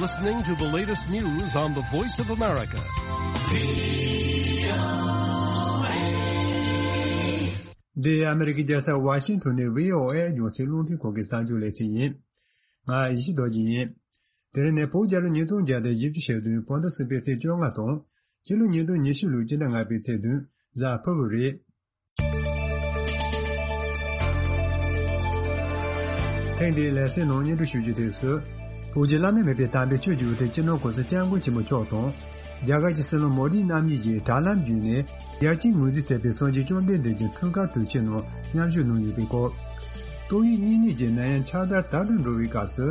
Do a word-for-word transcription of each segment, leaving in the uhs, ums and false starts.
Listening to the latest news on the Voice of America. འདི་ཨ་མི་རི་ཀའི་རྒྱལ་ས་ཝ་ཤིང་ཐོན་ནས་བྷི་ཨོ་ཨེ་རྒྱང་སྲིང་རླུང་འཕྲིན་ཁང་གི་གསར་འགྱུར་ལེ་ཚན་ཡིན། ང་ཡེ་ཤེས་རྡོ་རྗེ་ཡིན། དེ་རིང་ནི་བོད་རྒྱལ་ལོ་ཉིས་སྟོང་བརྒྱ་དང་བཞི་བཅུ་ཞེ་བདུན། བོད་ཟླ་གསུམ་པའི་ཚེས་བཅོ་ལྔ་དང་། སྤྱི་ལོ་ཉིས་སྟོང་ཉི་ཤུ་ལོའི་སྤྱི་ཟླ་ལྔ་པའི་ཚེས་བདུན་གཟའ་ཕུར་བུ་རེད། ཐེངས་འདིའི་ལེ་ཚན་ནང་སྙན་སྒྲོན་ཞུ་རྒྱུ་དེ་སུ། བོད་ཀྱི་བླ་ན་མེད་པའི་དམ་པའི་ཆོས་ཀྱི་དབུ་ཁྲིད་སྤྱི་ནོར་༸གོང་ས་༸སྐྱབས་མགོན་ཆེན་པོ་མཆོག་དང་། རྒྱ་གར་གྱི་སྲིད་བློན་མོ་དིའི་རྣམ་གཉིས་ཀྱིས་དྲ་ལམ་བརྒྱུད་ནས་ཡར་སྐྱེད་ངོས་འཛིན་མཛད་པའི་སངས་རྒྱས་བཅོམ་ལྡན་འདས་ཀྱི་འཁྲུངས་སྐར་དུས་ཆེན་ནང་མཉམ་ཞུགས་གནང་ཡོད་པའི་སྐོར། ཏོག་དབྱིབས་གཉན་ནད་ཀྱི་ནད་ཡམས་ཆར་ཟླ་དར་དུ་འགྲོ་བའི་སྐབས་སུ།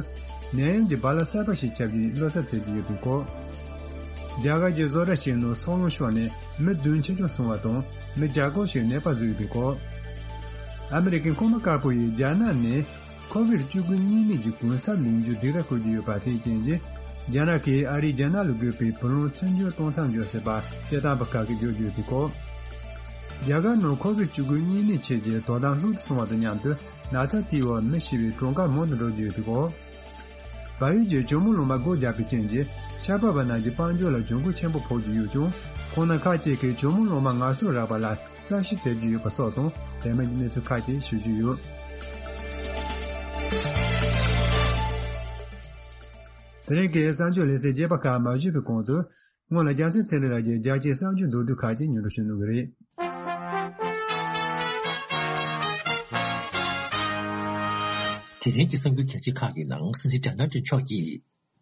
ནད་ཡམས་ཀྱི་རྦ་རླབས་གསར་པ་ཞིག་ཁྱབ་ཀྱིན་བློ་འཚབ་མཛད་ཀྱི་ཡོད་པའི་སྐོར། རྒྱ་གར་གྱི་བཟོ་གྲྭ་ཞིག་ནང་སྲོག་རླུང་ཤོར་ནས་མི་བདུན་འཆི་སྐྱོན་སོང་བ་དང་། མི་བརྒྱ་སྐོར་ཞིག་ནད་པ་བཟོས་ཡོད་པའི་སྐོར། ཨ་མི་རི་ཀའི་མཁོ་དམའ་དཀར་པོ་ཡིས་རྒྱ་ནག་ནས་ཁོ་བིད་བཅུ་དགུ་གཉན་ནད་ཀྱི་གུང་ཚབ་ལེན་རྒྱུ་སྡིགས་ར་བསྐུལ་གྱི་ཡོད་པ་དེའི་རྐྱེན་གྱིས། རྒྱ་ནག་གིས་ཨ་རིས་རྒྱ་ནག་ལ་དགོས་པའི་བུ་ལོན་ཚུར་འཇོག་གཏོང་མཚམས་འཇོག་སྲིད་པ་སྤྱི་བཏང་པ་ཁག་གིས་བརྗོད་ཀྱི་ཡོད་པའི་སྐོར། རྒྱ་གར་ནང་ཁོ་བིད་བཅུ་དགུ་གཉན་ནད་མཆེད་ཀྱི་དོ་དམ་ལྷུག་ཏུ་སོང་བ་དང་མཉམ་དུ་ན་ཚ་དེའི་འོག་མི་ཤི་བའི་གྲངས་ཀ་མང་དུ་འགྲོ་བཞིན་ཡོད་པའི་སྐོར། བལ་ཡུལ་གྱི་ཇོ་མོ་གླང་མ་སྒོ་བརྒྱབ་པའི་རྐྱེན་གྱིས་ཆར་པ་བ་རྣམས་ཀྱི་དཔལ་འབྱོར་ལ་གྱོང་གུན་ཆེན་པོ་ཕོག་བཞིན་ཡོད་ཀྱང་། ཁོང་རྣམས་ཁག་ཅིག་གིས་ཇོ་མོ་གླང་མ་ངལ་གསོ་རག་པ་ལ་གསར་ཞུ་མཛད་ཀྱི་ཡོད་པ་སོགས་དང་། རྗེས་མའི་གནས་ཚུལ་ཁག་ཅིག་ཞུ་རྒྱུ་ཡོད། དེ་རིང་གི་གསར་འགྱུར་ལེ་ཚན་རྒྱས་པ་ཁག་མ་ཞུས་པའི་གོང་དུ། སྔོན་ལ་རྒྱལ་སྲས་ཚེ་རིང་ལགས་ཀྱིས་རྒྱལ་སྤྱིའི་གསར་འགྱུར་མདོར་བསྡུས་ཁག་ཅིག་སྙན་སྒྲོན་ཞུ་གནང་གི་རེད། དེ་རིང་གི་གསར་འགྱུར་གལ་ཆེ་ཁག་གི་ནང་། སྲིད་འཛིན་ཌོ་ནལ་ཊམ་མཆོག་གིས་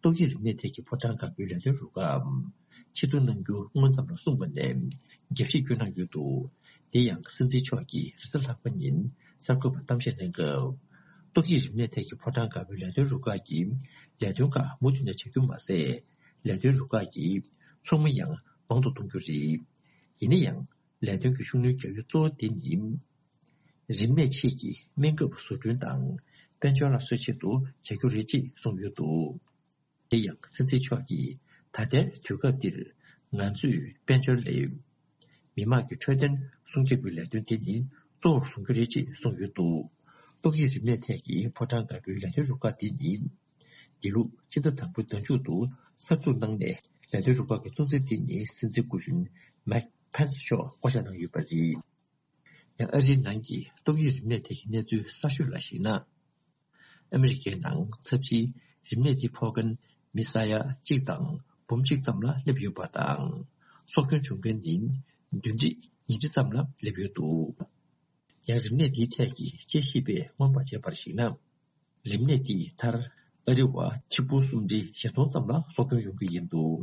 ཏོག་དབྱིབས་རིམས་ནད་ཐད་ཀྱི་ཕོ་བྲང་དཀར་པོའི་ལས་དོན་རུ་ཁག་ཕྱིར་བསྡུ་གནང་རྒྱུ་སྔོན་ཙམ་ལ་གསུངས་པ་ནས། རྒྱབ་བཤིག་བསྐྱོན་གནང་ཡོད་འདུག་དེ་ཡང་སྲིད་འཛིན་མཆོག་གིས་རེས་གཟའ་ལྷག་པ་ཉིན་གསར་འགོད་པར་གཏམ་བཤད་གནང་སྐབས། ཏོག་དབྱིབས་རིམས་ནད་ཐད་ཀྱི་ཕོ་བྲང་དཀར་པོའི་ལས་དོན་རུ་ཁག་གིས་ལས་དོན་ཁག་མུ་མཐུད་ནས་བྱ་རྒྱུ་མ་ཟད། ལས་དོན་རུ་ཁག་གི་ཚོགས་མི་ཡང་མང་དུ་གཏོང་རྒྱུ་རེད། ཡིན་ན་ཡང་། ལས་དོན་གྱི་ཤུགས་སྣོན་རྒྱག་ཡུལ་གཙོ་བོ་དེ་ནི། རིམས་ནད་མཆེད་ཀྱི་སྨན་ཁབ་བཟོ་སྐྲུན་དང་། དཔལ་འབྱོར་སླར་གསོའི་ཆེད་དུ་བྱ་རྒྱུ་རེད་ཅེས་གསུངས་ཡོད་འདུག་དེ་ཡང་སྲིད་འཛིན་མཆོག་གིས། ད་ལྟའི་དུས་སྐབས་འདིར། ང་ཚོས་དཔལ་འབྱོར་ལས། མི་དམངས་ཀྱི་འཕྲོད་བསྟེན་སྲུང་སྐྱོབ་ཀྱི་ལས་དོན་དེ་ནི་གཙོ་བོར་བཟུང་རྒྱུ་རེད་ཅེས་གསུངས་ཡོད་འདུག་ཏོག་དབྱིབས་རིམས་ནད་ཐད་ཀྱི་ཕོ་བྲང་དཀར་པོའི་ལས་དོན་རུ་ཁག་དེ་ནི། འདི་ལོ་སྤྱི་ཟླ་དང་པོའི་ཟླ་མཇུག་ཏུ་གསར་འཛུགས་གནང་ནས། ལས་དོན་རུ་ཁག་གི་གཙོ་འཛིན་དེ་ནི་སྲིད་འཛིན་སྐུ་གཞོན་མེག་ཕན་སི་མཆོག་བསྐོ་བཞག་གནང་ཡོད་པ་རེད། ཡང་ཨ་རིའི་ནང་གི་ཏོག་དབྱིབས་རིམས་ནད་ཐད་ཀྱི་གནས་ཚུལ་གསར་ཤོས་ལ་གཞིགས་ན། ཨ་མི་རི་ཀའི་ནང་ཚབས་ཆེའི་རིམས་ནད་འདི་ཕོག་མཁན་མི་ས་ཡ་གཅིག་དང་འབུམ་གཅིག་ཙམ་ལ་སླེབས་ཡོད་པ་དང་། སྲོག་སྐྱོན་བྱུང་མཁན་ནི་བདུན་ཁྲི་ཉིས་ཁྲི་ཙམ་ལ་སླེབས་ཡོད་འདུག་ཡང་རིམས་ནད་འདིའི་ཐད་ཀྱི་དཔྱད་ཞིབ་པས་སྔོན་དཔག་བྱས་པར་གཞིགས་ན། རིམས་ནད་འདིས་མཐར་ཨ་རི་བ་ཆིག་འབུམ་སུམ་ཁྲི་བཞི་སྟོང་ཙམ་ལ་སྲོག་སྐྱོན་ཡོང་གི་ཡིན་འདུག་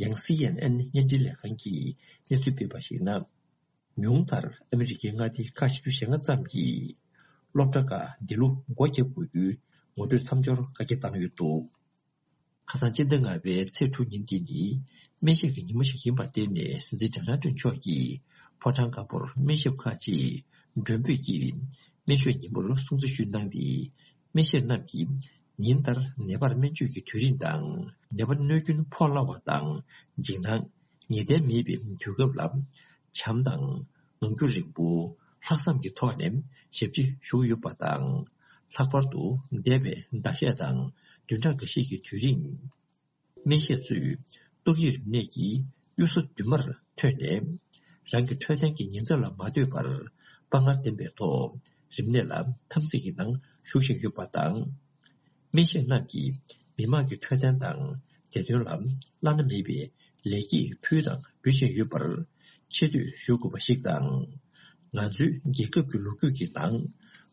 ཡང་སི་ཨེན་ཨེན་བརྙན་འཕྲིན་ལས་ཁང་གིས་གནས་ཚུལ་སྤེལ་བར་གཞིགས་ན། ཉུང་མཐར་ཨ་མི་རི་ཀའི་མངའ་སྡེ་ཁག་བཞི་བཅུ་ཞེ་ལྔ་ཙམ་གྱི་སློབ་གྲྭ་ཁག་འདི་ལོ་སྒོ་བརྒྱབ་དགོས་རྒྱུའི་ངོ་སྤྲོད་མཚམས་སྦྱོར་བཀའ་འཁྱེར་བཏང་ཡོད་འདུག་ཁ་སང་སྤྱི་ཟླ་ལྔ་པའི་ཚེས་དྲུག་ཉིན་འདི་ནི་སྨན་ཞབས་ཀྱི་ཉིན་མོ་ཞིག་ཡིན་པར་བརྟེན་ནས། སྲིད་འཛིན་ཌོ་ནལ་ཊམ་མཆོག་གིས་ཕོ་བྲང་དཀར་པོར་སྨན་ཞབས་ཁག་ཅིག་མགྲོན་འབོད་ཀྱིས་སྨན་ཞབས་ཉིན་མོར་སྲུང་བརྩི་ཞུས་གནང་སྟེ། སྨན་ཞབས་རྣམས་ཀྱིས་ཉིན་ལྟར་ནད་པར་སྨན་བཅོས་ཀྱི་དུས་རིམ་དང་། ནད་པ་གནོད་སྐྱོན་ཕོག་སླ་བ་དང་། འཇིགས་སྣང་ངེས་གཏན་མེད་པའི་དུས་སྐབས་ལ། བྱམས་དང་། ངང་རྒྱུད་རིང་པོ། ལྷག་བསམ་གྱི་ཐོག་ནས་ཞབས་ཕྱི་ཞུ་གི་ཡོད་པ་དང་། ལྷག་པར་དུ་འདས་པའི་ཟླ་ཤས་དང་བདུན་ཕྲག་འགའ་ཤས་ཀྱི་དུས་རིང་། སྨན་ཞབས་ཚོས་ཏོག་དབྱིབས་རིམས་ནད་ཀྱི་གཡུལ་ས་མདུན་མར་ཐོན་ནས། རང་གི་འཕྲོད་བསྟེན་གྱི་ཉེན་ཚབས་ལ་མ་ལྟོས་པར། དཔའ་ངར་ལྡན་པའི་ཐོག་རིམས་ནད་ལ་འཐབ་འཛིང་གི་ནང་ཞུགས་བཞིན་ཡོད་པ་དང་། སྨན་ཞབས་རྣམས་ཀྱིས་མི་དམངས་ཀྱི་འཕྲོད་བསྟེན་དང་བདེ་དོན་ལ་བླ་ན་མེད་པའི་ལེགས་སྐྱེས་ཕུལ་དང་འབུལ་བཞིན་ཡོད་པར་ཆེ་བསྟོད་ཞུ་དགོས་པ་ཞིག་དང་། ང་ཚོའི་རྒྱལ་ཁབ་ཀྱི་ལོ་རྒྱུས་ཀྱི་ནང་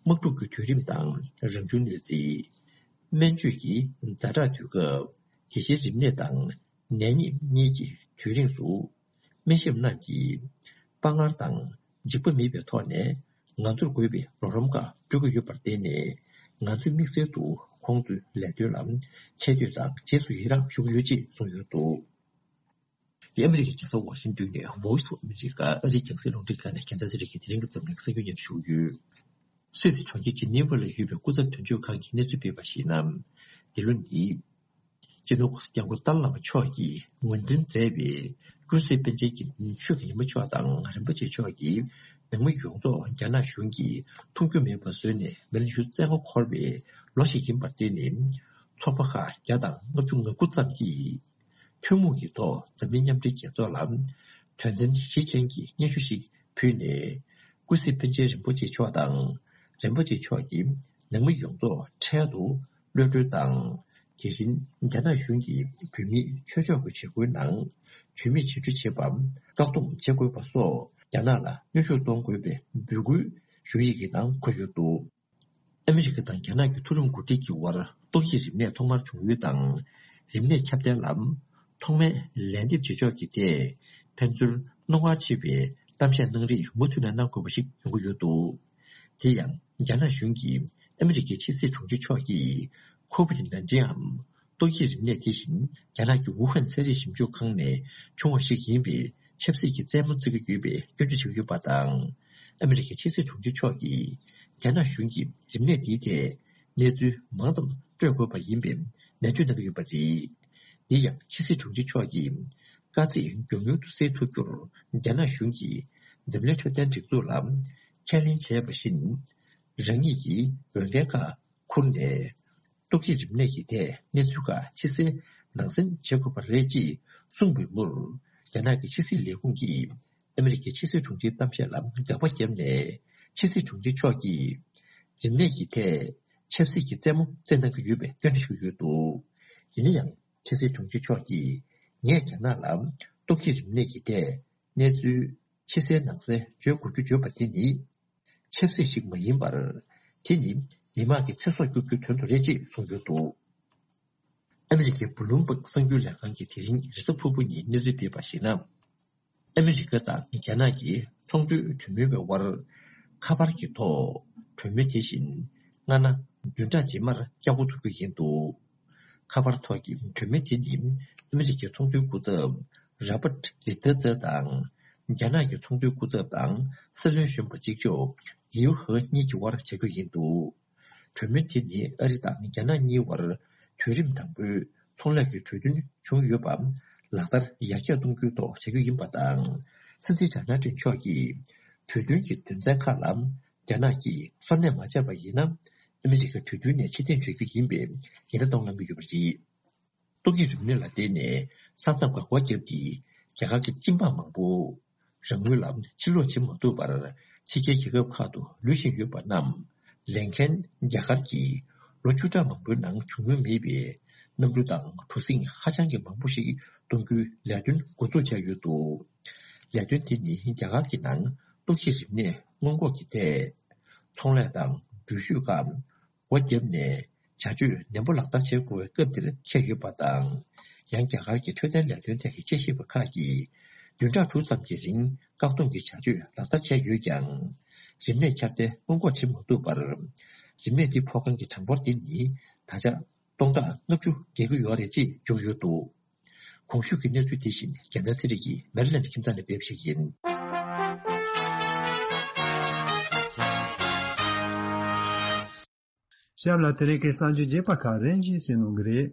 དམག་འཁྲུག་གི་དུས་རིམ་དང་རང་བྱུང་གནོད་འཚེ། སྨན་བཅོས་ཀྱི་ཛ་དྲག་དུས་སྐབས། དེ་བཞིན་རིམས་ནད་དང་ནད་ཉེན་གཉིས་ཀྱི་དུས་རིང་དུ། སྨན་ཞབས་རྣམས་ཀྱིས་དཔའ་ངར་དང་འཇིགས་པ་མེད་པའི་ཐོག་ནས་ང་ཚོར་དགོས་པའི་རོགས་རམ་ཁག་སྤྲོད་ཀྱི་ཡོད་པར་བརྟེན་ནས། ང་ཚོས་དམིགས་བསལ་དུ་ཁོང་ཚོའི་ལས་དོན་ལ་ཆེ་བསྟོད་དང་རྗེས་སུ་ཡི་རངས་ཞུ་གི་ཡོད་ཅེས་གསུངས་ཡོད་འདུག་དེ་ཨ་མི་རི་ཀའི་རྒྱལ་ས་ཝ་ཤིང་ཏོན་ནས་Voice of America ཨ་རིའི་རྒྱང་སྲིང་རླུང་འཕྲིན་ཁང་ནས་རྒྱལ་མཚན་ཚེ་རིང་གིས་དེ་རིང་གི་འཛམ་གླིང་གསར་འགྱུར་སྙན་སྒྲོན་ཞུ་གི་ཡོད། སུད་སི་གྲོང་ཁྱེར་ཇི་ནི་ཝ་ལ་ཡོད་པའི་སྐུ་ཚབ་དོན་གཅོད་ཁང་གིས་གནས་ཚུལ་སྤེལ་བར་གཞིགས་ན། འདི་ལོ་ནི། སྤྱི་ནོར་༸གོང་ས་༸སྐྱབས་མགོན་ཏཱ་ལའི་བླ་མ་མཆོག་གིས་ངོས་འཛིན་མཛད་པའི་ཀུན་གཟིགས་པཎ་ཆེན་གྱི་ཆོས་ཀྱི་ཉི་མ་མཆོག་དང་རིན་པོ་ཆེ་མཆོག་གིས་ནང་མི་ཡོངས་རྫོགས་རྒྱ་ནག་གཞུང་གིས་མཐོང་རྒྱུ་མེད་པ་བཟོས་ནས་མི་ལོ་ཉི་ཤུ་རྩ་ལྔ་འཁོར་བའི་ལོ་ཞིག་ཡིན་པར་བརྟེན་ནས། ཚོགས་པ་ཁག་བརྒྱ་དང་ལྔ་བཅུ་ང་དགུ་ཙམ་གྱིས་ཐུན་མོང་གི་ཐོག་འཛམ་གླིང་མཉམ་འབྲེལ་རྒྱལ་ཚོགས་ལ་དོན་ཚན་བཞི་ཅན་གྱི་སྙན་ཞུ་ཞིག་ཕུལ་ནས། ཀུན་གཟིགས་པཎ་ཆེན་རིན་པོ་ཆེ་མཆོག་དང་། རིན་པོ་ཆེ་མཆོག་གིས་ནང་མི་ཡོངས་རྫོགས་འཕྲལ་དུ་གློད་གྲོལ་དང་། དེ་བཞིན་རྒྱ་ནག་གཞུང་གིས་བོད་མིའི་ཆོས་ཕྱོགས་ཀྱི་བྱེད་སྒོའི་ནང་ཇུས་མེད་བྱེད་སྤྲོད་བྱེད་པར་བཀག་སྡོམ་བྱེད་དགོས་པ་སོགས་རྒྱ་ནག་ལ་གནོན་ཤུགས་གཏོང་དགོས་པའི་འབོད་སྐུལ་ཞུ་ཡིག་གི་ནང་འཁོད་ཡོད་འདུག། ཨ་མི་རི་ཀ་དང་རྒྱ་ནག་གི་མཐོ་རིམ་འགོ་ཁྲིད་ཀྱི་དབར་ཏོག་དབྱིབས་རིམས་ནད་ཐོག་མར་བྱུང་ཡུལ་དང་། རིམས་ནད་ཁྱབ་གདལ་ལ་ཐོག་མའི་ལན་འདེབས་བྱེད་ཕྱོགས་ཀྱི་ཐད་ཕན་ཚུན་རྣོ་ངར་ཆེ་བའི་གཏམ་བཤད་གནང་རེས་མུ་མཐུད་ནས་གནང་དགོས་པ་ཞིག་ཡོང་གི་ཡོད་འདུག། དེ་ཡང་རྒྱ་ནག་གཞུང་གིས་ཨ་མི་རི་ཀའི་ཕྱི་སྲིད་དྲུང་ཆེ་མཆོག་གིས་ཁོ་ཝིད་ནན་ཏིན་འམ་ཏོག་དབྱིབས་རིམས་ནད་དེ་བཞིན་རྒྱ་ནག་གི་ཝུ་ཧན་ཚན་རིག་ཞིབ་འཇུག་ཁང་ནས་བྱུང་བ་ཞིག་ཡིན་པའི་ཆབ་སྲིད་ཀྱི་རྩེད་མོ་རྩེ་གི་ཡོད་པའི་སྐྱོན་བརྗོད་བྱེད་ཀྱི་ཡོད་པ་དང་། ཨ་མི་རི་ཀའི་ཕྱི་སྲིད་དྲུང་ཆེ་མཆོག་གིས་རྒྱ་ནག་གཞུང་གིས་རིམས་ནད་འདིའི་ཐད་གནས་ཚུལ་མང་ཙམ་སྤྲོད་དགོས་པ་ཡིན་པའི་ནན་བརྗོད་གནང་གི་ཡོད་པ་རེད། འདི་ཡང་ཕྱི་སྲིད་དྲུང་ཆེ་མཆོག་གིས་དཀའ་ཚེགས་མགྱོགས་མྱུར་དུ་སེལ་ཐུབ་རྒྱུར་རྒྱ་ནག་གཞུང་གིས་འཛམ་གླིང་འཕྲོད་བསྟེན་སྒྲིག་འཛུགས་ལ་ཁས་ལེན་བྱས་པ་བཞིན། རང་ཉིད་ཀྱིས་འོས་འགན་ཁག་འཁུར་ནས། ཏོག་དབྱིབས་རིམས་ནད་ཀྱི་ཐད་གནས་ཚུལ་ཁག་ཕྱི་གསལ་ནང་གསལ་བྱེད་དགོས་པ་རེད་ཅེས་གསུངས་པའི་མུར། རྒྱ་ནག་གི་ཕྱི་སྲིད་ལས་ཁུངས་ཀྱིས་ཨ་མི་རི་ཀའི་ཕྱི་སྲིད་དྲུང་ཆེའི་གཏམ་བཤད་ལ་དགག་པ་བརྒྱབ་ནས། ཕྱི་སྲིད་དྲུང་ཆེ་མཆོག་གིས་རིམས་ནད་ཀྱི་ཐད་ཆབ་སྲིད་ཀྱི་རྩེད་མོ་རྩེ་གནང་གི་ཡོད་པའི་སྐྱོན་བརྗོད་ཞུ་གི་ཡོད་འདུག། ཡིན་ན་ཡང་ཕྱི་སྲིད་དྲུང་ཆེ་མཆོག་གིས་ངས་རྒྱ་ནག་ལ་ཏོག་དབྱིབས་རིམས་ནད་ཀྱི་ཐད་གནས་ཚུལ་ཕྱི་གསལ་ནང་གསལ་བརྗོད་དགོས་རྒྱུ་བརྗོད་པ་དེ་ནི། ཆབ་སྲིད་ཞིག་མ་ཡིན་པར། དེ་ནི་མི་དམངས་ཀྱི་ཚེ་སྲོག་སྐྱོབ་རྒྱུའི་དོན་དུ་རེད་ཅེས་གསུངས་ཡོད་འདུག། ཨ་མི་རི་ཀའི་བྷུ་ལུམ་བྷག་གསར་འགྱུར་ལས་ཁང་གིས་དེ་རིང་རེས་གཟའ་ཕུར་བུ་ཉིན་གནས་ཚུལ་སྤེལ་བར་གཞིགས་ན། ཨ་མི་རི་ཀ་དང་རྒྱ་ནག་གི་ཚོང་དོན་གྲོས་མོལ་བའི་དབར། ཁ་པར་གྱི་ཐོག་གྲོས་མོལ་དེ་བཞིན་སྔ་ན་བདུན་ཕྲག་རྗེས་མར་བསྐྱལ་འགོ་ཚུགས་རྒྱུ་ཡིན་འདུག། ཁ་པར་ཐོག་གི་གྲོས་མོལ་དེ་ནི་ཨ་མི་རི་ཀའི་ཚོང་དོན་སྐུ་ཚབ་རོ་བྷར་ཊི་ལི་ཏེ་ཙེ་དང་། རྒྱ་ནག་གི་ཚོང་དོན་སྐུ་ཚབ་དང་སྲིད་བློན་གཞོན་པ་གཅིག་ལྕོགས་ལིའུ་ཧེ་གཉིས་ཀྱི་དབར་བྱ་རྒྱུ་ཡིན་འདུག། གྲོས་མོལ་དེ་ནི་ཨ་རི་དང་རྒྱ་ནག་གཉིས་དབར་དུས་རིམ་དང་པོའི་ཚོང་ལས་ཀྱི་གྲོས་མཐུན་བྱུང་ཡོད་པ་ལག་བསྟར་ཡར་རྒྱས་གཏོང་རྒྱུའི་ཐོག་བྱ་རྒྱུ་ཡིན་པ་དང་། སྲིད་འཛིན་ཇོ་ནལ་ཏྲམ་མཆོག་གིས་གྲོས་མཐུན་གྱི་དོན་ཚན་ཁག་ལ། རྒྱ་ནག་གིས་སོར་གནས་མ་བྱས་པ་ཡིན་ན། ཨ་མི་རི་ཀ་གྲོས་མཐུན་ནས་ཕྱིར་འཐེན་བྱ་རྒྱུ་ཡིན་པའི་ཉེན་བརྡ་གཏོང་གནང་གི་ཡོད་པ་རེད། ཏོག་དབྱིབས་རིམས་ནད་ལ་བརྟེན་ནས་ས་མཚམས་སྒང་སྒོ་བརྒྱབ་སྟེ། རྒྱ་གར་གྱི་སྤྱི་འབངས་མང་པོ་རང་ངོས་ལ་ཕྱིར་ལོག་བྱེད་མ་ཐུབ་པར་ཕྱི་རྒྱལ་རྒྱལ་ཁབ་ཁག་ཏུ་ལུས་བཞིན་ཡོད་པ་རྣམས་ལེན་མཁན་རྒྱ་གར་གྱིས་ལོ་བཅུ་ཕྲག་མང་པོའི་ནང་བྱུང་མྱོང་མེད་པའི་གནམ་གྲུ་དང་གྲུ་གཟིངས་ཧ་ཅང་གི་མང་པོ་ཞིག་གཏོང་རྒྱུའི་ལས་དོན་འགོ་འཛུགས་བྱས་ཡོད་འདུག། ལས་དོན་དེ་ནི་རྒྱ་གར་གྱི་ནང་ཏོག་དབྱིབས་རིམས་ནད་སྔོན་འགོག་གི་ཐད་ཚོང་ལས་དང་འགྲུལ་བཞུད་ཁག་སྒོ་བརྒྱབ་ནས་བྱ་སྤྱོད་ནན་པོ་ལག་བསྟར་བྱེད་དགོས་པའི་སྐབས་འདིར་འཁེལ་ཡོད་པ་དང་། ཡང་རྒྱ་གར་གྱི་འཕྲོད་བསྟེན་ལས་དོན་ཐད་ཀྱི་དཔྱད་ཞིབ་པ་ཁག་གིས་བདུན་ཕྲག་དྲུག་ཙམ་གྱི་རིང་བཀག་སྡོམ་གྱི་བྱ་སྤྱོད་ལག་བསྟར་བྱས་ཡོད་ཀྱང་། རིམས་ནད་ཁྱབ་གདལ་སྔོན་འགོག་བྱེད་མ་ཐུབ་པར། རིམས་ནད་འདི་ཕོག་མཁན་གྱི་གྲངས་འབོར་དེ་ནི་ད་ཆ་སྟོང་ཕྲག་ལྔ་བཅུ་བརྒལ་གྱི་ཡོད་རེད་ཅེས་བརྗོད་ཡོད་འདུག། གོང་ཞུས་ཀྱི་གནས་ཚུལ་དེ་བཞིན་རྒྱལ་མཚན་ཚེ་རིང་གིས་མེ་རི་ལེན་ཁྱིམ་ཚང་ནས་སྤེལ་བ་ཞིག་ཡིན། ཞབས་ལ་དེ་རིང་གི་གསར་འགྱུར་རྒྱས་པ་ཁག་རིམ་བཞིན་གསན་གནང་གི་རེད།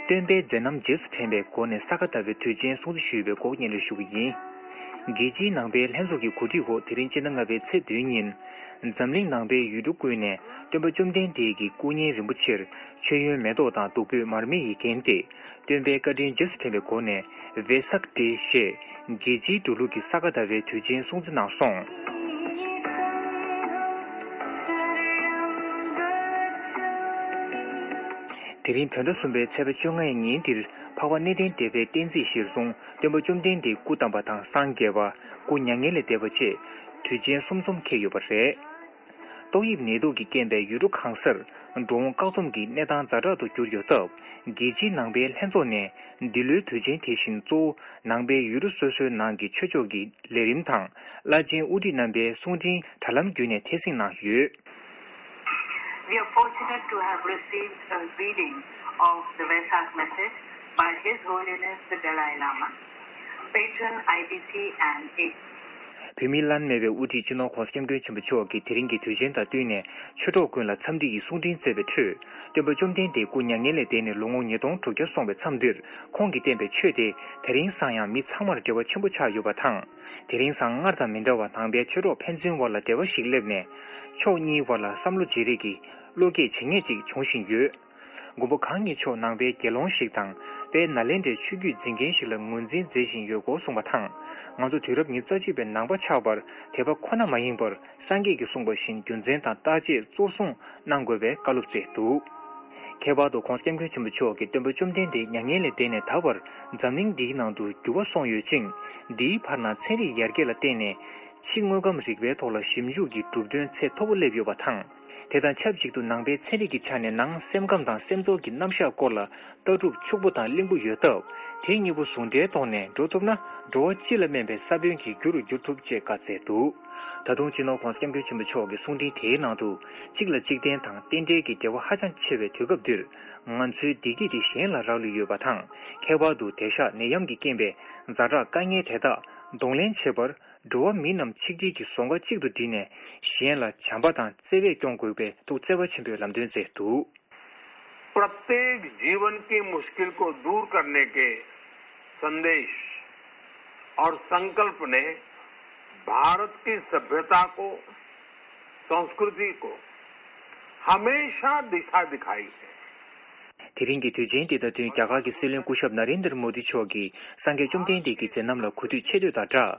སྟོན་པའི་མཛད་རྣམ་རྗེས་སུ་དྲན་པའི་སྒོ་ནས་ས་ག་ཟླ་བའི་དུས་ཆེན་སྲུང་བརྩི་ཞུས་པའི་སྐོར་སྙན་སྒྲོན་ཞུ་གི་ཡིན། རྒྱལ་སྤྱིའི་ནང་པའི་ལྷན་ཚོགས་ཀྱི་གོ་སྒྲིག་འོག་དེ་རིང་སྤྱི་ཟླ་ལྔ་པའི་ཚེས་བདུན་ཉིན། འཛམ་གླིང་ནང་པའི་ཡུལ་གྲུ་ཀུན་ནས་སྟོན་པ་བཅོམ་ལྡན་འདས་ཀྱི་སྐུ་བརྙན་རིན་པོ་ཆེར་མཆོད་ཡོན་མེ་ཏོག་དང་བདུག་སྤོས་མར་མེ་ཡིས་བརྒྱན་ཏེ། སྟོན་པའི་བཀའ་དྲིན་རྗེས་སུ་དྲན་པའི་སྒོ་ནས་ཝེ་སག་ཌེ་ཞེས་རྒྱལ་སྤྱིའི་འགྲོ་ལུགས་ཀྱི་ས་ག་ཟླ་བའི་དུས་ཆེན་སྲུང་བརྩི་གནང་སོང་། དེ་རིང་བོད་ཟླ་གསུམ་པའི་ཚེས་པ་བཅོ་ལྔའི་ཉིན་འདིར་འཕགས་པ་གནས་བརྟན་སྡེ་པའི་བསྟན་རྩིས་གཞིར་བཟུང་སྟོན་པ་བཅོམ་ལྡན་འདས་སྐུ་བལྟམས་པ་དང་སངས་རྒྱས་པ། སྐུ་མྱ་ངན་ལས་འདས་པ་བཅས་དུས་ཆེན་གསུམ་འཛོམས་འཁེལ་ཡོད་པ་རེད། ཏོག་དབྱིབས་ནད་དུག་གི་རྐྱེན་པས་ཡུལ་གྲུ་གང་སར་འགྲོ་འོང་བཀག་སྡོམ་གྱི་གནས་སྟངས་ཛ་དྲག་ཏུ་གྱུར་ཡོད་སྟབས། རྒྱལ་སྤྱིའི་ནང་པའི་ལྷན་ཚོགས་ནས་འདི་ལོའི་དུས་ཆེན་དེ་བཞིན་གཙོ་བོ་ནང་པའི་ཡུལ་གྲུ་སོ་སོའི་ནང་གི་ཆོས་ཕྱོགས་ཀྱི་ལས་རིམ་དང་བླ་ཆེན་དབུ་ཁྲིད་རྣམ་པའི་གསུང་འཕྲིན་དྲ་ལམ་བརྒྱུད་ནས་ཐད་སྲིང་གནང་ཡོད། We are fortunate to have received a reading of the Vesak message by His Holiness the Dalai Lama, patron I B C and A. བོད་མིའི་བླ་ན་མེད་པའི་དབུ་ཁྲིད་སྤྱི་ནོར་༧གོང་ས་༧སྐྱབས་མགོན་ཆེན་པོ་མཆོག་གིས་དེ་རིང་གི་དུས་ཆེན་དང་བསྟུན་ནས་ཆོས་གྲོགས་ཀུན་ལ་འཚམས་འདྲི་ཡི་གསུང་འཕྲིན་བསྩལ་བའི་ཁྲོད། སྟོན་པ་བཅོམ་ལྡན་འདས་སྐུ་མྱ་ངན་ལས་འདས་ནས་ལོ་ངོ་ཉིས་སྟོང་དྲུག་བརྒྱ་སོང་བའི་མཚམས་འདིར། ཁོང་གིས་བསྟན་པའི་ཆོས་དེ་དེ་རིང་སང་ཡང་མི་ཚང་མར་འབྲེལ་བ་ཆེན་པོ་ཆགས་ཡོད་པ་དང་། དེ་རིང་སང་སྔར་དང་མི་འདྲ་བར་ནང་པའི་ཆོས་གྲོགས་ཕན་ཚུན་བར་ལ་འབྲེལ་བ་ཞིག་སླེབས་ནས། ཕྱོགས་གཉིས་བར་ལ་བསམ་བློ་བརྗེ་རེས་ཀྱི་ བློ་སྐྱེད་བྱེད་མཁན་ཅིག་འབྱུང་བཞིན་ཡོད། མགོན་པོ་གང་ཉིད་མཆོག་ནང་པའི་དགེ་སློང་ཞིག་དང་། དཔལ་ནཱ་ལེནྡྲའི་ཆོས་བརྒྱུད་འཛིན་མཁན་ཞིག་ལ་ངོས་འཛིན་མཛད་བཞིན་ཡོད་སྐོར་གསུངས་པ་དང་། ང་ཚོ་དུས་རབས་ཉི་ཤུ་རྩ་གཅིག་པའི་ནང་པ་ཆགས་པར་དད་པ་ཁོ་ན་མ་ཡིན་པར། སངས་རྒྱས་ཀྱིས་གསུངས་པ་བཞིན་རྒྱུ་མཚན་དང་བརྟག་དཔྱད་གཙོར་བཟུང་གནང་དགོས་པའི་བཀའ་སློབ་སྩལ་འདུག་ཁྱད་པར་དུ་༸གོང་ས་༸སྐྱབས་མགོན་ཆེན་པོ་མཆོག་གིས་སྟོན་པ་བཅོམ་ལྡན་འདས་མྱ་ངན་ལས་འདས་ནས་ད་བར་འཛམ་གླིང་འདིའི་ནང་དུ་འགྱུར་བ་སོང་ཡོད་ཅིང་། འདིའི་བར་ན་ཚན་རིག་ཡར་རྒྱས་ལ་བརྟེན་ནས་ཕྱི་དངོས་ཁམས་རིག་པའི་ཐོག་ལ་ཞིབ་འཇུག་གི་གྲུབ་དོན་ཚད་མཐོ་པོ་སླེབས་ཡོད་པ་དང་། དེ་དང་ཆབས་ཅིག་ཏུ་ནང་པའི་ཚན་རིག་གི་ཆ་ནས་ནང་སེམས་ཁམས་དང་སེམས་ཚོར་གྱི་རྣམ་གཞག་སྐོར་ལ་ལྟ་གྲུབ་ཕྱུག་པོ་དང་བརླིང་པོ་ཡོད་སྟབས། དེ་གཉིས་པོ་ཟུང་འབྲེལ་ཐོག་ནས་འགྲོ་ཐུབ་ན། འགྲོ་བ་སྤྱི་ལ་སྨན་པའི་ས་བོན་གྱི་རྒྱུ་རུ་འགྱུར་ཐུབ་ཅེས་བཀའ་སྩལ་འདུག་ད་དུང་སྤྱི་ནོར་༸གོང་ས་༸སྐྱབས་མགོན་ཆེན་པོ་མཆོག་གི་གསུང་འཕྲིན་དེའི་ནང་དུ། གཅིག་ལ་གཅིག་བརྟེན་དང་རྟེན་འབྲེལ་གྱི་འབྲེལ་བ་ཧ་ཅང་ཆེ་བའི་དུས་སྐབས་འདིར། ང་ཚོའི་བདེ་སྐྱིད་དེ་གཞན་ལ་རག་ལུས་ཡོད་པ་དང་། ཁྱད་པར་དུ་དེང་ཞག་ནད་ཡམས་ཀྱིས་རྐྱེན་པས་ཛ་དྲག་དཀའ་ངལ་དེ་དག་གདོང་ལེན་བྱེད་པར། འགྲོ་བ་མི་རྣམས་ཆིག་སྒྲིལ་གྱི་ཟོང་ཁ་གཅིག་ཏུ་བསྒྲིལ་ནས། གཞན་ལ་བྱམས་པ་དང་བརྩེ་བས་སྐྱོང་དགོས་པའི་ཐུགས་བརྩེ་བ་ཆེན་པོས་ལམ་སྟོན་མཛད་འདུག प्रत्येक जीवन की मुश्किल को दूर करने के संदेश और संकल्प ने भारत की सभ्यता को, संस्कृति को हमेशा दिशा दिखाई है। དེ་རིང་གི་དུས་ཆེན་འདི་དང་བསྟུན། རྒྱ་གར་གྱི་སྲིད་བློན་སྐུ་ཞབས་ན་རེན་དར་མོ་དི་མཆོག་གིས་སངས་རྒྱས་བཅོམ་ལྡན་འདས་ཀྱི་མཛད་རྣམ་ལ་གུས་འདུད་ཆེ་བསྟོད་དང་སྦྲགས།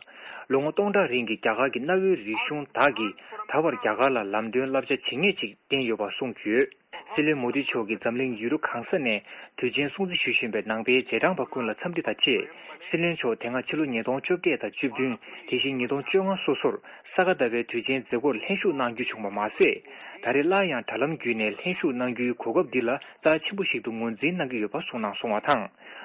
ལོ་ངོ་སྟོང་ཕྲག་རིང་གི་རྒྱ་གར་གྱི་གནའ་བོའི་རིག་གཞུང་དག་གིས་ད་བར་རྒྱ་གར་ལ་ལམ་སྟོན་བསླབ་བྱ་ཇི་སྙེད་ཅིག་བསྟན་ཡོད་པ་གསུངས་ཡོད། སྲིད་བློན་མོ་དི་མཆོག་གིས་འཛམ་གླིང་ཡུལ་གྲུ་གང་ས་ནས་དུས་ཆེན་སྲུང་བརྩི་ཞུ་བཞིན་པའི་ནང་པའི་རྗེས་འབྲང་པ་ཀུན་ལ་འཚམས་འདྲི་དང་བཅས། སྲིད་བློན་མཆོག་དེ་སྔ་ཕྱི་ལོ་ཉིས་སྟོང་བཅོ་བརྒྱད་དང་བཅུ་བདུན། དེ་བཞིན་ཉིས་སྟོང་བཅོ་ལྔ་སོ་སོར་ས་ག་ཟླ་བའི་དུས་ཆེན་མཛད་སྒོར་ལྷན་ཞུགས་གནང་རྒྱུ་བྱུང་བ་མ་ཟད། ད་རེས་སླར་ཡང་དྲ་ལམ་བརྒྱུད་ནས་ལྷན་ཞུགས་གནང་རྒྱུའི་གོ་སྐབས་འདི་ལ་རྩ་ཆེན་པོ་ཞིག་ཏུ་ངོས་འཛིན་གནང་གི་ཡོད་པ་གསུངས་གནང་སོང་བ་དང་།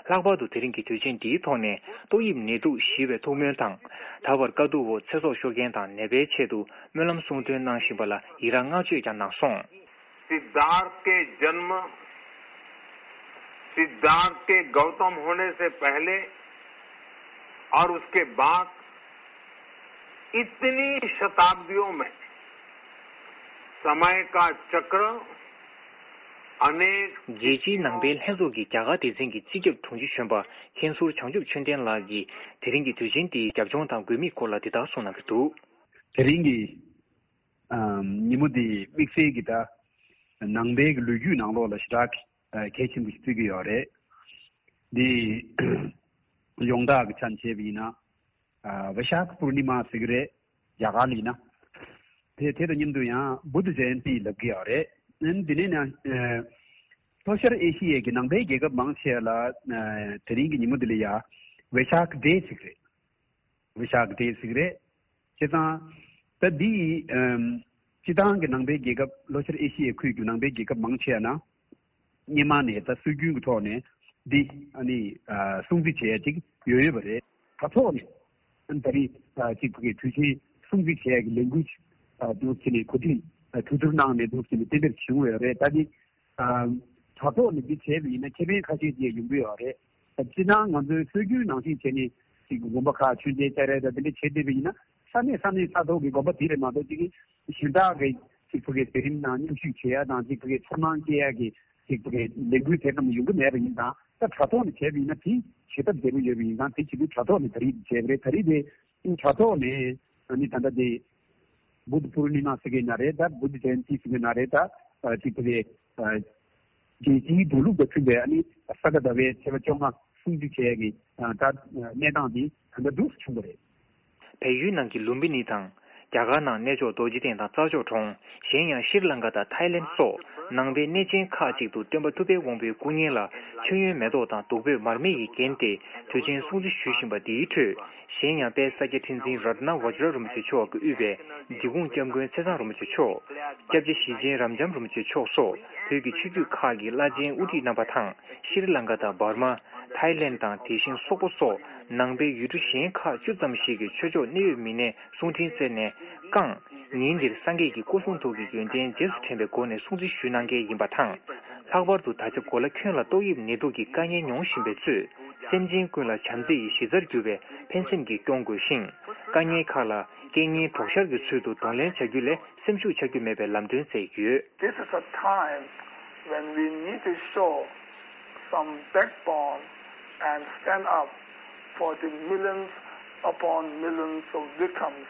ལྷག་པར་དུ་དེ་རིང་གི་དུས་ཆེན་འདིའི་ཐོག་ནས་ཏོག་དབྱིབས་ནད་དུག་ཞི་བའི་ཐུགས་སྨོན་དང་། ད་བར་དཀའ་སྡུག་འོག་ཚེ་སྲོག་ཤོར་མཁན་དང་ནད་པའི་ཆེད་དུ་སྨོན་ལམ་གསུང་འདོན་གནང་བཞིན་པ་ལ་ཡི་རངས་བསྔགས་བརྗོད་ཀྱང་གནང་སོང་། सिद्धार्थ के जन्म, सिद्धार्थ के गौतम होने से पहले और उसके बाद इतनी शताब्दियों में समय का चक्र अनेक རྒྱལ་སྤྱིའི་ནང་པའི་ལྷན་ཚོགས་ཀྱིས་རྒྱ་གར་སྡེ་ཚན་གྱི་སྤྱི་ཁྱབ་དྲུང་ཆེ་གཞོན་པ་མཁན་ཟུར་བྱང་ཆུབ་ཆོས་ལྡན་ལགས་ཀྱིས་དེ་རིང་གི་དུས་ཆེན་འདིའི་རྒྱབ་ལྗོངས་དང་དགོས་དམིགས་སྐོར་ལ་འདི་ལྟར་གསུངས་གནང་གི་འདུག་དེ་རིང་གི་ཉིན་མོ་འདི་དམིགས་བསལ་གྱི་ད་ནང་པའི་གི་ལོ་རྒྱུས་ནང་ལོགས་ལ་ཞེ་དྲག་གི་གལ་ཆེན་པོ་ཞིག་བརྩི་གི་ཡོད་རེད། འདི་ཡོངས་གྲགས་ཀྱི་ཆ་ནས་བྱས་པ་ཡིན་ན། ཨ་ཝི་ཤ་ཁ་པུར་ནི་མ་ཟེར་གི་རེད། རྒྱ་གར་ལ་ཡིན་ན། དེ་དེ་དང་མཉམ་དུ་ཡང་བུདྡྷ་ཇ་ཡན་ཏི་ལབ་གི་ཡོད་རེད། ཨ་ནི་འདི་ནས་ན་ལྷོ་ཤར་ཨེ་ཤི་ཡའི་གི་ནང་པའི་རྒྱལ་ཁབ་མང་ཆེ་ལ་དེ་རིང་གི་ཉིན་མོ་འདི་ལ་ཡ་ཝི་ཤ་ཁ་ཌེ་ཟེར་གི་རེད། ཝི་ཤ་ཁ་ཌེ་ཟེར་གི་རེད། བྱས་ཙང་། ད་འདི་ཡི་ཨམ། སྤྱི་བཏང་གི་ནང་པའི་རྒྱལ་ཁབ་ལྷོ་ཤར་ཨེ་ཤི་ཡའི་ཁུལ་གྱི་ནང་པའི་རྒྱལ་ཁབ་མང་ཆེ་ན། སྔོན་མ་ནས་ད་སྲོལ་རྒྱུན་གྱི་ཐོག་ནས་འདི་ཨ་ནི་ཨ་སྲུང་བརྩི་བྱེད་ཡ་ཅིག་ཡོད་ཡོད་པ་རེད། དྲ་ཐོག་ནས་ཨ་ནི་ད་རེས་ཨ་ཅིག་ཕ་གིའི་དུས་ཆེན་སྲུང་བརྩི་བྱེད་ཡ་གི་ལས་འགུལ་ཨ་འདུག་བྱས་ནས་གོ་སྒྲིག་ཨ་གྲོས་བསྡུར་གནང་ནས་འདུག་བྱས་ནས་གཏན་འབེབས་བྱུང་ཡོད་རེད། ད་འདི་ཨ་དྲ་ཐོག་ནས་འདི་བྱས་པ་ཡིན་ན་ཁེ་ཕན་ཁ་ཤས་ཅིག་ཡོང་གི་ཡོད་རེད། ད་སྤྱིར་བཏང་ང་ཚོའི་སྲོལ་རྒྱུན་ནང་བཞིན་བྱས་ནས་ཅིག་དགོན་པ་ཁག་མཆོད་མཇལ་བཅར་ཡ་ད་འདི་འདྲ་བྱེད་བསྡད་པ་ཡིན་ན། ས་གནས་ས་གནས་ས་ཐོག་གི་དགོན་པ་དེ་རེད་མ་གཏོགས་ཅིག་གཞན་དག་གི་ཅིག་ཕ་གིའི་མཛད་རིམ་ནང་མཉམ་ཞུགས་བྱེད་ཡ་དང་ཅིག་ཕ་གིའི་ཚོར་སྣང་སྐྱེ་ཡ་གི་ཅིག་ཕ་གིའི་ལས་འགུལ་དེ་ཙམ་ཡོང་གི་མེད་པ་ཡིན་ཙང་ད་དྲ་ཐོག་ནས་བྱས་པ་ཡིན་ན་དེ་བྱེད་ཐབས་བདེ་པོ་ཡོད་པ་ཡིན་ཙང་དེ་བྱེད་དུས་དྲ་ཐོག་ནས་ད་རེས་བྱས་པ་རེད། ད་རེས་དེ་དྲ་ཐོག་ནས་ཨ་ནི་ད་ལྟ་དེ་བུདྡྷ་པུར་ནི་མ་ཟེར་གི་ན་རེད། ད་བུདྡྷ་ཇ་ཡན་ཏི་ཟེར་གི་ན་རེད། ད་ཅིག་ཕ་གིའི་རྒྱལ་སྤྱིའི་འགྲོ་ལུགས་དང་མཐུན་པའི་ཨ་ནི་ས་ག་ཟླ་བའི་ཚེས་པ་བཅོ་ལྔ་སྲུང་བརྩི་བྱས་ཀྱི་ད་གནས་སྟངས་འདི་ད་ལྟ་འདུག་སེ་བྱུང་བ་རེད། བལ་ཡུལ་ནང་གི་ལུམ་བི་ནི་དང་། རྒྱ་གར་ནང་གནས་མཆོག་རྡོ་རྗེ་གདན་དང་རྩྭ་མཆོག་གྲོང་། གཞན་ཡང་ཤྲི་ལང་ཀ་དང་ཐའི་ལེན་སོགས་ནང་པའི་གནས་ཆེན་ཁག་ཅིག་ཏུ་སྟོན་པ་ཐུབ་པའི་དབང་པོའི་སྐུ་བརྙན་ལ་མཆོད་ཡོན་མེ་ཏོག་དང་བདུག་སྤོས་མར་མེ་ཡིས་བརྒྱན་ཏེ་དུས་ཆེན་སྲུང་བརྩི་ཞུ་བཞིན་པ་འདིའི་ཁྲོད། གཞན་ཡང་དཔལ་ས་སྐྱ་ཁྲི་འཛིན་རཏྣ་བཛྲ་རིན་པོ་ཆེ་མཆོག་གིས་དབུས་པའི་འབྲི་གུང་སྐྱབས་མགོན་ཚེ་བཟང་རིན་པོ་ཆེ་མཆོག་སྐྱབས་རྗེ་ཞེ་ཆེན་རབ་འབྱམས་རིན་པོ་ཆེ་མཆོག་སོགས་བོད་ཀྱི་ཆོས་བརྒྱུད་ཁག་གི་བླ་ཆེན་དབུ་ཁྲིད་རྣམ་པ་དང་། ཤྲི་ལང་ཀ་དང་འབར་མ། ཐའི་ལེན་དང་དེ་བཞིན་སོག་པོ་སོགས་ནང་པའི་ཡུལ་གྲུ་གཞན་ཁག་བཅུ་ཙམ་ཞིག་གི་ཆོས་ཕྱོགས་གནད་ཡོད་མི་སྣས་གསུང་འཕྲིན་བསྩལ་ནས་བསྐངས། ཉིན་འདིར་སངས་རྒྱས་ཀྱི་སྐུ་གསུང་ཐུགས་ཀྱི་ཡོན་ཏན་རྗེས་སུ་དྲན་པའི་སྒོ་ནས་སྲུང་བརྩི་ཞུ་གནང་གལ་ཡིན་པ་དང་། ལྷག་པར་དུ་ད་ཆ་གོ་ལ་ཁྱོན་ལ་ཏོག་དབྱིབས་ནད་དུག་གི་དཀའ་ངལ་མྱོང་བཞིན་པའི་གཙོས། སེམས་ཅན་ཀུན་ལ་བྱམས་བརྩེ་ཡི་གཞི་རྩར་གྱུར་པའི་ཕན་སེམས་ཀྱིས་སྐྱོང་དགོས་ཤིང་། དཀའ་ངལ་ཁག་ལ་རྐྱེན་ངན་གྲོགས་ཤར་གྱི་ཚུལ་དུ་གདོང་ལེན་བྱ་རྒྱུ་ལས་སེམས་ཤུགས་ཆག་རྒྱུ་མེད་པའི་ལམ་སྟོན་མཛད་ཡོད། This is a time when we need to show some backbone and stand up for the millions upon millions of victims.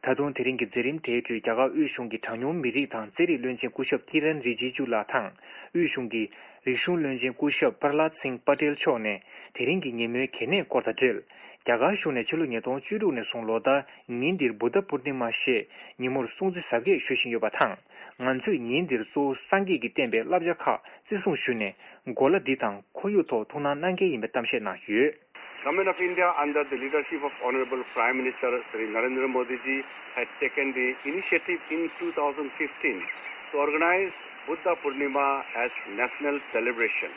ད་དུང་དེ་རིང་གི་མཛད་རིམ་དེའི་ཁྲོད་རྒྱ་གར་དབུས་གཞུང་གི་གྲངས་ཉུང་མི་རིགས་དང་རྩེད་རིགས་བློན་ཆེན་སྐུ་ཞབས་ཀི་རན་རི་ཇི་ཇུ་ལགས་དང་། དབུས་གཞུང་གི་རིག་གཞུང་བློན་ཆེན་སྐུ་ཞབས་པར་ལཱད་སིང་པ་ཏེལ་མཆོག་ནས་དེ་རིང་གི་ཉིན་མོའི་གལ་གནད་སྐོར་དང་འབྲེལ། རྒྱ་གར་གཞུང་ནས་ཕྱི་ལོ་ཉིས་སྟོང་བཅུ་དྲུག་ནས་བཟུང་ལོ་ལྟར་ཉིན་འདིར་བུདྡྷ་པུར་ནི་མ་ཞེས་ཉིན་མོར་སྲུང་བརྩི་གཟབ་རྒྱས་ཞུ་བཞིན་ཡོད་པ་དང་། ང་ཚོས་ཉིན་འདིར་གཙོ་བོ་སངས་རྒྱས་ཀྱི་བསྟན་པའི་བསླབ་བྱ་ཁག་བརྩི་སྲུང་ཞུས་ནས། གོ་ལ་འདི་དང་ཁོར་ཡུག་ཐོག་ཐུགས་སྣང་གནང་གལ་ཡིན་པའི་གཏམ་བཤད་གནང་ཡོད། Government of India under the leadership of Honorable Prime Minister Shri Narendra Modi ji had taken the initiative in two thousand fifteen to organize Buddha Purnima as national celebration.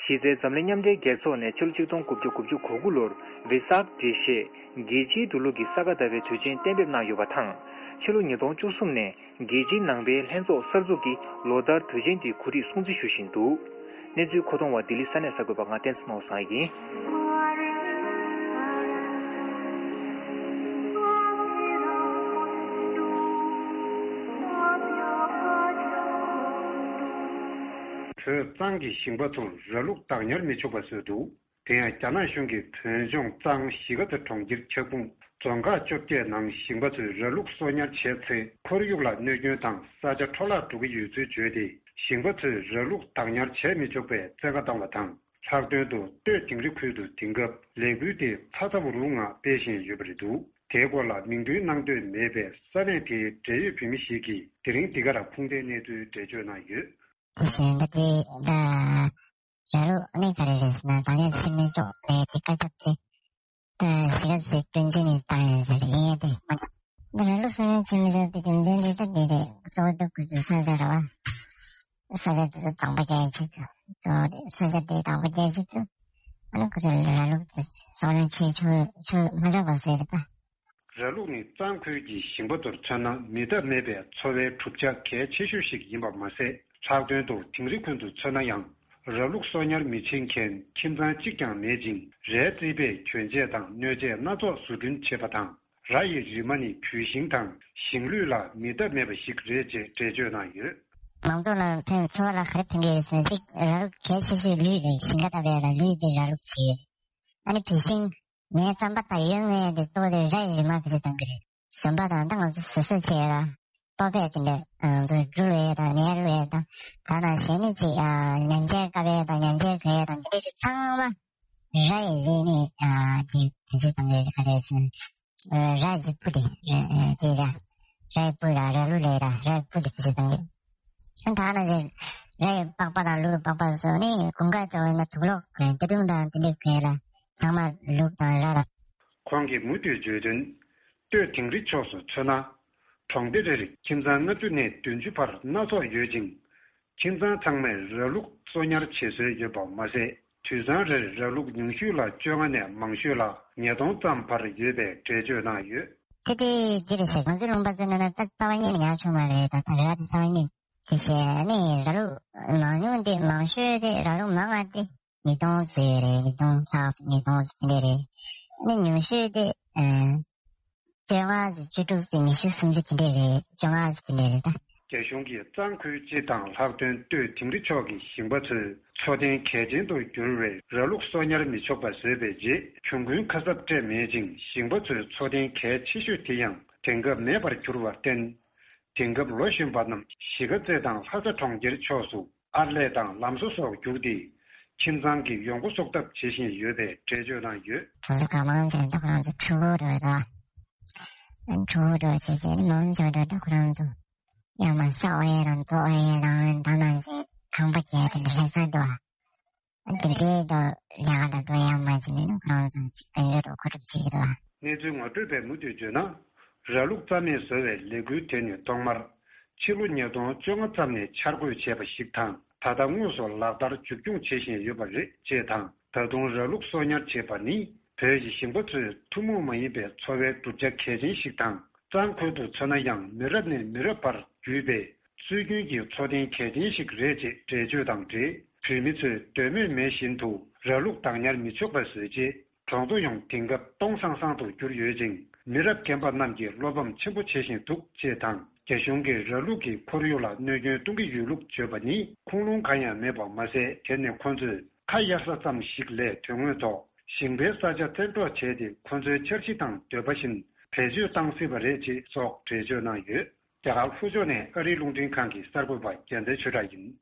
གཞི་རྩའི་འཛམ་གླིང་མཉམ་འབྲེལ་རྒྱལ་ཚོགས་ནས་ཕྱི་ལོ་ཆིག་སྟོང་དགུ་བརྒྱ་དགུ་བཅུ་གོ་དགུ་ལོར་བེ་སཱག་འགྲེལ་བཤད་རྒྱལ་སྤྱིའི་འགྲོ་ལུགས་ཀྱི་ས་ག་ཟླ་བའི་དུས་ཆེན་གཏན་འབེབས་གནང་ཡོད་པ་དང་། ཕྱི་ལོ་ཉིས་སྟོང་བཅུ་གསུམ་ནས་རྒྱལ་སྤྱིའི་ནང་པའི་ལྷན་ཚོགས་གསར་འཛུགས་ཀྱིས་ལོ་ལྟར་དུས་ཆེན་འདི་གོ་སྒྲིག་སྲུང་བརྩི་ཞུ་བཞིན་འདུག་གནས་ཚུལ་མཁོ་གཏོང་བ་ལྡི་ལི་ས་གནས་གསར་འགོད་པ་ང་བསྟན་འཛིན་ནོར་བཟང་ཡིན། བོད་གཙང་གི་ཞིང་པ་ཚོར་ར་ལུག་བདག་ཉར་མི་ཆོག་པ་བཟོས་འདུག་དེ་ཡང་རྒྱ་ནག་གཞུང་གིས་བོད་ལྗོངས་གཙང་གཞིས་ཀ་རྩེ་གྲོང་ཁྱེར་འཁྱག་སྤུངས་རྫོང་ཁག་བཅོ་བརྒྱད་ནང་ཞིང་པ་ཚོས་ར་ལུག་གསོ་ཉར་བྱས་ཚེ་ཁོར་ཡུག་ལ་གནོད་སྐྱོན་དང་ས་ཆ་འཕྲོ་བརླག་འགྲོ་གི་ཡོད་ཚུལ་བརྗོད་དེ། ཞིང་པ་ཚོས་ར་ལུག་བདག་ཉར་བྱས་མི་ཆོག་པའི་བཙན་བཀའ་བཏང་བ་དང་། ལྷག་དོན་དུ་སྟོད་དིང་རི་ཁུལ་དུ་དེང་སྐབས་ལས་འགུལ་དེ་ཚ་ཚ་འུར་འུར་ངང་སྤེལ་བཞིན་ཡོད་པ་རེད་འདུག་དེའི་སྐོར་ལ་མིང་འདོན་གནང་འདོད་མེད་པའི་ས་གནས་དེའི་འབྲེལ་ཡོད་བོད་མི་ཞིག་གིས་དེ་རིང་འདི་གར་ཁུངས་ལྡན་གནས་ཚུལ་འགྲེལ་བརྗོད་གནང་ཡོད། དེ་བཞིན་ད་ལྟའི་ད་ར་ལུག་ནི་ག་རེ་རེད་ཟེར་ན། ད་ལན་ཕྱི་མི་ཅོག་ལས་དེ་བཀའ་ཁྱབ་དེ་ད་གཞིས་ཀ་རྩེ་སྐྱོན་ཅན་ནི་བཏང་ཡོད་ཟེར་ཡིན་ཡ་དེ་མ། ད་ར་ལུག་གསོ་ཉར་བྱེད་མི་ཆོག་པའི་རྒྱུ་མཚན་དེ་ད་འདི་རེད། གཙོ་བོ་ད་ཁོ་ཚོའི་ས་ཆ་རེད་བ། ས་ཆ་དེ་ཚོ་དང་པོ་རྒྱག་ཡ་ཆེད་དུ་གཙོ་བོ་རེད། ས་ཆ་དེ་དང་པོ་རྒྱག་ཡ་ཆེད་དུ་ཨ་ནི་ཁོ་ཚོ་ར་ལུག་དེ་གསོ་ཉར་བྱེད་ཆོག་ཆོག་མ་ཆོག་པ་བཟོས་རེད་ད། ར་ལུག་ནི་གཙང་ཁུལ་གྱི་ཞིང་པ་ཚོར་མཚོན་ན་མི་ཐབས་མེད་པའི་འཚོ་བའི་གྲུབ་ཆ་གལ་ཆེ་ཤོས་ཤིག་ཡིན་པ་མ་ཟད། ལྷག་དོན་དུ་དིང་རི་ཁུལ་དུ་མཚོན་ན་ཡང་། ར་ལུག་གསོ་ཉར་མི་བྱེད་མཁན་ཁྱིམ་ཚང་གཅིག་ཀྱང་མེད་ཅིང་། རའི་རྩིས་པས་གྱོན་ཆས་དང་སྣོད་ཆས་སྣ་ཚོགས་བཟོ་སྐྲུན་བྱེད་པ་དང་། ར་ཡི་རིལ་མ་ནི་བུད་ཤིང་དང་ཞིང་ལུད་ལ་མི་ཐབས་མེད་པ་ཞིག་རེད་ཅེས་འགྲེལ་བརྗོད་གནང་ཡོད། མང་ཚོགས་ལ་ཕན་འཚོ་བ་ལ་ག་རེ་ཕན་གྱི་ཡོད་ཟེར་ན། གཅིག་ར་ལུག་གལ་ཆེ་ཤོས་ལུད་རེད། ཞིང་ཁ་བཏབ་པའི་ལ་ལུད་དེ་ར་ལུག་བྱེད་ཀྱི་རེད། ཨ་ནི་བུད་ཤིང་། ངའི་རྩམ་པ་དང་ཡོད་ངེས་དེ་གཙོ་བོ་དེ་ར་ཡི་རིལ་མ་བེད་སྤྱོད་གཏོང་གི་རེད། ཞོན་པ་དང་ད་ང་ཚོ་བཟོ་བཟོ་བྱས་ཡོད་ར། ལྟོ་ཕད་དེ་འདྲ་ང་ཚོ་འགྲུལ་བའི་དང་ནས་རུལ་བའི་དང་། ད་ནང་བཞིན་ནི་ཅིག་ཉན་ཆས་བཀབ་པའི་དང་ཉན་ཆས་གོན་ཡས་དང་དེ་འདྲ་རིགས་ཚང་མ་ར་ཡི་རིལ་ནི་དེ་བེད་སྤྱོད་གཏོང་གི་རེད། ག་རེ་ཟེར་ན་ར་ཡི་སྤུ་དེ་དེ་ར་ར་ཡི་སྤུ་ར་ར་ལུག་ལས་ར་ར་ཡི་སྤུ་དེ་བེད་སྤྱོད་གཏོང་གི་རེད། ད་ནང་བཞིན་ར་ཡི་པགས་པ་དང་ལུག་གི་པགས་པ་སོགས་ནི་དགུན་ཁ་འགྲོ་བའི་ནང་དུག་ལོག་གོན་སྟེ་དུང་དང་དེ་འདྲ་གོན་ལ་ཚང་མ་ལུག་དང་ར་དང་། ཁོང་གིས་མུ་མཐུད་བརྗོད་དོན། སྟོད་དིང་རི་ཕྱོགས་སུ་མཚོན་ན། གྲོང་སྡེ་རེ་རེར་ཁྱིམ་ཚང་ལྔ་བཅུ་ནས་བདུན་ཅུ་བར་སྣ་ཚོགས་ཡོད་ཅིང་། ཁྱིམ་ཚང་ཚང་མས་ར་ལུག་གསོ་ཉར་བྱེད་སྲོལ་ཡོད་པ་མ་ཟད། དུད་ཚང་རེར་ར་ལུག་ཉུང་ཤོས་ལ་བཅོ་ལྔ་ནས་མང་ཤོས་ལ་ཉིས་སྟོང་ཙམ་བར་ཡོད་པའི་འགྲེལ་བརྗོད་གནང་ཡོད། དེ་དེ་འདི་རེད་ཤག་ང་ཚོ་ལུང་པ་ཚོའི་ནང་ན་ད་རྩ་བ་ཉིད་ནས་ཉར་ཆོག་མ་རེད། ད་ད་ར་དེ་རྩ་བ་ཉིད་དེ་བྱས་ནས་ར་ལུག་མང་ཉུང་དེ་མང་ཤོས་དེ་ར་ལུག་མང་བ་དེ། ཉིས་སྟོང་ཙམ་ཡོད་རེད། ཉིས་སྟོང་ལྷག་ཙམ་ཉིས་སྟོང་ཙམ་དེ་འདྲ་རེད། ཨ་ནི་ཉུང་ཤོས་དེ་ཨ་བཅོ་ལྔ་ཙམ་བཅུ་དྲུག་ཙམ་ཉི་ཤུ་སུམ་ཅུ་དེ་འདྲ་རེད། བཅོ་ལྔ་ཙམ་དེ་འདྲ་རེད་ད། རྒྱ་གཞུང་གིས་གཙང་ཁུལ་སྤྱི་དང་ལྷག་དོན་སྟོད་དིང་རི་ཕྱོགས་ཀྱི་ཞིང་པ་ཚོས་འཚོ་རྟེན་གལ་ཆེན་དུ་གྱུར་བའི་ར་ལུག་གསོ་ཉར་མི་ཆོག་པ་བཟོས་པའི་རྗེས་གྱོང་གུན་ཁ་གསབ་སྤྲད་མེད་ཅིང་། ཞིང་པ་ཚོའི་འཚོ་རྟེན་གལ་ཆེ་ཤོས་དེ་ཡང་དེང་སྐབས་མེད་པར་གྱུར་བར་བརྟེན། དེང་སྐབས་ལོ་གཞོན་པ་རྣམས་གཞིས་ཀ་རྩེ་དང་ལྷ་ས་གྲོང་ཁྱེར་ཕྱོགས་སུ་ཨར་ལས་དང་ལམ་བཟོ་སོགས་བརྒྱུགས་ཏེ། ཁྱིམ་ཚང་གི་ཡོང་སྒོ་གསོག་ཐབས་བྱེད་བཞིན་ཡོད་པའི་འགྲེལ་བརྗོད་གནང་ཡོད། གྲོང་གསེབ་གང་མང་ཅིག་ལ་ཁོ་རང་ཚོ་ཕྲུ་གུ་འགྲོ་ཡོད་དོ། ཕྲུ་གུ་འགྲོ་བྱས་བྱས་ནི་མང་ཆེ་བ་འགྲོ་ད་ཁོ་རང་ཚོ་ཡང་མ་ས་འོག་ཡས་དང་རྡོ་འོག་ཡས་དང་ད་ནང་བཞིན་ཁང་པ་རྒྱག་དེ་འདྲ་ལྷ་ས་འགྲོ། འདི་འདྲའི་འགྲོ་ལས་ཀ་ལ་འགྲོ་ཡ་མ་བྱས་ནས་ཁོ་རང་ཚོ་ཅིག་དཔལ་འབྱོར་འགྲོ་མཁོ་སྒྲུབ་བྱེད་ཀྱི་འདུག་ཨ། གནས་ཚུལ་ངོ་སྤྲོད་པས་མུ་མཐུད་བརྗོད་ན། ར་ལུག་རྩ་མེད་བཟོ་བའི་ལས་འགུལ་དེ་ནི་ཐོག་མར་ཕྱི་ལོ་ཉིས་སྟོང་བཅོ་ལྔ་ཙམ་ནས་འཆར་འགོད་བྱས་པ་ཞིག་དང་། ད་ལྟ་དངོས་སུ་ལག་བསྟར་མཇུག་སྐྱོང་བྱེད་བཞིན་ཡོད་པ་རེད་ཅེས་དང་། ད་དུང་ར་ལུག་གསོ་ཉར་བྱེད་པ་ནི་བོད་ཀྱི་ཞིང་པ་ཚོའི་ཐུན་མོང་མ་ཡིན་པའི་འཚོ་བའི་གྲུབ་ཆ་གལ་ཆེན་ཞིག་དང་། གཙང་ཁུལ་དུ་མཚོན་ན་ཡང་མི་རབས་ནས་མི་རབས་བར་བརྒྱུད་པའི་སྲོལ་རྒྱུན་གྱི་འཚོ་རྟེན་གལ་ཆེན་ཞིག་རེད་ཅེས་འགྲེལ་བརྗོད་དང་འབྲེལ། བོད་མི་ཚོས་འདོད་མོས་མེད་བཞིན་དུ་ར་ལུག་བདག་ཉར་མི་ཆོག་པ་བཟོས་རྗེས། གྲོང་ཚོ་ཡོངས་དེང་སྐབས་སྟོང་སང་སང་དུ་གྱུར་ཡོད་ཅིང་། མི་རབས་རྒན་པ་རྣམས་ཀྱིས་བློ་ཕམ་ཆེན་པོ་བྱེད་བཞིན་འདུག་ཅེས་དང་། རྒྱ་གཞུང་གིས་ར་ལུག་གིས་ཁོར་ཡུག་ལ་གནོད་སྐྱོན་གཏོང་གི་ཡོད་ལུགས་བརྗོད་པ་ནི་ཁུངས་ལུང་གང་ཡང་མེད་པ་མ་ཟད། དེ་ནི་ཁོ་ཚོས་ཁ་གཡར་ས་ཙམ་ཞིག་ལས་དོན་དངོས་ཐོག་ཞིང་པའི་ས་ཆ་བཙན་འཕྲོག་བྱས་ཏེ། ཁོ་ཚོའི་འཆར་གཞི་དང་འདོད་པ་བཞིན་ བེད་སྤྱོད་བཏང་སྲིད་པ་རེད་ཅེས་སོགས་འགྲེལ་བརྗོད་གནང་ཡོད། རྒྱ་གར་ལྷོ་ཕྱོགས་ནས་ཨ་རིའི་རླུང་འཕྲིན་ཁང་གི་གསར་འགོད་པ་རྒྱལ་མཚན་ཆོས་གྲགས་ཡིན།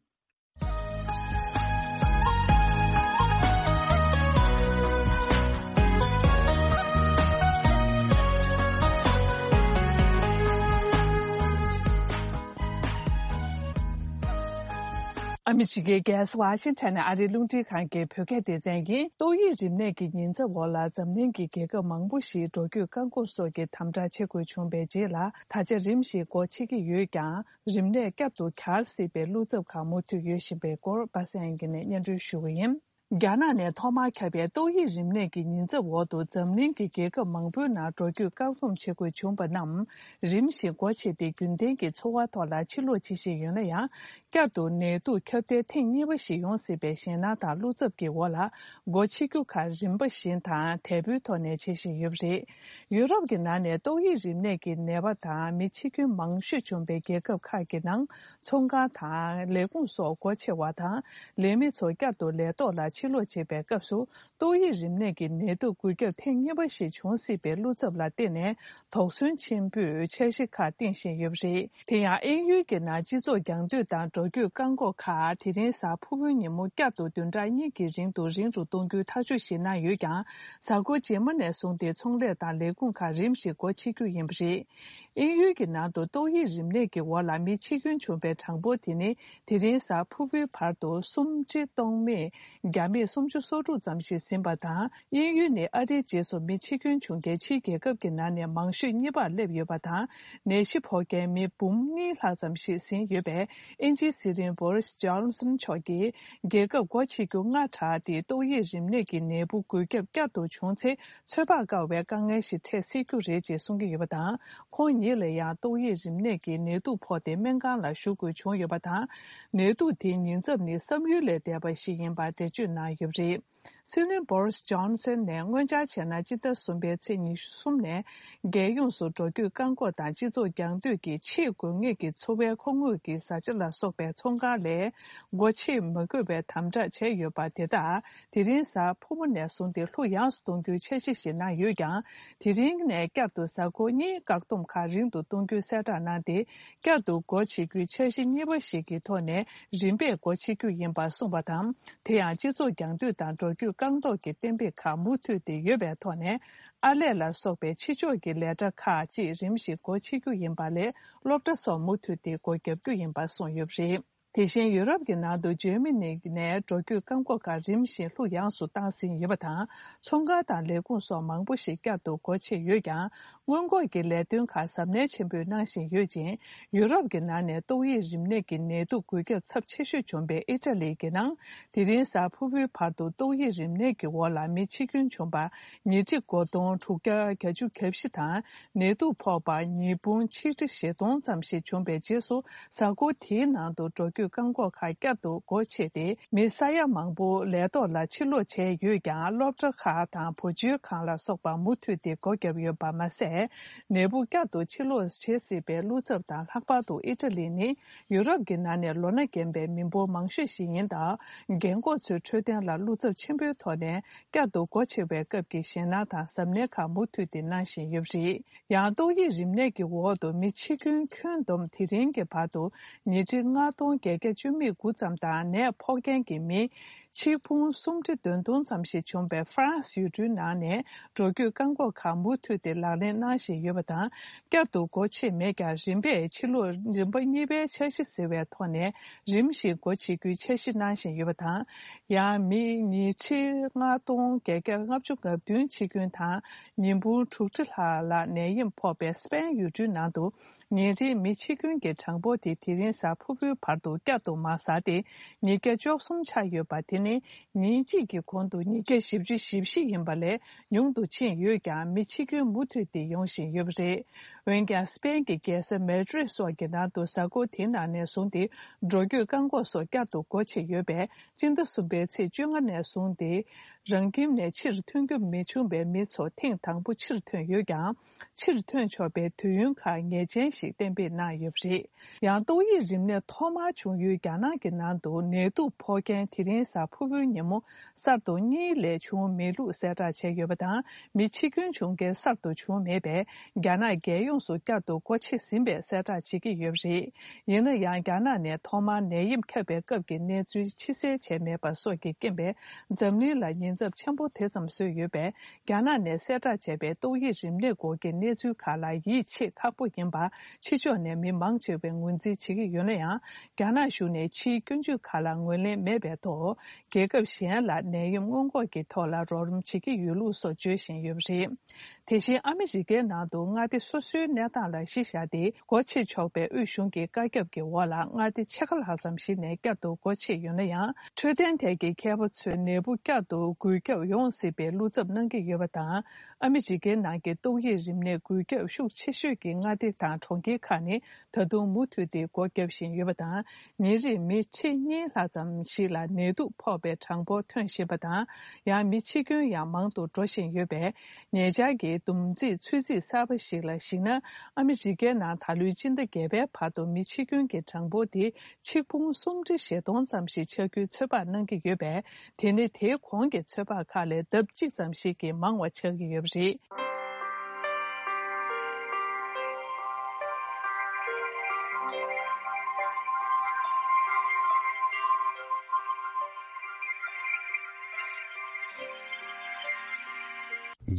ཨ་མི་རི་ཀའི་རྒྱལ་ས་ཝ་ཤིང་ཊོན་ནས་ཨ་རིའི་རླུང་འཕྲིན་ཁང་གི་བོད་སྐད་སྡེ་ཚན་ཡིན། ཏོག་དབྱིབས་རིམས་ནད་ཀྱི་ཉེན་ཚབས་འོག་ལ་འཛམ་གླིང་གི་རྒྱལ་ཁབ་མང་པོ་ཞིག་འགྲོ་སྐྱོད་བཀག་འགོག་སོགས་ཀྱི་དམ་དྲག་བྱེད་དགོས་བྱུང་བའི་རྗེས་ལ། ད་ཆ་རིམ་བཞིན་སྒོ་ཕྱེ་གི་ཡོད་ཀྱང་། རིམས་ནད་བསྐྱར་དུ་གྱར་སྲིད་པའི་བློ་འཚབ་ཁག་མུ་མཐུད་ཡོད་བཞིན་པའི་སྐོར་པ་སངས་དབྱངས་སྐྱིད་ནས་སྙན་སྒྲོན་ཞུ་གི་ཡིན། རྒྱ་ནག་ནས་ཐོག་མར་ཁྱབ་པའི་ཏོག་དབྱིབས་རིམས་ནད་ཀྱི་ཉེན་ཚབས་འོག་ཏུ་འཛམ་གླིང་གི་རྒྱལ་ཁབ་མང་པོའི་ནང་འགྲོ་སྐྱོད་བཀག་སྡོམ་བྱེད་དགོས་བྱུང་པ་རྣམས་རིམ་བཞིན་སྒོ་ཕྱེ་སྟེ། རྒྱུན་ལྡན་གྱི་འཚོ་བ་ཐོག་ལ་ཕྱིར་ལོག་བྱེད་བཞིན་ཡོད་ན་ཡང་། བསྐྱར་དུ་ནད་དུག་ཁྱབ་གདལ་ཐེངས་གཉིས་པ་ཞིག་ཡོང་སྲིད་པའི་ཞེད་སྣང་དང་བློ་འཚབ་ཀྱི་འོག་ལ། སྒོ་ཕྱེ་རྒྱུ་ཁག་རིམ་པ་བཞིན་དང་དལ་པོའི་ཐོག་ནས་བྱེད་བཞིན་ཡོད་པ་རེད། ཡུ་རོབ་ཀྱི་ནང་ནས་ཏོག་དབྱིབས་རིམས་ནད་ཀྱི་ནད་པ་དང་མི་འཆི་སྐྱོན་མང་ཤོས་བྱུང་པའི་རྒྱལ་ཁབ་ཁག་གི་ནང་། ཚོང་ཁང་དང་ལས་ཁུངས་སོགས་སྒོ་ཕྱེ་བ་དང་། ལས་མི་ཚོ་བསྐྱར་དུ་ལས་ཐོག་ལ་ཕྱིར་ལོག་བྱེད་པའི་སྐབས་སུ། ཏོག་དབྱིབས་རིམས་ནད་ཀྱི་ནད་དུག་འགོས་ཁྱབ་ཐེངས་གཉིས་པ་ཞིག་འབྱུང་སྲིད་པའི་བློ་འཚབ་ལ་བརྟེན་ནས། དོགས་ཟོན་ཆེན་པོས་འཆར་གཞི་ཁག་བཏིང་བཞིན་ཡོད་པ་རེད། དེ་ཡང་དབྱིན་ཡུལ་གྱི་ནང་སྤྱི་ཚོགས་རྒྱང་སྡོད་དང་འགྲོ་སྐྱོད་བཀག་འགོག་ཁག་དེ་རིང་གཟའ་ཕུར་བུའི་ཉིན་མོ་བསྐྱར་དུ་བདུན་ཕྲག་གཉིས་ཀྱི་རིང་དུ་རིང་རུ་གཏོང་རྒྱུའི་ཐག་གཅོད་ཞིག་གནང་ཡོད་ཀྱང་། གཟའ་འཁོར་རྗེས་མ་ནས་བཟུང་སྟེ་ཚོང་ལས་དང་ལས་ཁུངས་ཁག་རིམ་བཞིན་སྒོ་ཕྱེ་རྒྱུ་ཡིན་པ་རེད། དབྱིན་ཡུལ་གྱི་ནང་དུ་ཏོག་དབྱིབས་རིམས་ནད་ཀྱི་འོག་ལ་མི་འཆི་སྐྱོན་བྱུང་པའི་གྲངས་འབོར་དེ་ནི། དེ་རིང་གཟའ་ཕུར་བུའི་བར་དུ་སུམ་ཁྲི་སྟོང་མེད་བརྒྱ་མེད་སུམ་ཅུ་སོ་དྲུག་ཙམ་ཞིག་ཟིན་པ་དང་། དབྱིན་ཡུལ་ནི་ཨ་རིའི་རྗེས་སུ་མི་འཆི་སྐྱོན་བྱུང་མཁན་ཕྱིའི་རྒྱལ་ཁབ་ཀྱི་ནང་ནས་མང་ཤོས་གཉིས་པར་སླེབས་ཡོད་པ་དང་། ནད་གཞི་ཕོག་མཁན་མི་འབུམ་གཉིས་ལྷག་ཙམ་ཞིག་ཟིན་ཡོད་པས། དབྱིན་ཇིའི་སྲིད་བློན་བོ་རིས་ཇོན་སན་མཆོག་གིས། རྒྱལ་ཁབ་སྒོ་ཕྱེ་རྒྱུ་སྔ་དྲགས་ཏེ། ཏོག་དབྱིབས་རིམས་ནད་ཀྱི་ནད་འབུ་འགོས་ཁྱབ་བསྐྱར་དུ་བྱུང་ཚེ། ཚོད་དཔག་དཀའ་བའི་དཀའ་ངལ་ཞིག་འཕྲད་སྲིད་རྒྱུ་རེད་ཅེས་གསུང་གི་ཡོད་པ་དང་། ཁོང་ཉིད་ལ་ཡང་ཏོག་དབྱིབས་རིམས་ནད་ཀྱི་ནད་དུག་ཕོག་སྟེ་སྨན་ཁང་ལ་བཞུགས་དགོས་བྱུང་ཡོད་པ་དང་། ནད་དུག་དེའི་ཉེན་ཚབས་ནི་བསམ་ཡུལ་ལས་འདས་པ་ཞིག་ཡིན་པར་འགྲེལ་བརྗོད་གནང་ཡོད་པ་རེད། སྲིད་བློན་བོ་རིས་ཇོན་སན་ནས་སྔོན་ཆར་བྱས་ན་སྤྱི་ཟླ་གསུམ་པའི་ཚེས་ཉི་ཤུ་གསུམ་ནས་རྒྱལ་ཡོངས་སུ་འགྲོ་སྐྱོད་བཀག་འགོག་དང་སྤྱི་ཚོགས་རྒྱང་སྡོད་ཀྱི་ཆེས་དགོས་ངེས་ཀྱི་འཚོ་བའི་མཁོ་དངོས་ཀྱི་བཟའ་བཅའ་ལ་སོགས་པའི་ཚོང་ཁང་ལས་སྒོ་ཕྱེ་མི་དགོས་པའི་དམ་དྲག་བྱས་ཡོད་པ་དེ་དག་དེ་རིང་གཟའ་ཕུར་བུ་ནས་བཟུང་སྟེ་ལྷུག་ཡངས་སུ་གཏོང་རྒྱུའི་འཆར་གཞི་ཞིག་གནང་ཡོད་ཀྱང་། དེ་རིང་ནས་བསྐྱར་དུ་གཟའ་འཁོར་གཉིས་བཀག་སྡོམ་ཁག་རིང་དུ་གཏོང་རྒྱུའི་གསལ་བསྒྲགས་གནང་སྟེ། བསྐྱར་དུ་སྒོ་ཕྱེ་རྒྱུའི་འཆར་གཞི་གཉིས་པ་ཞིག་གི་ཐོག་ནས་རིམ་པས་སྒོ་ཕྱེ་རྒྱུ་ཡིན་པ་གསུངས་པ་དང་། དེ་ཡང་སྤྱི་ཚོགས་རྒྱང་སྡོད་དང་འགྲོ་སྐྱོད་བཀག་འགོག་གི་གཏན་འབེབས་ཁག་མུ་མཐུད་དེ་ཡོད་པའི་ཐོག་ནས། ཨར་ལས་ལ་སོགས་པའི་ཕྱི་ཕྱོགས་ཀྱི་ལས་གྲྭ་ཁག་ཅིག་རིམ་བཞིན་སྒོ་ཕྱེ་རྒྱུ་ཡིན་པ་ལས། སློབ་གྲྭ་སོགས་མུ་མཐུད་དེ་སྒོ་བརྒྱབ་རྒྱུ་ཡིན་པ་གསུངས་ཡོད་པ་རེད། དེ་བཞིན་ཡུ་རོབ་ཀྱི་ནང་དུ་འཇར་མ་ནི་ནས་འགྲོ་སྐྱོད་བཀག་འགོག་ཁག་རིམ་བཞིན་ལྷུག་ཡངས་སུ་བཏང་ཟིན་ཡོད་པ་དང་། ཚོང་ཁང་དང་ལས་ཁུངས་སོགས་མང་པོ་ཞིག་བསྐྱར་དུ་སྒོ་ཕྱེ་ཡོད་ཀྱང་། སྔོན་འགོག་གི་ལས་དོན་ཁག་གཟབ་ནན་ཆེན་པོས་གནང་བཞིན་ཡོད་ཅིང་། ཡུ་རོབ་ཀྱི་ནང་ནས་ཏོག་དབྱིབས་རིམས་ནད་ཀྱི་ནད་དུག་འགོས་ཁྱབ་ཚབས་ཆེ་ཤོས་བྱུང་པའི་ཨི་ཊ་ལི་གི་ནང་། དེ་རིང་གཟའ་ཕུར་བུའི་བར་དུ་ཏོག་དབྱིབས་རིམས་ནད་ཀྱི་འོག་ལ་མི་འཆི་སྐྱོན་བྱུང་པ་ཉིས་ཁྲི་དགུ་སྟོང་དྲུག་བརྒྱ་གྱ་བཞི་དང་། ནད་དུག་ཕོག་པ་ཉིས་འབུམ་ཆིག་ཁྲི་བཞི་སྟོང་ཙམ་ཞིག་བྱུང་པའི་རྗེས་སུ། གཟའ་འཁོར་དེའི་ནང་དུ་འགྲོ་སྐྱོད་བཀག་འགོག་ཁག་བསྐྱར་དུ་སྒོ་ཕྱེ་སྟེ། མི་ས་ཡ་མང་པོ་ལས་ཐོག་ལ་ཕྱིར་ལོག་བྱས་ཡོད་ཀྱང་། སློབ་གྲྭ་ཁག་དང་བུ་བཅོལ་ཁང་ལ་སོགས་པ་མུ་མཐུད་དེ་སྒོ་བརྒྱབ་ཡོད་པ་མ་ཟད། ནད་འབུ་བསྐྱར་དུ་ཕྱིར་ལོག་བྱེད་སྲིད་པའི་བློ་འཚབ་དང་། ལྷག་པར་དུ་ཨི་ཊ་ལི་ནི་ཡུ་རོབ་ཀྱི་ནང་ནས་ལོ་ན་རྒན་པའི་མི་འབོར་མང་ཤོས་ཤིག་ཡིན་སྟབས། རྒན་འཁོགས་ཚོའི་འཕྲོད་བསྟེན་ལ་བློ་འཚབ་ཆེན་པོའི་ཐོག་ནས་བསྐྱར་དུ་སྒོ་ཕྱེ་བའི་སྐབས་ཀྱི་ཞེད་སྣང་དང་གཟབ་ནན་ཁག་མུ་མཐུད་དེ་གནང་བཞིན་ཡོད་པ་རེད། ཡང་ཏོག་དབྱིབས་རིམས་ནད་ཀྱི་འོག་ཏུ་མི་འཆི་སྐྱོན་ཁྱོན་བསྡོམས་དེ་རིང་གི་བར་དུ་ཉིས་ཁྲི་ལྔ་སྟོང་བརྒྱད་བརྒྱ་བཅུ་མེད་དགུ་ཙམ་དང་། ནད་ཕོག་མཁན་གྱི་མི་ཆིག་འབུམ་སུམ་ཁྲི་བདུན་སྟོང་ཙམ་ཞིག་བྱུང་བའི་ཧྥ་རན་སི་ཡུལ་གྲུའི་ནང་ནས་འགྲོ་སྐྱོད་བཀག་འགོག་ཁག་མུ་མཐུད་དེ་ལག་ལེན་གནང་བཞིན་ཡོད་པ་དང་། བསྐྱར་དུ་སྒོ་ཕྱེ་མེད་ཀྱང་། རིམ་པས་ཕྱིར་ལོག་རིམ་པ་གཉིས་པའི་འཆར་གཞི་ཟེར་བའི་ཐོག་ནས་རིམ་བཞིན་སྒོ་ཕྱེ་རྒྱུའི་འཆར་གཞི་གནང་བཞིན་ཡོད་པ་དང་། ཡང་མི་ཉིས་ཁྲི་ལྔ་སྟོང་བརྒྱད་བརྒྱ་ལྔ་བཅུ་ང་བདུན་འཆི་སྐྱོན་དང་། ཉིས་འབུམ་དྲུག་ཁྲི་ལྷག་ལ་ནད་ཡམས་ཕོག་པའི་སི་པེན་ཡུལ་གྲུའི་ནང་དུ། ཉིན་རེའི་མི་འཆི་སྐྱོན་གྱི་གྲངས་འབོར་དེ་དེ་རིང་གཟའ་ཕུར་བུའི་བར་དུ་བསྐྱར་དུ་མར་ཟགས་ཏེ། ཉིས་བརྒྱ་བཅུ་གསུམ་ཆགས་ཡོད་པ་དེ་ནི། ཉིན་གཅིག་གི་གོང་དུ་ཉིས་བརྒྱ་བཞི་བཅུ་ཞེ་བཞི་ཡིན་པ་ལས་ཉུང་དུ་ཕྱིན་ཡོད་ཀྱང་། མི་འཆི་སྐྱོན་མུ་མཐུད་དེ་ཡོང་བཞིན་ཡོད་པ་རེད། འོན་ཀྱང་སྤེན་གྱི་རྒྱལ་ས་མེ་ཌི་རིད་སོགས་ཀྱི་ནང་དུ་གཟའ་འཁོར་དེའི་ནང་ནས་བཟུང་སྟེ་འགྲོ་སྐྱོད་བཀག་འགོག་སོགས་བསྐྱར་དུ་སྒོ་ཕྱེ་ཡོད་པས། སྤྱི་ཟླ་གསུམ་པའི་ཚེས་བཅོ་ལྔ་ནས་བཟུང་སྟེ་རང་ཁྱིམ་ནས་ཕྱིར་ཐོན་རྒྱུ་མི་བྱུང་བའི་མི་ཚོ་ཐེངས་དང་པོ་ཕྱིར་ཐོན་ཡོད་ཀྱང་། ཕྱིར་ཐོན་ཆོག་པའི་དུས་ཡུན་ཁག་ངེས་ཅན་ཞིག་གཏན་འབེབས་གནང་ཡོད་པ་རེད། ཡང་ཏོག་དབྱིབས་རིམས་ནད་ཐོག་མར་བྱུང་ཡུལ་རྒྱ་ནག་གི་ནང་དུ་ནད་དུག་ཕོག་མཁན་དེ་རིང་གཟའ་ཕུར་བུའི་ཉིན་མོ་གསར་དུ་གཉིས་ལས་བྱུང་མེད་ལུགས་གསལ་བསྒྲགས་བྱས་ཡོད་པ་དང་། མི་འཆི་སྐྱོན་བྱུང་མཁན་གསར་དུ་བྱུང་མེད་པས། རྒྱ་ནག་རྒྱལ་ཡོངས་སུ་བསྐྱར་དུ་སྒོ་ཕྱེ་ཟིན་པའི་གསལ་བསྒྲགས་བྱེད་ཀྱི་ཡོད་པ་རེད། ཡིན་ན་ཡང་། རྒྱ་ནག་ནས་ཐོག་མར་ནད་ཡམས་ཁྱབ་པའི་སྐབས་ཀྱི་གནས་ཚུལ་ཕྱི་གསལ་བྱས་མེད་པ་སོགས་ཀྱི་རྐྱེན་པས། འཛམ་གླིང་ལ་ཉེན་ཚབས་ཆེན་པོ་དེ་ཙམ་བཟོས་ཡོད་པས། རྒྱ་ནག་ནས་གསལ་བསྒྲགས་བྱས་པའི་ཏོག་དབྱིབས་རིམས་ནད་སྐོར་གྱི་གནས་ཚུལ་ཁག་ལ་ཡིད་ཆེས་ཁག་པོ་ཡིན་པ། ཕྱི་ཕྱོགས་ནས་མི་མང་ཆེ་བས་ངོས་འཛིན་བྱེད་ཀྱི་ཡོད་ན་ཡང་། རྒྱ་ནག་གཞུང་ནས་ཕྱིའི་སྐྱོན་བརྗོད་ཁག་ལ་ངོས་ལེན་མེད་པའི་ཐོག་རྒྱལ་ཁབ་གཞན་ལ་ནད་ཡམས་སྔོན་འགོག་གི་ཐོག་ལ་རོགས་རམ་བྱེད་ཀྱི་ཡོད་ལུགས་སོགས་བརྗོད་བཞིན་ཡོད་པ་རེད། དེ་བཞིན་ཨ་མི་རི་ཀའི་ནང་དུ་མངའ་སྡེ་སོ་སོའི་གནས་སྟངས་ལ་གཞི་བཞག་སྟེ། སྒོ་ཕྱེ་ཆོག་པའི་དབུས་གཞུང་གི་བཀའ་ཁྱབ་ཀྱི་འོག་ལ་མངའ་སྡེ་ཕྱེད་ཀ་ལྷག་ཙམ་ཞིག་ནས་བསྐྱར་དུ་སྒོ་ཕྱེ་ཡོད་ན་ཡང་། འཕྲོད་བསྟེན་ཐད་ཀྱི་མཁས་པ་ཚོས་ནད་འབུ་བསྐྱར་དུ་འགོས་ཁྱབ་ཡོང་སྲིད་པའི་བློ་འཚབ་གནང་གི་ཡོད་པ་དང་། ཨ་མི་རི་ཀའི་ནང་གི་ཏོག་དབྱིབས་རིམས་ནད་འགོས་ཁྱབ་ཤུགས་ཆེ་ཤོས་ཀྱི་མངའ་སྡེ་དང་གྲོང་ཁྱེར་ཁག་ནི་ད་དུང་མུ་མཐུད་དེ་སྒོ་བརྒྱབ་བཞིན་ཡོད་པ་དང་། ཉིན་རེར་མི་ཁྲི་གཉིས་ལྷག་ཙམ་ཞིག་ལ་ནད་དུག་ཕོག་པའི་གྲངས་འབོར་ཐོན་བཞིན་པ་དང་། ཡང་མི་འཆི་སྐྱོན་ཡང་མང་དུ་འགྲོ་བཞིན་ཡོད་པས། ཉེ་ཆར་གྱི་བསྡོམས་རྩིས་ཚོད་རྩིས་གསར་པ་ཞིག་ལ་གཞིགས་ན། ཨ་མི་རི་ཀའི་ནང་ད་ལོའི་སྤྱི་ཟླ་བརྒྱད་པའི་བར་དུ་མི་འཆི་སྐྱོན་གྱི་གྲངས་འབོར་དེ་ཆིག་འབུམ་སུམ་ཁྲི་བཞི་སྟོང་ཙམ་ཞིག་ཆགས་རྒྱུའི་ཚོད་དཔག་གནང་གི་ཡོད་པས། དེ་ནི་དེའི་གོང་གི་ཚོད་དཔག་ཁག་ལས་ལྡབ་གཅིག་ཙམ་ཞིག་གིས་མང་བ་ཆགས་ཀྱི་ཡོད་པ་རེད།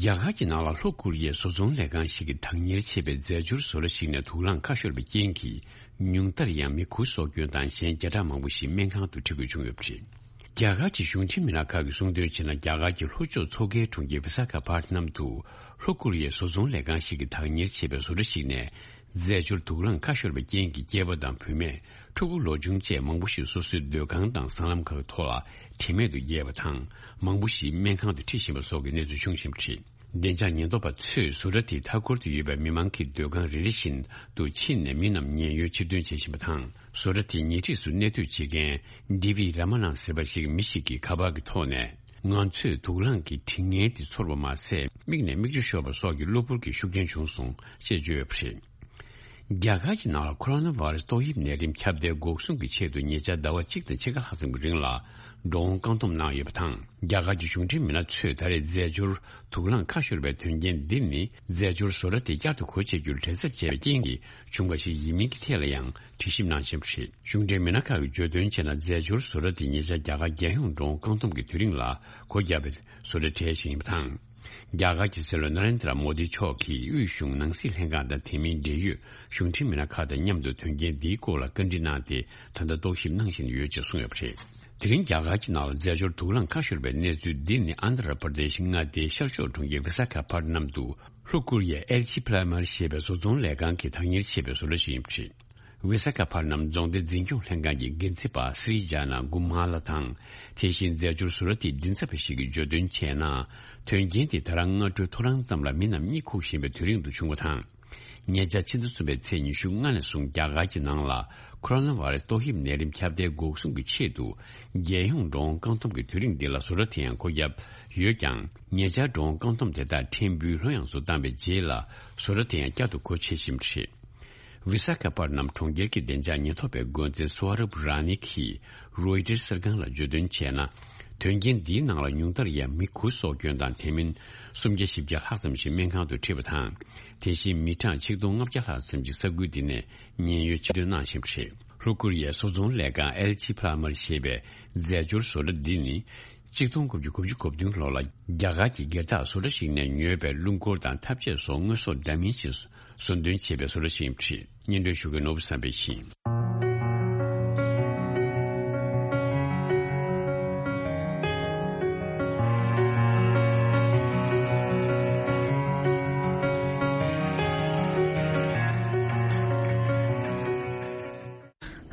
རྒྱ་གར་གྱི་ནང་ལ་ལྷོ་ཀོ་རི་ཡའི་བཟོ་ཚོང་ལས་ཁང་ཞིག་གིས་བདག་གཉེར་བྱས་པའི་རྫས་སྦྱོར་བཟོ་གྲྭ་ཞིག་ནས་དུག་རླངས་ཁ་ཤོར་བའི་རྐྱེན་གྱིས། ཉུང་མཐར་ཡང་མི་དགུ་སྲོག་སྐྱོན་དང་། གཞན་བརྒྱ་ཕྲག་མང་པོ་ཞིག་སྨན་ཁང་དུ་ཁྲིད་དགོས་བྱུང་ཡོད་པ་རེད། རྒྱ་གར་གྱི་གཞུང་འབྲེལ་མི་སྣ་ཁག་གིས་གསུངས་དོན་བྱས་ན། རྒྱ་གར་གྱི་ལྷོ་ཕྱོགས་མཚོ་ཁའི་གྲོང་ཁྱེར་བི་ས་ཁ་པ་ཏ་ནམ་དུ། ལྷོ་ཀོ་རི་ཡའི་བཟོ་ཚོང་ལས་ཁང་ཞིག་གིས་བདག་གཉེར་བྱས་པའི་བཟོ་གྲྭ་ཞིག་ནས། རྫས་སྦྱོར་དུག་རླངས་ཁ་ཤོར་བའི་རྐྱེན་གྱིས། སྐྱེས་པ་དང་བུད་མེད། ཕྲུ་གུ་ལོ་ཆུང་བཅས་མང་པོ་ཞིག་སོ་སོའི་སྡོད་ཁང་དང་སྲང་ལམ་ཁག་ཐོག་ལ་དྲན་མེད་དུ་བརྒྱལ་བ་དང་། མང་པོ་ཞིག་སྨན་ཁང་དུ་ཁྲིད་བཞིན་པ་སོགས་ཀྱི་གནས་ཚུལ་བྱུང་བཞིན་པ་རེད། བདེ་འཇགས་ཉེན་རྟོག་པ་ཚོས་བཟོ་གྲྭ་དེའི་མཐའ་འཁོར་དུ་ཡོད་པའི་མི་མང་གི་སྡོད་ཁང་རེ་རེ་བཞིན་དུ་ཕྱིན་ནས་མི་རྣམས་ཉེན་གཡོལ་ཕྱིར་འདོན་བྱེད་བཞིན་པ་དང་། བཟོ་གྲྭ་དེའི་ཉེ་འཁྲིས་སུ་གནས་སྡོད་བྱེད་མཁན་ཌི་བི་ར་མ་ནང་ཟེར་བ་ཞིག་མི་ཞིག་གིས་ཁ་པར་གྱི་ཐོག་ནས། ང་ཚོས་དུག་རླངས་ཀྱི་དྲི་ངན་དེ་ཚོར་བ་མ་ཟད། མིག་ནས་མིག་ཆུ་ཤོར་བ་སོགས་ཀྱི་གློ་བུར་གྱི་ཤུགས་རྐྱེན་བྱུང་སོང་ཞེས་བརྗོད་ཡོད་པ་རེད། རྒྱ་གར་གྱི་ནང་ལ་ཁོ་རོ་ན་བྷ་ར་སི་ཏོག་དབྱིབས་ནད་རིམས་ཁྱབ་གདལ་འགོག་སྲུང་གི་ཆེད་དུ་ཉེ་ཆར་ཟླ་བ་གཅིག་དང་ཕྱེད་ཀ་ལྷག་ཙམ་གྱི་རིང་ལ་འགྲོ་འོང་བཀག་སྡོམ་གནང་ཡོད་པ་དང་། རྒྱ་གར་གྱི་གཞུང་འབྲེལ་མི་སྣ་ཚོས་ད་རེས་རྫས་སྦྱོར་དུག་རླངས་ཁ་ཤོར་བའི་དོན་རྐྱེན་འདི་ནི། རྫས་སྦྱོར་བཟོ་གྲྭ་དེ་བསྐྱར་དུ་སྒོ་ཕྱེ་རྒྱུར་དྲན་གསོ་བྱས་པའི་རྐྱེན་གྱིས་བྱུང་བ་ཞིག་ཡིན་མིན་གྱི་ཐད་ལ་ཡང་དྲི་ཞིབ་གནང་བཞིན་པ་རེད། གཞུང་འབྲེལ་མི་སྣ་ཁག་གིས་བརྗོད་དོན་བྱས་ན། རྫས་སྦྱོར་བཟོ་གྲྭ་དེ་ཉེ་ཆར་རྒྱ་གར་རྒྱལ་ཡོངས་འགྲོ་འོང་བཀག་སྡོམ་གྱི་དུས་རིང་ལ་སྒོ་བརྒྱབ་པའི་བཟོ་གྲྭ་གྲས་ཤིག་ཡིན་པ་དང་། རྒྱ་གར་གྱི་སྲིད་བློན་ན་རེན་དྲ་མོ་དི་མཆོག་གིས་དབུས་གཞུང་ནང་སྲིད་ལྷན་ཁང་དང་དེ་མིན་འབྲེལ་ཡོད་གཞུང་འབྲེལ་མི་སྣ་ཁག་དང་མཉམ་དུ་དོན་རྐྱེན་འདིའི་སྐོར་ལ་བཀའ་འདྲི་གནང་སྟེ། ད་ལྟ་རྟོག་ཞིབ་གནང་བཞིན་ཡོད་ཅེས་གསུངས་ཡོད་པ་རེད། དེ་རིང་རྒྱ་གར་གྱི་ནང་ལ་རྫས་སྦྱོར་དུག་རླངས་ཁ་ཤོར་བའི་གནས་ཚུལ་འདི་ནི། ཨན་དྷྲ་པྲ་དེཤ་མངའ་སྡེའི་ཤར་ཕྱོགས་གྲོང་ཁྱེར་བི་ས་ཁ་པ་ཏ་ནམ་དུ། ལྷོ་ཀོ་རི་ཡའི་ཨེལ་ཆི་ཕ་ལ་མར་ཞེས་པའི་བཟོ་ཚོང་ལས་ཁང་གིས་བདག་གཉེར་བྱས་པའི་བཟོ་གྲྭ་ཞིག་ཡིན་པ་རེད། བི་ས་ཁ་པ་ཏ་ནམ་རྫོང་སྡེ་འཛིན་སྐྱོང་ལྷན་ཁང་གི་འགན་འཛིན་པ་སི་རི་ཇཱ་ན་གུ་མ་ལ་དང་། དེ་བཞིན་རྫས་སྦྱོར་བཟོ་གྲྭ་དེའི་མགྲིན་ཚབ་པ་ཞིག་གིས་བརྗོད་དོན་བྱས་ན། དོན་རྐྱེན་དེ་ད་རང་སྔ་དྲོའི་ཐོ་རངས་ཙམ་ལ་མི་རྣམས་གཉིད་ཁུག་བཞིན་པའི་དུས་རིང་དུ་བྱུང་བ་དང་། ཉེ་ཆར་ཕྱི་ཟླ་གསུམ་པའི་ཚེས་ཉི་ཤུ་ལྔ་ནས་བཟུང་རྒྱ་གར་གྱི་ནང་ལ་ཁོ་རོ་ན་བྷ་ར་སི་ཏོག་དབྱིབས་ནད་རིམས་ཁྱབ་གདལ་འགོག་སྲུང་གི་ཆེད་དུ། རྒྱལ་ཡོངས་འགྲོ་འོང་བཀག་སྡོམ་གྱི་དུས་རིང་འདི་ལ་བཟོ་གྲྭ་དེ་ཡང་སྒོ་བརྒྱབ་ཡོད་ཀྱང་། ཉེ་ཆར་འགྲོ་འོང་བཀག་སྡོམ་དེ་དག་ཕྲན་བུ་ལྷོད་ཡངས་སུ་བཏང་བའི་རྗེས་ལ། བཟོ་གྲྭ་དེ་ཡང་བསྐྱར་དུ་སྒོ་ཕྱེ་བཞིན་པ་རེད། བི་ས་ཁ་པ་ཏ་ནམ་གྲོང་ཁྱེར་གྱི་བདེ་འཇགས་ཉེན་རྟོག་པའི་འགོ་འཛིན་སུ་ཝ་རབ་ར་ནི་གིས་རོའི་ཊར་གསར་ཁང་ལ་བརྗོད་དོན་བྱས་ན། དོན་རྐྱེན་འདིའི་ནང་ལ་ཉུང་མཐར་ཡང་མི་དགུ་སྲོག་སྐྱོན་དང་། དེ་མིན་སུམ་བརྒྱ་བཞི་བརྒྱ་ལྷག་ཙམ་ཞིག་སྨན་ཁང་དུ་ཁྲིད་པ་དང་། དེ་བཞིན་མི་གྲངས་ཆིག་སྟོང་ལྔ་བརྒྱ་ལྷག་ཙམ་ཞིག་ས་ཁུལ་འདི་ནས་ཉེན་གཡོལ་ཕྱིར་འདོན་གནང་བཞིན་པ་རེད། ལྷོ་ཀོ་རི་ཡའི་བཟོ་ཚོང་ལས་ཁང་ཨེལ་ཆི་ཕ་ལ་མར་ཞེས་པའི་རྫས་སྦྱོར་བཟོ་གྲྭ་འདི་ནི། ཆིག་སྟོང་དགུ་བརྒྱ་དགུ་བཅུ་གོ་བདུན་ལོ་ལ་རྒྱ་གར་གྱི་སྒེར་བདག་བཟོ་གྲྭ་ཞིག་ནས་ཉོས་པའི་རླུང་འཁོར་དང་ཐབ་ཆས་སོགས་དངོས་ཟོག་འདྲ་མིན་ཞིག་ཟུར་འདོན་བྱས་པའི་བཟོ་གྲྭ་ཞིག་ཡིན་པ་རེད། སྙན་སྒྲོན་ཞུ་མཁན་ནོར་བུ་བསམ་འཕེལ་ཡིན།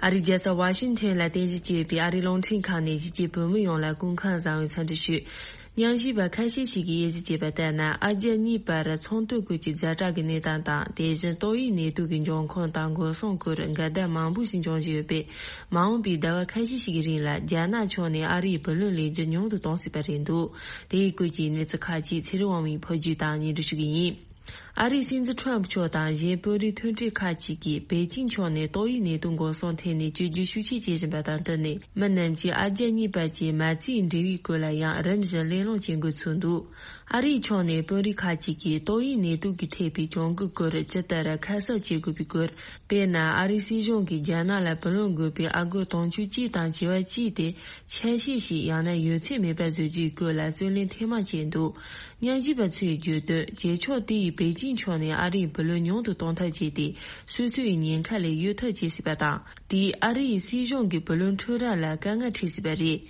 ཨ་རིའི་རྒྱལ་ས་ཝ་ཤིང་ཊོན་ལ་རྟེན་གཞི་བྱས་པའི་ཨ་རིའི་རླུང་འཕྲིན་ཁང་ནས་གཞིས་བྱེས་བོད་མི་ཡོངས་ལ་སྐུ་ཁམས་བཟང་བའི་འཚམས་འདྲི་ཞུ། ཉམས་ཞིབ་པ་ཁ་ཤས་ཤིག་གིས་དབྱེ་ཞིབ་བྱས་པ་ལྟར་ན། ཨ་རྒྱ་གཉིས་བར་ཚོང་དོན་སྐོར་གྱི་ཛ་དྲག་གི་གནས་སྟངས་དང་། དེ་བཞིན་ཏོག་དབྱིབས་ནད་དུག་གི་འབྱུང་ཁུངས་དང་འགོག་སྲུང་སྐོར་འགལ་ཟླ་མང་པོ་ཞིག་འབྱུང་བཞིན་ཡོད་པས། མ་འོངས་པའི་ཟླ་བ་ཁ་ཤས་ཤིག་གི་རིང་ལ་རྒྱ་ནག་ཕྱོགས་ནས་ཨ་རིའི་བུ་ལོན་ལེན་རྒྱུ་ཉུང་དུ་གཏོང་སྲིད་པ་རེད་འདུག་དེའི་སྐོར་གྱི་གནས་ཚུལ་ཁག་ཅིག་ཚེ་རིང་དབང་མོས་ཕབ་སྒྱུར་དང་སྙན་སྒྲོན་ཞུ་གི་ཡིན། ཨ་རིའི་སྲིད་འཛིན་ཁྲོམ་མཆོག་དང་གཞན་དཔོན་རིགས་མཐུན་སྒྲིལ་ཁག་ཅིག་གིས་པེ་ཅིང་ཕྱོགས་ནས་ཏོག་དབྱིབས་ནད་དུག་འགོག་སྲུང་ཐད་ནས་བཅོས་བསྒྱུར་ཤུགས་ཆེ་བྱེད་བཞིན་པ་དང་བསྟུན་ནས། མི་རྣམས་ཀྱིས་ཨ་རྒྱ་གཉིས་བར་གྱི་མ་རྩའི་འབྲེལ་བའི་སྐོར་ལ་ཡང་རིམ་བཞིན་གླེང་སློང་བྱེད་འགོ་ཚུགས་འདུག་ཨ་རིའི་ཕྱོགས་ནས་དཔོན་རིགས་ཁག་ཅིག་གིས་ཏོག་དབྱིབས་ནད་དུག་གིས་ཐེབས་པའི་གྱོང་གུན་སྐོར་ཇི་ལྟར་ཁ་གསབ་བྱེད་དགོས་པའི་སྐོར། དཔེར་ན། ཨ་རིའི་སྲིད་གཞུང་གིས་རྒྱ་ནག་ལ་བུ་ལོན་དགོས་པའི་ཨ་སྒོར་དུང་ཕྱུར་གཅིག་དང་བྱེ་བ་གཅིག་དེ་ཆད་གཞི་ཞིག་ཡང་ན་ཡོད་ཚད་མེད་པར་བཟོ་རྒྱུའི་སྐོར་ལ་རྩོད་གླེང་ཐེངས་མང་བྱས་འདུག་ཉམས་ཞིབ་པ་ཚོས་བརྗོད་དོན། བྱེད་ཕྱོགས་དེ་ཡིས་པེ་ཅིང་ཕྱོགས་ནས་ཨ་རིའི་བུ་ལོན་ཉུང་དུ་གཏོང་ཐབས་བྱས་ཏེ། སོ་སོའི་ཉེན་ཁ་ལས་གཡོལ་ཐབས་བྱེད་སྲིད་པ་དང་། དེས་ཨ་རིའི་སྲིད་གཞུང་གི་བུ་ལོན་འཕྲོད་ར་ལ་དཀའ་ངལ་འཕྲད་སྲིད་པ་རེད།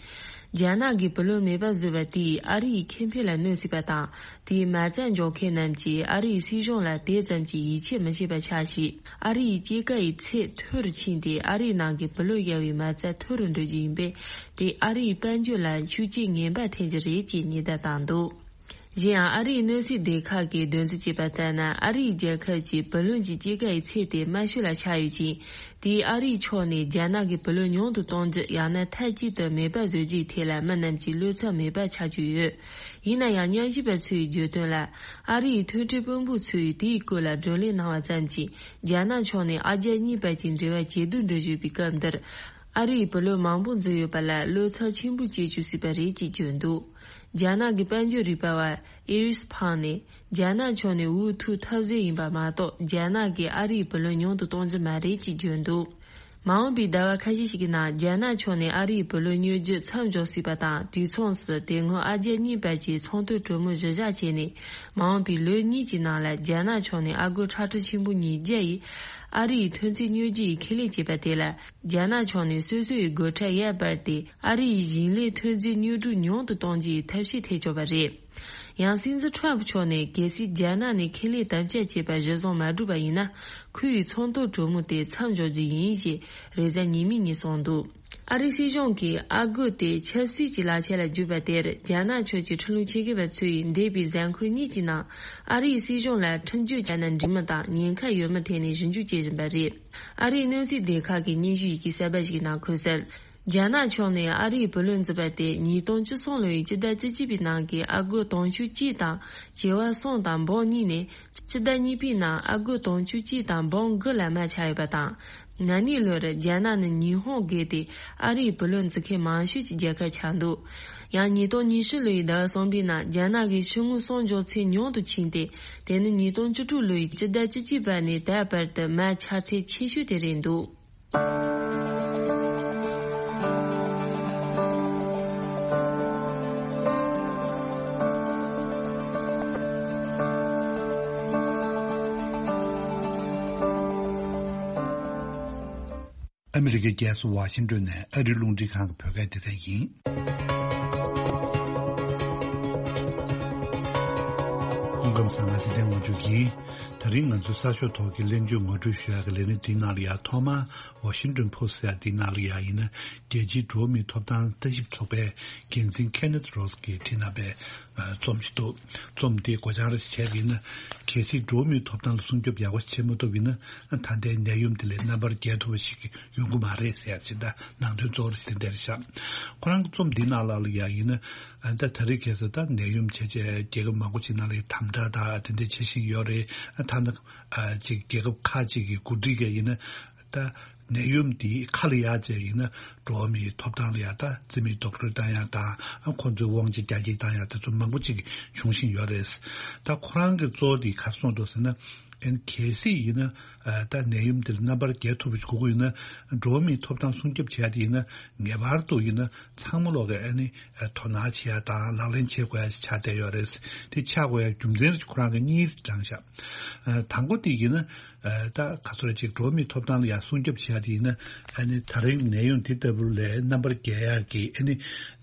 རྒྱ་ནག་གིས་བུ་ལོན་མེད་པར་བཟོས་པ་དེས་ཨ་རིའི་ཁེ་ཕན་ལ་གནོད་སྲིད་པ་དང་། དེས་མ་རྩ་འཇོག་མཁན་རྣམས་ཀྱིས་ཨ་རིའི་སྲིད་གཞུང་ལ་དེ་ཙམ་གྱིས་ཡིད་ཆེས་མི་བྱེད་པ་ཆགས་ཤིང་། ཨ་རིའི་སྐྱེད་ཀ་ཡི་ཚད་མཐོ་རུ་ཕྱིན་ཏེ། ཨ་རིའི་ནང་གི་བུ་ལོན་གཡར་བའི་མ་རྩ་མཐོ་རུ་འགྲོ་རྒྱུ་ཡིན་པས། དེས་ཨ་རིའི་དཔལ་འབྱོར་ལ་ཤུགས་རྐྱེན་ངན་པ་ཐེབས་རྒྱུ་རེད་ཅེས་ཉེན་བརྡ་བཏང་འདུག་གཞན་ཡང་། ཨ་རིའི་གནས་ཚུལ་སྡེ་ཁག་གིས་འདོན་རྩིས་བྱས་པ་ལྟར་ན། ཨ་རིའི་རྒྱལ་ཁབ་ཀྱི་བུ་ལོན་གྱི་སྐྱེད་ཀ་ཡི་ཚད་དེ་དམའ་ཤོས་ལ་ཆགས་ཡོད་ཅིང་། དེས་ཨ་རིའི་ཕྱོགས་ནས་རྒྱ་ནག་གི་བུ་ལོན་ཉུང་དུ་གཏོང་རྒྱུ་ཡང་ན་མཐའ་གཅིག་ཏུ་མེད་པར་བཟོ་རྒྱུའི་ཐད་ལ་མི་རྣམས་ཀྱི་བློ་འཚབ་མེད་པ་ཆགས་ཀྱི་ཡོད། ཡིན་ན་ཡང་། ཉམས་ཞིབ་པ་ཚོའི་བརྗོད་དོན་ལ། ཨ་རིའི་མཐུན་སྒྲིལ་དཔོན་པོ་ཚོས་དེའི་སྐོར་ལ་བགྲོ་གླེང་གནང་བ་ཙམ་གྱིས། རྒྱ་ནག་ཕྱོགས་ནས་ཨ་རྒྱ་གཉིས་བར་གྱི་འབྲེལ་བ་ཇེ་སྡུག་འགྲོ་བཞིན་པའི་སྐབས་འདིར། ཨ་རིའི་བུ་ལོན་མང་པོ་འཛུལ་ཡོད་པ་ལ་བློ་འཚབ་ཆེན་པོ་སྐྱེ་བཅུག་སྲིད་པ་རེད་ཅེས་བརྗོད་འདུག་རྒྱ་ནག་གི་དཔལ་འབྱོར་རིག་པ་བ་ཨེ་རིས་ཕང་ནས། རྒྱ་ནག་ཕྱོགས་ནས་འུ་ཐུག་ཐབས་ཟད་ཡིན་པ་མ་གཏོགས། རྒྱ་ནག་གིས་ཨ་རིའི་བུ་ལོན་ཉུང་དུ་གཏོང་རྒྱུ་མ་རེད་ཅེས་བརྗོད་འདུག་མ་འོངས་པའི་ཟླ་བ་ཁ་ཤས་ཤིག་གི་ནང་། རྒྱ་ནག་ཕྱོགས་ནས་ཨ་རིའི་བུ་ལོན་གཡར་རྒྱུ་མཚམས་འཇོག་སྲིད་པ་དང་། དུས་མཚུངས་སུ། དེ་སྔོན་ཨ་རྒྱ་གཉིས་བར་གྱི་ཚོང་དོན་གྲོས་མོལ་གཞི་བཞག་བྱས་ནས། མ་འོངས་པའི་ལོ་གཉིས་ཀྱི་ནང་ལ། རྒྱ་ནག་ཕྱོགས་ནས་ཨ་སྒོར་ཁྲག་ཁྲིག་ཆེན་པོ་ཉིས་བརྒྱ་ཡིས་ཨ་རིའི་ཐོན་རྫས་གཡར་རྒྱུ་ཡི་ཁས་ལེན་བྱས་པ་དེ་ལ། རྒྱ་ནག་ཕྱོགས་ནས་སོ་སོའི་སྒོ་ཁྲལ་ཡར་སྤར་ཏེ། ཨ་རི་ཡི་ཞིང་ལས་ཐོན་རྫས་གཡར་འབྲུག་ཉུང་དུ་གཏོང་རྒྱུའི་ཐབས་ཤེས་ཐེབས་ཆོག་པ་རེད། ཡང་། སྲིད་འཛིན་ཁྲོམ་ཕྱོགས་ནས་གལ་སྲིད་རྒྱ་ནག་ནས་ཁས་ལེན་དམ་བཅའ་བྱས་པ་གཞི་བཟུང་མ་བསྒྲུབས་པ་ཡིན་ན། ཁོ་ཡི་ཚོང་དོན་གྲོས་མོལ་དེ་མཚམས་འཇོག་རྒྱུ་ཡིན་ཞེས་རེས་གཟའ་ཉི་མའི་ཉིན་གསུངས་འདུག་ཨ་རིའི་སྲིད་གཞུང་གིས་ཨ་སྒོར་དེ་ཆབ་སྲིད་ཀྱི་ལག་ཆ་ལ་བསྒྱུར་པ་དེར། རྒྱ་ནག་ཕྱོགས་ཀྱི་ཁྲིམས་ལུགས་ཆེད་མཁས་པ་ཚོས་འདས་པའི་གཟའ་འཁོར་གཉིས་ཀྱི་ནང་། ཨ་རིའི་སྲིད་གཞུང་ལ་ཁྲིམས་གཅོད་བྱས་ན་འགྲིག་མིན་དང་། ཉེན་ཁ་ཡོད་མེད་ཐད་ནས་ཞིབ་འཇུག་བྱེད་བཞིན་པ་རེད། ཨ་རིའི་གནས་ཚུལ་སྡེ་ཁག་གིས་སྙན་ཞུ་ཡི་གེ་གསར་པ་ཞིག་གི་ནང་འཁོད་གསལ། རྒྱ་ནག་ཕྱོགས་ནས་ཨ་རིའི་བུ་ལོན་འཛུལ་བ་དེ་ཉིས་སྟོང་བཅུ་གསུམ་ལོ་ཡི་སྤྱི་ཟླ་བཅུ་གཅིག་པའི་ནང་གི་ཨ་སྒོར་དུང་ཕྱུར་གཅིག་དང་བྱེ་བ་གསུམ་དང་འབུམ་གཉིས་ནས། སྤྱི་ཟླ་གཉིས་པའི་ནང་ཨ་སྒོར་དུང་ཕྱུར་གཅིག་དང་འབུམ་དགུ་ལ་མར་ཆག་ཡོད་པ་དང་། ན་ནིང་ལོར་རྒྱ་ནག་ནི་ཉི་ཧོང་བརྒལ་ཏེ་ཨ་རིའི་བུ་ལོན་འཛུལ་མཁན་མང་ཤོས་ཀྱི་རྒྱལ་ཁབ་ཆགས་འདུག་ཡང་། ཉིས་སྟོང་ཉི་ཤུ་ལོ་ཡི་ཟླ་བ་གསུམ་པའི་ནང་རྒྱ་ནག་གི་ཕྱི་དངུལ་གསོག་འཇོག་ཚད་ཉུང་དུ་ཕྱིན་ཏེ། དེ་ནི་ཉིས་སྟོང་བཅུ་དྲུག་ལོ་ཡི་སྤྱི་ཟླ་བཅུ་གཅིག་པ་ནས་ད་བར་དུ་མར་ཆག་ཚད་ཆེ་ཤོས་དེ་རེད་འདུག་ཨ་མི་རི་ཀའི་རྒྱལ་ས་ཝ་ཤིང་ཏོན་ནས་ཨ་རིའི་རླུང་འཕྲིན་ཁང་གི་བོད་སྐད་སྡེ་ཚན་ཡིན། སྐུ་ཁམས་བཟང་། ང་ཚེ་བརྟན་དབང་ཕྱུག་ཡིན། ད་རིང་ང་ཚོའི་གསར་ཤོག་ཐོག་གི་གླེང་བརྗོད་ངོ་སྤྲོད་ཞུ་ཡག་གི་ལས་རིམ་འདིའི་ནང་ལ་ཡང་ཐོག་མར་ཝ་ཤིང་ཏོན་ཕོ་སི་ཊི་ཟེར་ཡག་འདིའི་ནང་ལ་ཡང་ཡིན་ན། རྒྱལ་སྤྱིའི་འགྲོ་བ་མིའི་ཐོབ་ཐང་ལྟ་ཞིབ་ཚོགས་པའི་འགན་འཛིན་ཁེ་ནེཐ་རོ་སི་གིས་བྲིས་གནང་པའི་རྩོམ་ཞིག་འདུག་རྩོམ་དེའི་མགོ་བྱང་རེ་བྱས་ཡིན་ན། གལ་སྲིད་འགྲོ་བ་མིའི་ཐོབ་ཐང་ལ་སྲུང་སྐྱོབ་ཡག་པོ་བྱེད་མ་ཐུབ་ཡིན་ན། ད་ལྟའི་ནད་ཡམས་དེ་ལས་རྣམ་པར་རྒྱལ་ཐུབ་པ་ཞིག་ཡོང་གི་མ་རེད་ཟེར་ཡག་ཅིག་ད་ནང་དོན་གཙོ་བོ་རེ་དེ་འདྲ་རེད་ཤག་ཁོ་རང་གི་རྩོམ་འདིའི་ནང་ལ་ལ་ཡང་ཡིན་ན། ད་ད་རེས་ཁ་སང་ད་ནད་ཡམས་བྱས་བྱས་རྒྱལ་ཁབ་མང་པོ་ཅིག་ནང་ལ་དམ་དྲག་ད་དེ་འདྲ་བྱེད་བཞིན་ཡོད་རེད། ད་ནི་ཅིག་རྒྱལ་ཁབ་ཁག་ཅིག་གི་འགོ་ཁྲིད་ཀྱིས་ཡིན་ན། ད་ནད་ཡམས་འདི་ཁ་ལ་ཡར་བཅད་ཡིན་ན། འགྲོ་བ་མིའི་ཐོབ་ཐང་ལ་ཡང་ད་རྩིས་མེད་རྡོག་རོལ་བཏང་ཡག་དང་། ཁོ་ཚོའི་དབང་ཆ་རྒྱ་སྐྱེད་བཏང་ཡག་དེ་ཚོ་མང་པོ་ཅིག་བྱུང་བཞིན་ཡོད་རེད། ད་ཁོ་རང་གི་གཙོ་བོ་དེ་ག་རེ་གསུངས་འདུག་ཟེར་ན། ཨན་གལ་སྲིད་ཡིན་ན། ད་ནད་ཡམས་འདིར་རྣམ་པར་རྒྱལ་ཐུབ་པ་ཞིག་དགོས་ཀྱི་ཡོད་ན། འགྲོ་བ་མིའི་ཐོབ་ཐང་སྲུང་སྐྱོབ་བྱེད་ཡག་དེ་ཡིན་ན། ངེས་པར་དུ་ཡིན་ན་ཚང་མ་ལོག་གི་ཨ་ནི་དོ་སྣང་བྱེད་ཡག་དང་ལག་ལེན་བྱེད་དགོས་ཡག་ཅིག་ཆགས་བསྡད་ཡོད་རེད། དེ་ཆགས་དགོས་ཡག་རྒྱུ་མཚན་ཁོ་རང་གིས་གཉིས་དྲངས་ཤག་དང་པོ་དེ་ཡིན་ན། ད་ག་ཚོད་ཅིག་འགྲོ་བ་མིའི་ཐོབ་ཐང་ལ་ཡང་སྲུང་སྐྱོབ་བྱེད་ཡག་དེ་ཡིན་ན། ཨ་ནི་ད་རིང་ནད་ཡམས་འདི་ལྟ་བུ་ལས་རྣམ་པར་རྒྱལ་ཡག་གི་ཨ་ནི།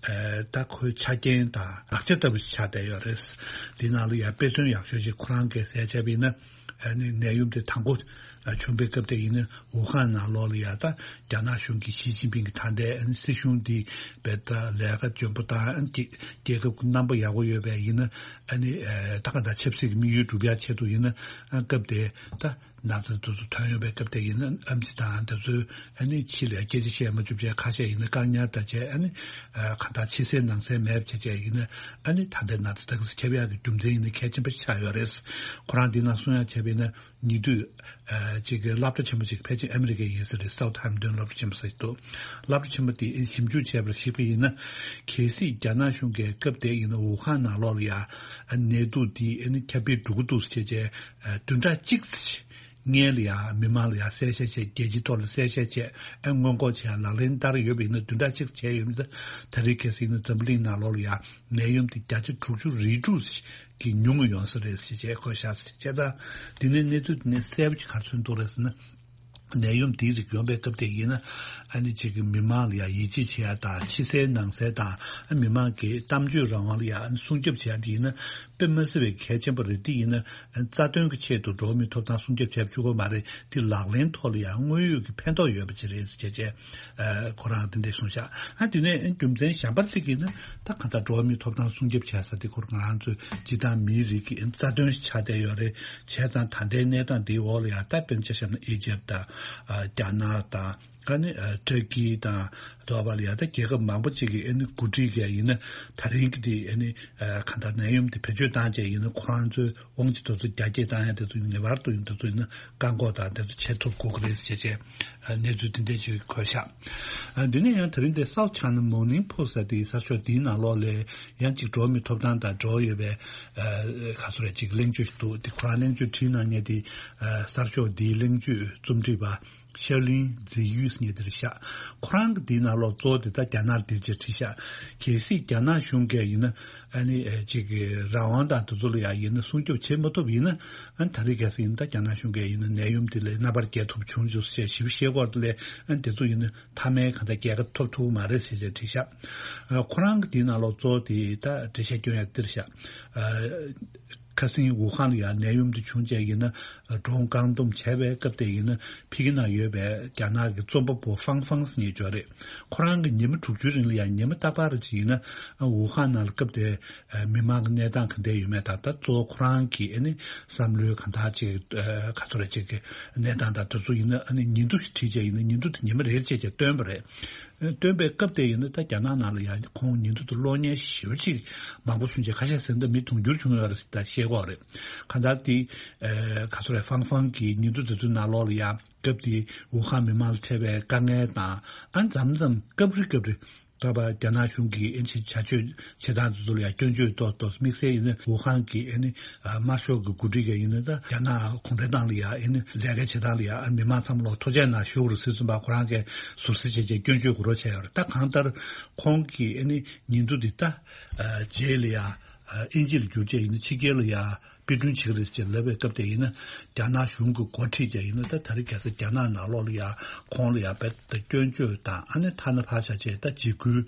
ད་ཁོའི་ཆ་རྐྱེན་དང་ལག་ཆ་ལྟ་བུ་ཞིག་ཆགས་བསྡད་ཡོད་རེད། འདི་ནང་ལ་ཡང་དཔེ་མཚོན་ཡག་ཤོས་ཅིག་ཁོ་རང་གིས་གསལ་བྱས་པ་ཡིན་ན། ཨ་ནི་ནད་ཡམས་དེ་དང་པོ་བྱུང་པའི་སྐབས་དེ་ཡིན་ན་ཝུ་ཧན་ནང་ལོགས་ལ་ཡ་ད་རྒྱ་ནག་གཞུང་གི་ཞི་ཅིན་ཕིང་གི་ད་ལྟའི་ཨ་ནི་སྲིད་གཞུང་འདི་བེད་ད་ལས་ཀ་འཇོན་པོ་དང་ཨ་ནི་རྒྱལ་ཁབ་ཀྱི་རྣམ་པ་ཡག་པོ་ཡོད་པའི་ཡིན་ན་ཨ་ནི་ད་ག་ད་ཆབ་སྲིད་ཀྱི་དམིགས་ཡུལ་སྒྲུབ་ཡ་ཆེད་དུ་ཡིན་ན་ཨ་སྐབས་དེ་ད། ན་ཚ་དེ་ཚོ་ཐོན་ཡོང་བའི་སྐབས་དེ་ཡིན་ན་ཨེམ་ཆི་དང་དེ་ཚོའི་ཨ་ནི་ཕྱི་ལ་སྐད་ཆ་བཤད་མ་བཅུག་བྱས་ཁ་ཤས་ཡིན་ན་བཀག་ཉར་དང་བཅས་ཨ་ནི་ཨ་གང་ལྟར་ཕྱི་གསལ་ནང་གསལ་མེད་པ་བྱས་བྱས་ཡིན་ན་ཨ་ནི་ད་ལྟའི་ན་ཚ་དེ་ཚོ་ཁྱབ་ཡག་གི་རྒྱུ་མཚན་ཡིན་ན་གལ་ཆེན་པོ་ཆགས་ཡོད་རེད། ཁོ་རང་འདི་ནང་གསུང་ཡག་བྱས་པ་ཡིན་ན་ཉེ་དུས་ཨ་ཅིག་གི་སློབ་གྲྭ་ཆེན་པོ་ཅིག་ཕལ་ཆེར་ཨ་མི་རི་ཀའི་ཡིན་ས་རེད། སའུ་ཐི་ཧེམ་ཏོན་སློབ་གྲྭ་ཆེན་པོ་ཟེར་གྱི་འདུག་སློབ་གྲྭ་ཆེན་པོ་དེ་ཞིབ་འཇུག་བྱས་པར་གཞིགས་པ་ཡིན་ན་གལ་སྲིད་རྒྱ་ནག་གཞུང་གིས་སྐབས་དེ་ཡིན་ན་ཝུ་ཧན་ནང་ལོགས་ལ་ཡ་ཨ་ནད་དུག་འདི་ཨ་ནི་ཁྱབ་སྤེལ་འགྲོ་གི་འདུག་ཟེར་བྱས་བྱས། བདུན་ཕྲག་གཅིག་སྔོན་ལ་ཡང་མི་མང་ལ་ཡང་གསལ་བཤད་བྱས། རྒྱལ་སྤྱིའི་ཐོག་ལ་གསལ་བཤད་བྱས། ཨ་སྔོན་འགོག་བྱས་ལག་ལེན་བསྟར་ཡོད་པ་ཡིན་ན་བདུན་ཕྲག་གཅིག་བྱས་ཡོད་མེད་ད་རེས་གལ་སྲིད་ཡིན་ན་འཛམ་བུ་གླིང་ནང་ལོགས་ལ་ཡང་ནད་ཡམས་དེ་བརྒྱ་ཆ་དྲུག་ཅུ་རེ་དྲུག་གི་ཉུང་ངུ་ཡོང་ས་རེད་ཟེར་བྱས་བཀོད་བཞག་ཟེར་བྱས་ཙང་། འདི་ནས་གནས་ཚུལ་འདི་ནས་གསལ་པོ་ཅིག་ག་རེ་མཚོན་ཐུབ་རེད་ཟེར་ན། ནད་ཡམས་འདིའི་རིགས་ཡོང་པའི་སྐབས་དེ་ཡིན་ན་ཨ་ནི་གཅིག་གི་མི་མང་ལ་ཡང་ཡིད་ཆེས་བྱེད་ཡ་དང་ཕྱི་གསལ་ནང་གསལ་དང་ཨ་མི་མང་གི་གཏམ་བརྗོད་རང་དབང་ལ་ཡང་ཨ་ནི་སྲུང་སྐྱོབ་བྱེད་ཡ་འདི་ཡིན་ན། དཔེ་མ་སྲིད་པའི་གལ་ཆེན་པོ་རེད། འདི་ཡིན་ན་རྩ་དོན་གྱི་ཆེད་དུ་འགྲོ་བ་མིའི་ཐོབ་ཐང་སྲུང་སྐྱོབ་བྱེད་བཅུག་གི་མ་རེད། འདི་ལག་ལེན་ཐོག་ལ་ཡང་དངོས་ཡོད་ཀྱི་ཕན་ཐོགས་ཡོད་པ་ཅིག་རེད་ཟེར་བྱས་བྱས་ཁོ་རང་འདི་འདྲས་གསུངས་ཤག་ཨ་དེ་ནས་རྒྱུ་མཚན་གཞན་པ་ཅིག་ཡིན་ན་ད་གང་ལྟར་འགྲོ་བ་མིའི་ཐོབ་ཐང་སྲུང་སྐྱོབ་བྱེད་ས་དེ་ཁོ་རང་ཚོའི་སྤྱི་བཏང་མིའི་རིགས་ཀྱི་རྩ་དོན་ཞིག་ཆགས་བསྡད་ཡོད་རེད། བྱས་ཙང་ད་ལྟའི་གནས་སྟངས་འདིའི་འོག་ལ་ཡང་ད་དཔེར་ན་ཆ་བཞག་ན་ཨི་ཇེབ་དང་རྒྱ་ནག་དང་། ཨ་ནི་ཨ་ཏུར་ཀི་དང་དོ་བ་ལ་ཡ་ད་རྒྱལ་ཁབ་མང་པོ་ཅིག་གིས་ཨ་ནི་གོ་སྒྲིག་གིས་ཡིན་ན་ད་རིང་གི་དེ་ཨ་ནི་ཨ་གང་ལྟར་ནད་ཡམས་དེ་བེད་སྤྱོད་བཏང་བྱས་ཡིན་ན་ཁོ་རང་ཚོའི་དབང་ཆ་དེ་ཚོ་རྒྱ་སྐྱེད་བཏང་ཡ་དེ་ཚོ་ངེས་པར་དུ་ཡིན་དེ་ཚོ་ཡིན་ན་བཀག་འགོག་དང་དེ་ཚོ་བྱེད་ཐུབ་དགོས་ཀྱི་རེད་ཟེར་བྱས་ཨ་གནས་ཚུལ་དེ་འདྲས་ཅིག་འཁོད་ཤག་ཨ་འདི་ནས་ཡང་ད་རིང་དེ་སའུ་ཐི་ཆའི་ན་མོར་ནིང་པོ་སི་ཊི་ཟེར་དེའི་གསར་ཤོག་དེའི་ནང་ལོགས་ལ་ཡང་ཅིག་འགྲོ་བ་མིའི་ཐོབ་ཐང་དང་འབྲེལ་བ་ཡོད་པའི་ཨ་ག་ཚོད་རེད་ཅིག་གླེང་བརྗོད་ཞིག་འདུག་དེ་ཁོ་རང་གླེང་བརྗོད་བྲིས་གནང་མཁན་དེ་ཨ་གསར་ཤོག་དེའི་གླེང་བརྗོད་རྩོམ་སྒྲིག་པ། ཤར་གླིང་ཛི་ཡུས་ཉེ་དེར་བཞག་ཁོ་རང་གི་འདིའི་ནང་ལོགས་གཙོ་བོ་དེ་ད་རྒྱ་ནག་འདིར་ཅེས་བྲིས་བཞག་གལ་སྲིད་རྒྱ་ནག་གཞུང་གིས་ཡིན་ན་ཨ་ནི་ཨེ་ཅིག་གི་རང་དབང་དང་དེ་ཚོ་ལ་ཡང་ཡིན་ན་སྲུང་སྐྱོབ་བྱེད་མ་ཐུབ་ཡིན་ན་ཨ་ནི་ད་རེས་གལ་སྲིད་ཡིན་ན་ད་རྒྱ་ནག་གཞུང་གིས་ཡིན་ན་ནད་ཡམས་འདི་ལས་རྣམ་པར་རྒྱལ་ཐུབ་བྱུང་བྱུང་ཟེར་ཞིབ་བཤད་སྐོར་དེ་ལས་ཨ་ནི་དེ་ཚོ་ཡིན་ན་མཐའ་མའི་གང་ལྟར་རྒྱལ་ཁ་ཐོབ་ཐུབ་མ་རེད་ཟེར་བྱས་བྲིས་བཞག་ཨ་ཁོ་རང་གི་འདིའི་ནང་ལོགས་གཙོ་བོ་དེ་ད་འགྲེལ་བཤད་སྐྱོན་ཡང་འདིར་བཞག་ཨ། ཁ་སང་ཝུ་ཧན་ལ་ཡང་ནད་ཡམས་འདི་བྱུང་རྗེས་ཡིན་ན་འགྲོ་འོང་བཀག་སྡོམ་བྱས་པའི་སྐབས་དེ་ཡིན་ན་ཕ་གི་ནང་ཡོད་པའི་རྒྱ་ནག་གི་རྩོམ་པ་པོ་ཧྥང་ཧྥང་ཟེར་མཁན་ཅིག་ཡོད་རེད། ཁོ་རང་གི་ཉི་མ་དྲུག་ཅུའི་རིང་ལ་ཡང་ཉི་མ་རྟག་པར་ཅིག་ཡིན་ན་ཝུ་ཧན་ནང་ལ་སྐབས་དེ་མི་མང་གི་གནས་སྟངས་ག་འདྲ་ཡོད་མེད་དང་ད་གཙོ་བོ་ཁོ་རང་གི་ཨ་ནི་བསམ་བློའི་གང་ལྟར་ཅིག་ག་ཚོད་རེད་ཅིག་གི་གནས་སྟངས་དང་དེ་ཚོ་ཡིན་ན་ཨ་ནི་ཉིན་ཐོ་ཞིག་བྲིས་རྗེས་ཡིན་ན་ཉིན་ཐོ་དེ་ཉི་མ་རེར་བྱས་བྱས་བཏོན་པ་རེད། སྟོན་པའི་སྐབས་དེ་ཡིན་ན་ད་རྒྱ་ནག་ནང་ལ་ཡང་ཁོང་ཉིན་ཐོ་དེ་ཀློག་མཁན་ཞེ་པོ་ཅིག་མང་པོ་བྱུང་རྗེས་ཁ་ཤས་ཟེར་ན་ད་མི་དུང་ཕྱུར་བྱུང་ཡོད་རེད་ཟེར་ད་བཤད་ཀྱི་ཡོད་རེད། གང་ལྟར་དེ་ཨ་ག་ཚོད་རེད་ཧྥང་ཧྥང་གི་ཉིན་ཐོ་དེ་ཚོའི་ནང་ལོགས་ལ་ཡང་སྐབས་དེ་ཝུ་ཧན་མི་མང་ལ་འཕྲད་པའི་དཀའ་ངལ་དང་ཨ་མཚམས་མཚམས་སྐབས་རེ་སྐབས་རེ་ད་བར་རྒྱ་ནག་གཞུང་གིས་ཨེ་ཆི་བྱ་སྤྱོད་བྱེད་སྟངས་དེ་ཚོ་ལ་ཡང་སྐྱོན་བརྗོད་ཏོག་ཏོག་དམིགས་བསལ་ཡིན་ན་ཝུ་ཧན་གྱི་ཨ་ནི་དམར་ཤོག་གི་འགོ་ཁྲིད་ཀྱི་ཡིན་ན་ད་རྒྱ་ནག་གུང་ཁྲན་ཏང་ལ་ཡང་ཨ་ནི་ལས་ཀ་བྱེད་སྟངས་ལ་ཡང་མི་མང་ཚང་མ་ལ་ཐུགས་རྗེ་གནང་ཞུ་དགོས་རེད་ཟེར་ཙམ་པ་ཁོ་རང་གིས་ཟུར་ཟ་བྱས་བྱས་སྐྱོན་བརྗོད་དགོས་རོགས་བྱས་ཡོད་རེད། ད་གང་ལྟར་ཁོང་གིས་ཨ་ནི་ཉིན་ཐོ་འདི་ད་རྗེས་ལ་ཡང་དབྱིན་ཇི་ལ་བསྒྱུར་བྱས་ཡིན་ན་ཕྱི་རྒྱལ་ལ་ཡང་དཔེ་སྐྲུན་བྱེད་ཀྱི་རེད་ཅེས་ལབ་པའི་སྐབས་དེ་ཡིན་ན་རྒྱ་ནག་གཞུང་གི་འགོ་ཁྲིད་ཀྱང་ཡིན་ན་ད་ད་རེས་གལ་སྲིད་རྒྱ་ནག་ནང་ལོགས་ལ་ཡང་ཁོང་ལ་ཡང་རྦད་དེ་སྐྱོན་བརྗོད་དང་ཨ་ནི་ཐ་ན་ཕར་བཞག་བྱས་ད་འཇིགས་སྐུལ་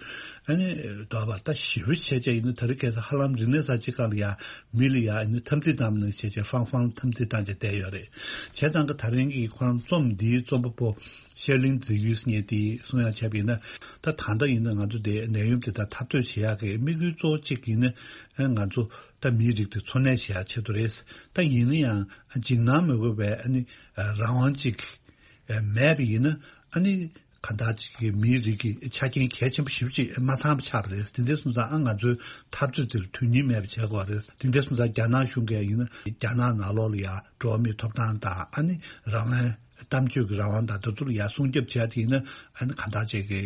ཨ་ནི་དོགས་པ་ད་ཞེ་པོ་བྱས་བྱས་ཡིན་ན་ད་རེས་གལ་སྲིད་ཧ་ལམ་རིག་གནས་གསར་བརྗེ་སྐབས་ལ་ཡང་མི་ལ་ཡང་ཨ་ནི་འཐབ་འཛིང་བཏང་བ་ནང་བཞིན་བྱས་བྱས་ཧྥང་ཧྥང་འཐབ་འཛིང་བཏང་བྱས་བསྡད་ཡོད་རེད། བྱས་ཙང་གི་ད་རིང་གི་ཁོ་རང་རྩོམ་འདིའི་རྩོམ་པ་པོ་ཤེར་ལིང་ཛི་ཡུས་ངས་དེ་གསུང་ཡག་བྱས་པ་ཡིན་ན་ད་ད་ལྟ་ཡིན་ན་ང་ཚོ་དེ་ནད་ཡམས་དེ་དག་འཐབ་རྩོད་བྱེད་ཡག་གི་དམིགས་ཡུལ་གཙོ་བོ་གཅིག་ཡིན་ན་ང་ཚོ་ད་མིའི་རིགས་དེ་འཚོ་གནས་བྱེད་ཡག་ཆེད་དུ་རེད། ད་ཡིན་ན་ཡང་འཇིགས་སྣང་མི་དགོས་པའི་ཨ་ནི་རང་དབང་གཅིག་མེད་པ་ཡིན་ན་ཨ་ནི་གང་ལྟར་གཅིག་གི་མིའི་རིགས་ཀྱི་ཆ་རྐྱེན་གལ་ཆེན་པོ་ཞེ་པོ་ཅིག་མ་ཚང་བ་ཆགས་པ་རེད། དེ་འདྲ་སོང་ཙང་ཨ་ང་ཚོའི་འཐབ་རྩོད་དེར་དོན་སྙིང་མེད་པ་བྱེད་དགོས་རེད། དེ་འདྲ་སོང་ཙང་རྒྱ་ནག་གཞུང་གིས་ཡིན་ན་རྒྱ་ནག་ནང་ལོགས་ལ་ཡང་འགྲོ་བ་མིའི་ཐོབ་ཐང་དང་ཨ་ནི་རང་དབང་གཏམ་བརྗོད་ཀྱི་རང་དབང་དང་དེ་ཚོ་ལ་ཡང་སྲུང་སྐྱོབ་བྱས་དེ་ཡིན་ན་ཨ་ནི་གང་ལྟར་ཅིག་གི་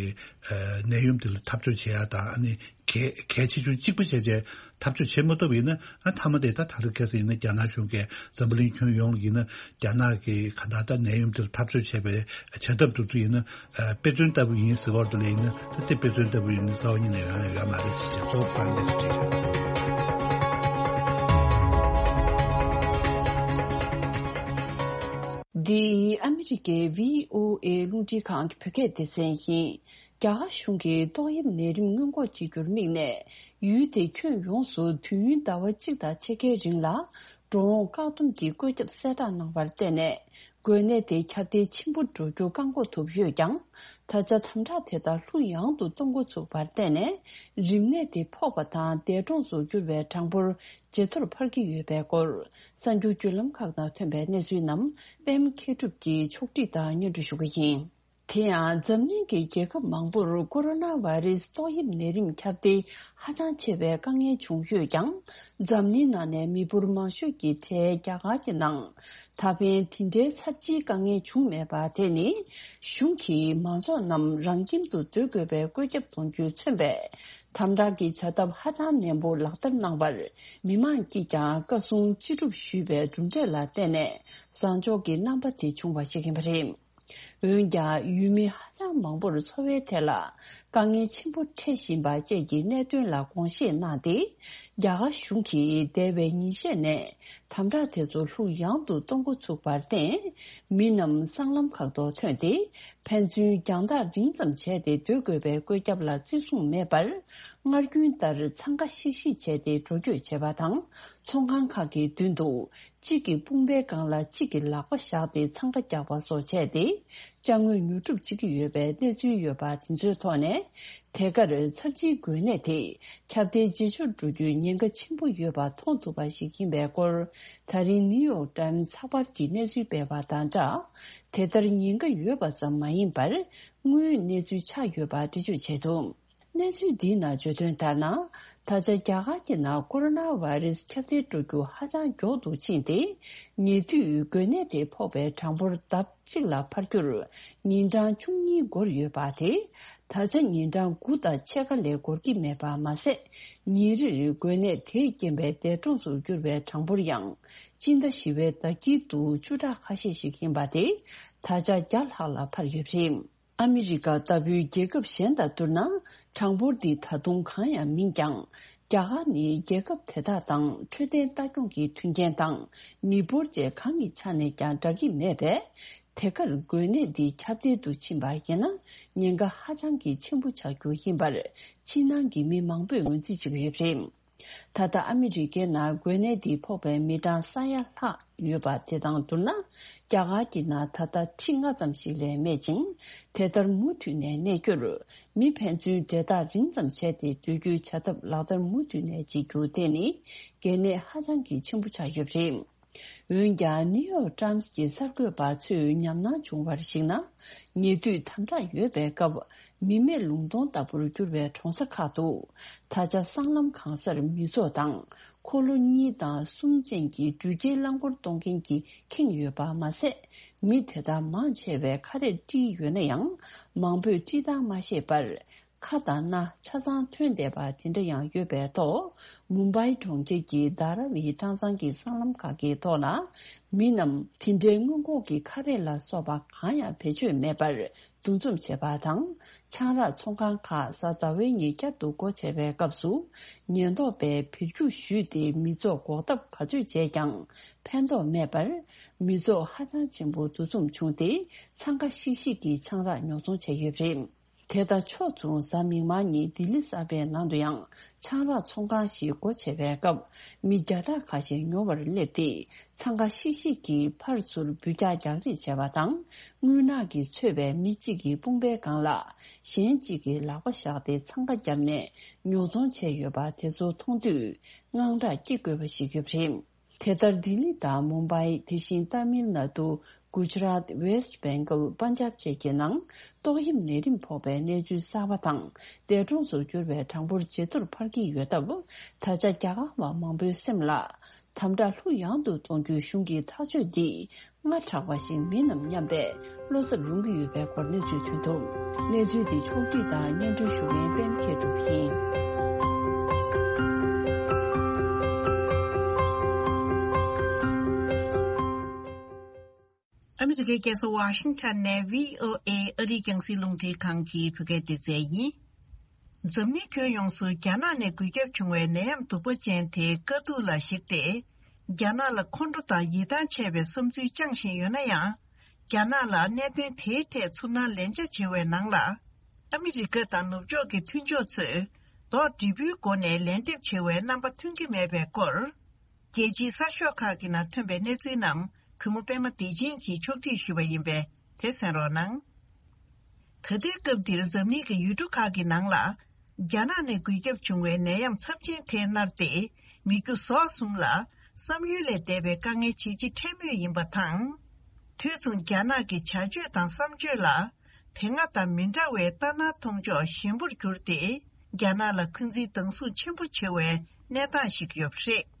ནད་ཡམས་དེ་ལ་འཐབ་རྩོད་བྱེད་ཡ་དང་ཨ་ནི་གལ་གལ་ཆེ་ཆུང་གཅིག་པ་བྱས་བྱས་འཐབ་རྩོད་བྱེད་མ་ཐུབ་ཡིན་ན་ཨ་མཐའ་མ་དེ་ད་ད་རེས་ཁ་སང་ཡིན་ན་རྒྱ་ནག་གཞུང་གིས་འཛམ་བུ་གླིང་ཁྱོན་ཡོངས་ལ་ཡིན་ན་རྒྱ་ནག་གིས་གང་ལྟར་ད་ནད་ཡམས་དེ་ལ་འཐབ་རྩོད་བྱས་པའི་བྱ་ཐབས་དེ་ཚོ་ཡིན་ན་དཔེ་མཚོན་ལྟ་བུ་ཡིན་ཟེར་བ་དེ་ལ་ཡིན་ན་ད་དེ་དཔེ་མཚོན་ལྟ་བུ་ཡིན་ན་རྩ་བ་ཉིད་ནས་ཡོང་ཡ་ཡོད་མ་རེད་ཟེར་བྱས་གཙོ་བོ་དཔང་ལས་སུ་བྲིས་ཡོད། འདི་ཨ་མི་རི་ཀའི་བྷི་ཨོ་ཨེ་རླུང་འཕྲིན་ཁང་གི་བོད་སྐད་སྡེ་ཚན་ཡིན། རྒྱ་གར་གཞུང་གིས་ཏོག་དབྱིབས་ནད་རིམས་སྔོན་འགོག་བྱེད་རྒྱུར་དམིགས་ནས། ཡུལ་དེའི་ཁྱོན་ཡོངས་སུ་དུས་ཡུན་ཟླ་བ་གཅིག་དང་ཕྱེད་ཀའི་རིང་ལ། འགྲོ་འོང་བཀག་སྡོམ་གྱི་བཀོད་ཁྱབ་གསལ་བསྒྲགས་གནང་བར་བརྟེན་ནས། འགོས་ནད་དེ་ཁྱབ་གདལ་ཆེན་པོ་འགྲོ་རྒྱུ་བཀག་འགོག་ཐུབ་ཡོད་ཀྱང་། ད་ཆ་དམ་དྲག་དེ་དག་ལྷུག་ཡངས་དུ་གཏོང་འགོ་ཚུགས་པར་བརྟེན་ནས། རིམས་ནད་དེ་ཕོག་པ་དང་འདས་གྲོངས་སུ་གྱུར་བའི་གྲངས་འབོར་ཇེ་མཐོར་འཕར་གྱི་ཡོད་པའི་སྐོར། གསར་འགྱུར་བརྒྱུད་ལམ་ཁག་ནང་ཐོན་པའི་གནས་ཚུལ་རྣམས་པད་མ་མཁས་གྲུབ་ཀྱིས་ཕྱོགས་སྒྲིག་དང་སྙན་སྒྲོན་ཞུ་གི་ཡིན། དེ་ཡང་། འཛམ་གླིང་གི་རྒྱལ་ཁབ་མང་པོར་ཀོ་རོ་ན་བྷ་རེ་སི་ཏོག་དབྱིབས་ནད་རིམས་ཁྱབ་གདལ་ཧ་ཅང་ཆེ་བའི་དཀའ་ངལ་བྱུང་ཡོད་ཀྱང་། འཛམ་གླིང་ནང་ནས་མི་འབོར་མང་ཤོས་ཀྱི་གྲས་རྒྱ་གར་གྱི་ནང་ད་ཕན་དེ་འདྲའི་ཚབས་ཆེའི་དཀའ་ངལ་བྱུང་མེད་པ་དེ་ནི། གཞུང་གིས་མང་ཚོགས་རྣམས་རང་ཁྱིམ་དུ་སྡོད་དགོས་པའི་བཀོད་ཁྱབ་གཏོང་རྒྱུས་མཚོན་པའི། དམ་དྲག་གི་བྱ་ཐབས་ཧ་ཅང་ནན་པོ་ལག་བསྟར་གནང་བར། མི་མང་གིས་ཀྱང་བཀའ་གསུང་ཅི་སྒྲུབ་ཞུས་པའི་གྲུབ་འབྲས་ལ་བརྟེན་ནས། བཟང་ཕྱོགས་ཀྱི་རྣམ་པ་དེ་བྱུང་བ་ཞིག་ཡིན་པ་རེད། འོན་ཀྱང་། ཡུལ་མི་ཧ་ཅང་མང་པོར་འཚོ་བའི་ཐད་ལ་དཀའ་ངལ་ཆེན་པོ་འཕྲད་བཞིན་པ་བཅས་ཀྱི་གནད་དོན་ལ་དགོངས་བཞེས་གནང་སྟེ། རྒྱ་གར་གཞུང་གིས་འདས་པའི་ཉིན་ཤས་ནས་དམ་དྲག་དེ་ཚོ་ལྷུག་ཡངས་དུ་གཏོང་འགོ་ཚུགས་པར་བརྟེན། མི་རྣམས་སྲང་ལམ་ཁག་ཏུ་ཐོན་ཏེ། ཕན་ཚུན་རྒྱང་ཐག་རིང་ཙམ་བྱས་ཏེ་སྡོད་དགོས་པའི་བཀོད་ཁྱབ་ལ་བརྩི་སྲུང་མེད་པར། སྔར་རྒྱུན་ལྟར་འཚང་ཁ་ཤིག་ཤིག་བྱས་ཏེ་འགྲོ་སྐྱོད་བྱེད་པ་དང་། ཚོང་ཁང་ཁག་གི་མདུན་དུ། གཅིག་གི་དཔུང་པའི་སྒང་ལ་གཅིག་གི་ལག་པ་བཞག་སྟེ་འཚང་ཁ་རྒྱག་པ་སོགས་བྱས་ཏེ། ཅ་དངོས་ཉོ་སྒྲུབ་བྱེད་ཀྱི་ཡོད་པའི་གནས་ཚུལ་ཡོད་པ་དེ་ཚོའི་ཐོག་ནས། དེ་གར་ཚབས་ཆེའི་འགོས་ནད་དེ་ཁྱབ་གདལ་ཇེ་ཆེར་འགྲོ་རྒྱུའི་ཉེན་ཁ་ཆེན་པོ་ཡོད་པ་མཐོང་ཐུབ་པ་ཞིག་ཡིན་པའི་སྐོར། ད་རིང་ནིའུ་ཡོག་ཊའིམ་ཚགས་པར་གྱིས་གནས་ཚུལ་སྤེལ་བ་དང་སྦྲགས། དེ་ལྟར་ཉེན་ཁ་ཡོད་པ་ཙམ་མ་ཡིན་པར། དངོས་ཡོད་གནས་ཚུལ་ཆགས་ཡོད་པ་འགྲེལ་བརྗོད་བྱས་འདུག་གནས་ཚུལ་འདིའི་ནང་བརྗོད་དོན་ལྟར་ན། ད་ཆ་རྒྱ་གར་གྱི་ནང་ཀོ་རོ་ན་བྷ་རེ་སི་ཁྱབ་གདལ་འགྲོ་རྒྱུ་ཧ་ཅང་མགྱོགས་སུ་ཕྱིན་ཏེ། ཉེ་དུས་འགོས་ནད་དེ་ཕོག་པའི་གྲངས་འབོར་ལྡབ་གཅིག་ལ་འཕར་རྒྱུར་ཉིན་གྲངས་བཅུ་གཉིས་འགོར་ཡོད་པ་དེ། ད་ཆ་ཉིན་གྲངས་དགུ་དང་ཕྱེད་ཀ་ལས་འགོར་གྱི་མེད་པ་མ་ཟད། ཉིན་རེར་འགོས་ནད་དེས་རྐྱེན་པས་འདས་གྲོངས་སུ་གྱུར་བའི་གྲངས་འབོར་ཡང་། སྤྱི་ཟླ་བཞི་པའི་ཟླ་དཀྱིལ་དུ་བཅུ་ཕྲག་ཁ་ཤས་ཤིག་ཡིན་པ་དེ། ད་ཆ་བརྒྱ་ལྷག་ལ་འཕར་ཡོད་པ་རེད། ཨ་མི་རི་ཀ་ལྟ་བུའི་རྒྱལ་ཁབ་གཞན་དང་བསྡུར་ན། གྲངས་འབོར་འདི་ད་དུང་གང་ཡང་མིན་ཀྱང་། རྒྱ་གར་ནི་རྒྱལ་ཁབ་དེ་དག་དང་འཕྲོད་བསྟེན་ལྟ་སྐྱོང་གི་མཐུན་རྐྱེན་དང་མི་འབོར་བཅས་གང་གི་ཆ་ནས་ཀྱང་འདྲ་གི་མེད་པས། དེ་གར་འགོས་ནད་འདི་ཁྱབ་གདལ་དུ་ཕྱིན་པ་ཡིན་ན། ཉེན་ཁ་ཧ་ཅང་གི་ཆེན་པོ་ཆགས་རྒྱུ་ཡིན་པར། ཕྱི་ནང་གི་མི་མང་པོས་ངོས་འཛིན་བྱེད་ཀྱི་ཡོད་པ་རེད། ད་ལྟ་ཨ་མི་རི་ཀའི་ནང་འགོས་ནད་འདི་ཕོག་པའི་མི་གྲངས་ས་ཡ་ལྷག་ཡོད་པ་དེ་དང་བསྡུར་ན། རྒྱ་གར་གྱི་ནང་ད་ལྟ་ཁྲི་ལྔ་ཙམ་ཞིག་ལས་མེད་ཅིང་། དེ་ལྟར་མུ་མཐུད་ནས་གནས་རྒྱུར། མི་ཕན་ཚུན་འབྲེལ་ཐག་རིང་ཙམ་བྱས་ཏེ་སྡོད་རྒྱུའི་བྱ་ཐབས་ལག་བསྟར་མུ་མཐུད་ནས་བྱེད་རྒྱུ་དེ་ནི། གལ་གནད་ཧ་ཅང་གི་ཆེན་པོ་ཆགས་ཡོད་པ་རེད། འོན་ཀྱང་། ནིའུ་ཡོག་ཊའིམ་སི་གྱི་གསར་འགོད་པ་ཚོས་ཉམས་སྣང་བྱུང་བར་གཞིགས་ན། ཉེ་དུས་དམ་དྲག་ཡོད་པའི་སྐབས། མི་མེད་ལུང་སྟོང་ལྟ་བུར་གྱུར་བའི་གྲོང་གསེབ་ཁག་ཏུ། ད་ཆ་སྲང་ལམ་གང་སར་མི་ཚོགས་དང་། འཁོར་ལོ་གཉིས་དང་གསུམ་ཅན་གྱི་འགྲུལ་སྐྱེལ་རླངས་འཁོར་གཏོང་མཁན་གྱིས་ཁེངས་ཡོད་པ་མ་ཟད། མི་དེ་དག་མང་ཆེ་བས་ཁ་རས་དཀྲིས་ཡོད་ན་ཡང་། མང་པོས་དཀྲིས་སྟངས་མ་ཤེས་པར། ཁ་དང་སྣ་ཆ་ཚང་ཐོན་བསྡད་པ་དེ་འདྲ་ཡང་ཡོད་པའི་ཐོག་མུམ་བྷའི་གྲོང་ཁྱེར་གྱི་དྷ་ར་བི་གྲྭ་ཚང་གི་སྲང་ལམ་ཁག་གི་ཐོག་ལ། མི་རྣམས་དེ་འདྲའི་སྔོན་འགོག་གི་ཁ་རས་ལ་སོགས་པ་གང་ཡང་བེད་སྤྱོད་མེད་པར་འདུ་འཛོམས་བྱས་པ་དང་། ཆང་རག་ཚོང་ཁང་ཁག་གཟའ་ཟླ་བའི་ཉིན་བསྐྱར་དུ་སྒོ་ཕྱེ་བའི་སྐབས་སུ། ཉེན་རྟོག་པས་འབུད་རྒྱུག་ཞུས་ཏེ། མི་ཚོགས་འགོག་ཐབས་ག་ཚོད་བྱས་ཀྱང་ཕན་ཐོགས་མེད་པར། མི་ཚོགས་ཧ་ཅང་ཆེན་པོ་འདུ་འཛོམས་བྱུང་སྟེ། འཚང་ཁ་ཤིག་ཤིག་གིས་ཆང་རག་ཉོ་ཚོང་བྱས་ཡོད་པ་རེད། དེ་དང་ཕྱོགས་མཚུངས། གཟའ་མིག་དམར་ཉིན་ལྡི་ལི་གསར་པའི་ནང་དུ་ཡང་ཆང་རག་ཚོང་ཁང་ཞིག་སྒོ་ཕྱེ་བའི་སྐབས། མི་བརྒྱ་ཕྲག་ཁ་ཤས་ཉོ་བར་སླེབས་ཏེ། འཚང་ཁ་ཤིག་ཤིག་གིས་ཕར་ཚུར་འབུད་རྒྱག་རྒྱག་རེས་བྱས་པ་དང་། རྔུལ་ནག་གིས་ཚོས་པའི་མི་གཅིག་གི་དཔུང་པའི་སྒང་ལ། གཞན་གཅིག་གིས་ལག་པ་བཞག་སྟེ་འཚང་ཁ་བརྒྱབ་ནས་ཉོ་ཚོང་བྱས་ཡོད་པ་དེ་ཚོ་མཐོང་དུས། དངངས་སྐྲག་སྐྱེ་དགོས་པ་ཞིག་ཡོད་པ་རེད། དེ་ལྟར། ལྡི་ལི་དང་མུམ་བྷའི། དེ་བཞིན་ཏཱ་མིལ་ནཱ་ཏུ། གུ་ཇི་རཱཏ། ཝེསྟ་བེང་གལ། པན་ཇབ་བཅས་ཀྱི་ནང་ཏོག་དབྱིབས་ནད་རིམས་ཕོག་པའི་གནས་ཚུལ་གསར་པ་དང་། འདས་གྲོངས་སུ་གྱུར་བའི་གྲངས་འབོར་ཇེ་མཐོར་འཕར་གྱི་ཡོད་སྟབས། ད་ཆ་རྒྱ་གར་བ་མང་པོའི་སེམས་ལ། དམ་དྲག་ལྷུག་ཡངས་དུ་གཏོང་རྒྱུའི་གཞུང་གི་ཐག་གཅོད་འདིས། སྔར་དྲག་པ་ཞིག་མིན་ནམ་སྙམ་པའི་བློ་འཚབ་ཡོང་གི་ཡོད་པའི་སྐོར་གནས་ཚུལ་ཐོན་འདུག་གནས་ཚུལ་དེ་ཕྱོགས་སྒྲིག་དང་སྙན་སྒྲོན་ཞུ་མཁན་པད་མ་མཁས་གྲུབ་ཡིན། ཨ་མི་རི་ཀའི་རྒྱལ་ས་ཝ་ཤིང་ཊོན་ནས་བྷི་ཨོ་ཨེ་ཨ་རིའི་རྒྱང་སྲིང་རླུང་འཕྲིན་ཁང་གི་བོད་སྐད་སྡེ་ཚན་ཡིན། འཛམ་གླིང་ཁྱོན་ཡོངས་སུ་རྒྱ་ནག་ནས་འགོས་ཁྱབ་བྱུང་བའི་ནད་ཡམས་གདུག་པ་ཅན་དེའི་དཀའ་སྡུག་ལ་གཞིགས་ཏེ། རྒྱ་ནག་ལ་ཁོང་ཁྲོ་དང་ཡིད་ཐང་ཆད་པའི་བསམ་ཚུལ་བཅངས་བཞིན་ཡོད་ན་ཡང་། རྒྱ་ནག་ལ་གནད་དོན་དེའི་ཐད་ཚུར་སྣང་ལན་ཆ་བྱེད་པའི་ནང་ལ། ཨ་མི་རི་ཀ་དང་ནུབ་ཕྱོགས་ཀྱི་མཐུན་ཕྱོགས་ཚོས་ལྡོག་འདྲེས་པོའི་སྒོ་ནས་ལན་འདེབས་བྱེད་པའི་རྣམ་པ་མཐོང་གི་མེད་པའི་སྐོར། རྒྱལ་སྤྱིའི་གསར་ཤོག་ཁག་གི་ནང་ཐོན་པའི་གནས་ཚུལ་རྣམས་གུས་མོ་པད་མ་བདེ་ཆེན་གྱིས་ཕྱོགས་སྒྲིག་ཞུས་པ་ཡིན་པས་དེ་གསན་རོགས་གནང་། ད་ལྟའི་སྐབས་འདིར་འཛམ་གླིང་གི་ཡུལ་གྲུ་ཁག་གི་ནང་ལ། རྒྱ་ནག་ནས་འགོས་ཁྱབ་བྱུང་བའི་ནད་ཡམས་ཚབས་ཆེན་དེ་མནར་ཏེ། མི་རྒྱུ་ཟོག་གསུམ་ལ་བསམ་ཡུལ་ལས་འདས་པའི་དཀའ་ངལ་ཇེ་ཆེ་འཕྲད་མུས་ཡིན་པ་དང་། དུས་མཚུངས་རྒྱ་ནག་གི་བྱ་སྤྱོད་དང་བསམ་སྤྱོད་ལ། དེ་སྔ་དང་མི་འདྲ་བའི་ལྟ་ན་མཐོང་ཕྱོགས་ཞན་པོར་གྱུར་ཏེ། རྒྱ་ནག་ལ་འཁོན་འཛིན་སྡང་ཟུག་ཆེན་པོ་བྱེད་པའི་གནས་སྟངས་ཤིག་ཡོད་པ་རེད།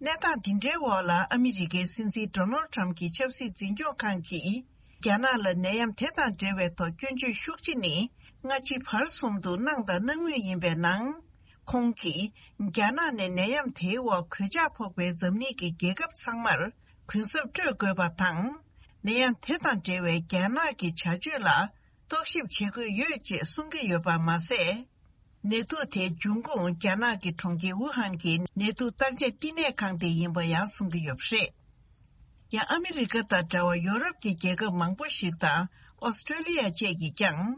གནས་སྟངས་འདི་འདྲའི་འོག་ལ་ཨ་མི་རི་ཀའི་སྲིད་འཛིན་ཌོ་ནལ་ཊམ་གྱི་ཆབ་སྲིད་འཛིན་སྐྱོང་ཁང་གིས། རྒྱ་ནག་ལ་ནད་ཡམས་དེ་དང་འབྲེལ་བའི་ཐོག་སྐྱོན་བརྗོད་ཤུགས་ཆེ་ནི་སྔ་ཕྱི་བར་གསུམ་དུ་གནང་དང་གནང་མུས་ཡིན་པའི་ནང་། ཁོང་གིས་རྒྱ་ནག་ནས་ནད་ཡམས་དེའི་འོག་གོད་ཆག་ཕོག་པའི་འཛམ་གླིང་གི་རྒྱལ་ཁབ་ཚང་མར་གུན་གསབ་སྤྲོད་དགོས་པ་དང་། ནད་ཡམས་དེ་དང་འབྲེལ་བའི་རྒྱ་ནག་གི་བྱ་སྤྱོད་ལ་རྟོག་ཞིབ་བྱེད་དགོས་ཡོད་ཅེས་གསུང་གི་ཡོད་པ་མ་ཟད། ནད་དུག་དེ་འབྱུང་ཁུངས་རྒྱ་ནག་གི་གྲོང་ཁྱེར་ཝུ་ཧན་གྱི་ནད་དུག་བརྟག་དཔྱད་བསྟི་གནས་ཁང་དེ་ཡིན་པ་ཡང་གསུང་གི་ཡོད་པ་རེད། ཡང་ཨ་མི་རི་ཀ་དང་འདྲ་བར་ཡོ་རོབ་ཀྱི་རྒྱལ་ཁབ་མང་པོ་ཞིག་དང་ཨོ་སི་ཀྲོ་ལི་ཡ་བཅས་ཀྱིས་ཀྱང་།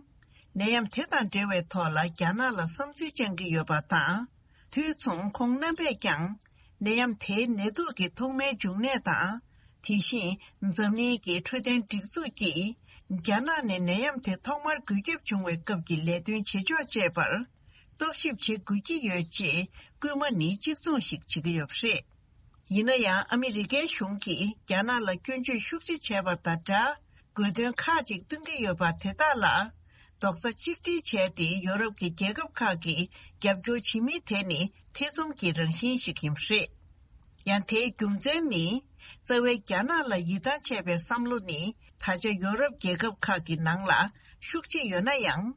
ནད་ཡམས་དེ་དང་འབྲེལ་བའི་ཐོག་ལ་རྒྱ་ནག་ལ་བསམ་ཚུལ་བཅངས་ཀྱི་ཡོད་པ་དང་། དུས་མཚུངས་ཁོང་རྣམ་པས་ཀྱང་། ནད་ཡམས་དེའི་ནད་དུག་གི་ཐོག་མའི་འབྱུང་གནས་དང་། དེ་བཞིན་འཛམ་གླིང་གི་འཕྲོད་བསྟེན་སྒྲིག་འཛུགས་ཀྱིས་རྒྱ་ནག་ནས་ནད་ཡམས་དེ་ཐོག་མར་འགོས་ཁྱབ་བྱུང་བའི་སྐབས་ཀྱི་ལས་དོན་བྱེད་ཕྱོགས་བཅས་པར་རྟོག་ཞིབ་བྱེད་དགོས་ཀྱི་ཡོད་ཅེས་སྐུལ་མ་ནི་གཅིག་མཚུངས་ཤིག་བྱེད་ཀྱི་ཡོད་པ་རེད། ཡིན་ན་ཡང་ཨ་མི་རི་ཀའི་གཞུང་གིས་རྒྱ་ནག་ལ་སྐྱོན་བརྗོད་ཤུགས་ཆེ་བྱས་པ་དང་སྦྲགས། དགོས་འདུན་ཁག་ཅིག་བཏོན་གྱི་ཡོད་པ་དེ་དག་ལ། རྡོག་རྩ་གཅིག་སྒྲིལ་བྱས་ཏེ་ཡོ་རོབ་ཀྱི་རྒྱལ་ཁབ་ཁག་གིས་རྒྱབ་སྐྱོར་བྱེད་མིན་དེ་ནི་ཐེ་ཚོམ་གྱི་རང་བཞིན་ཞིག་ཡིན་པ་རེད། ཡང་དེའི་རྒྱུ་མཚན་ནི། རྩ་བའི་རྒྱ་ནག་ལ་ཡིད་ཐང་ཆད་པའི་བསམ་བློ་ནི། ད་ཆ་ཡོ་རོབ་རྒྱལ་ཁབ་ཁག་གི་ནང་ལ་ཤུགས་ཆེ་ཡོད་ན་ཡང་།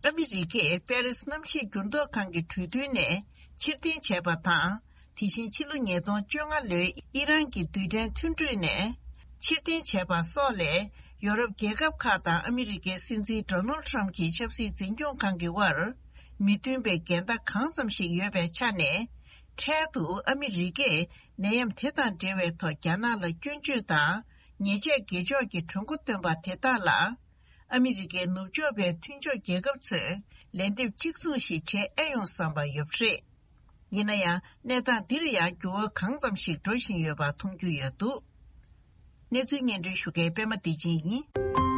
ཨ་མི་རི་ཀས་པེ་རིས་གནམ་གཤིས་འགྱུར་ལྡོག་ཁང་གི་གྲོས་མཐུན་ནས་ཕྱིར་འཐེན་བྱས་པ་དང་། དེ་བཞིན་ཕྱི་ལོ་ཉིས་སྟོང་བཅོ་ལྔ་ལོའི་ཨི་རན་གྱི་རྡུལ་ཕྲན་མཐུན་གྲོས་ནས་ཕྱིར་འཐེན་བྱས་པ་སོགས་ལས། ཡོ་རོབ་རྒྱལ་ཁབ་ཁག་དང་ཨ་མི་རི་ཀའི་སྲིད་འཛིན་ཌོ་ནལ་ཊམ་གྱི་ཆབ་སྲིད་འཛིན་སྐྱོང་ཁང་གི་དབར། མི་མཐུན་པའི་འགལ་ཟླ་གང་ཙམ་ཞིག་ཡོད་པའི་ཆ་ནས། འཕྲལ་དུ་ཨ་མི་རི་ཀས་ནད་ཡམས་དེ་དང་འབྲེལ་བའི་ཐོག་རྒྱ་ནག་ལ་སྐྱོན་བརྗོད་དང་། ཉེས་ཆད་དགེ་ཕྱོགས་ཀྱི་གྲོས་འགོ་བཏོན་པ་དེ་དག་ལ། ཨ་མི་རི་ཀའི་ནུབ་ཕྱོགས་པའི་མཐུན་ཕྱོགས་རྒྱལ་ཁབ་ཚོས་ལན་འདེབས་གཅིག་མཚུངས་ཤིག་བྱེད་ཨེ་ཡོང་བསམ་པ་ཡོད་པ་རེད། ཡིན་ན་ཡང་གནས་སྟངས་འདིར་ཡང་འགྱུར་བ་གང་ཙམ་ཞིག་འགྲོ་བཞིན་ཡོད་པ་མཐོང་རྒྱུ་ཡོད་འདུག་གནས་ཚུལ་སྙན་སྒྲོན་ཞུ་མཁན་པད་མ་བདེ་ཆེན་ཡིན།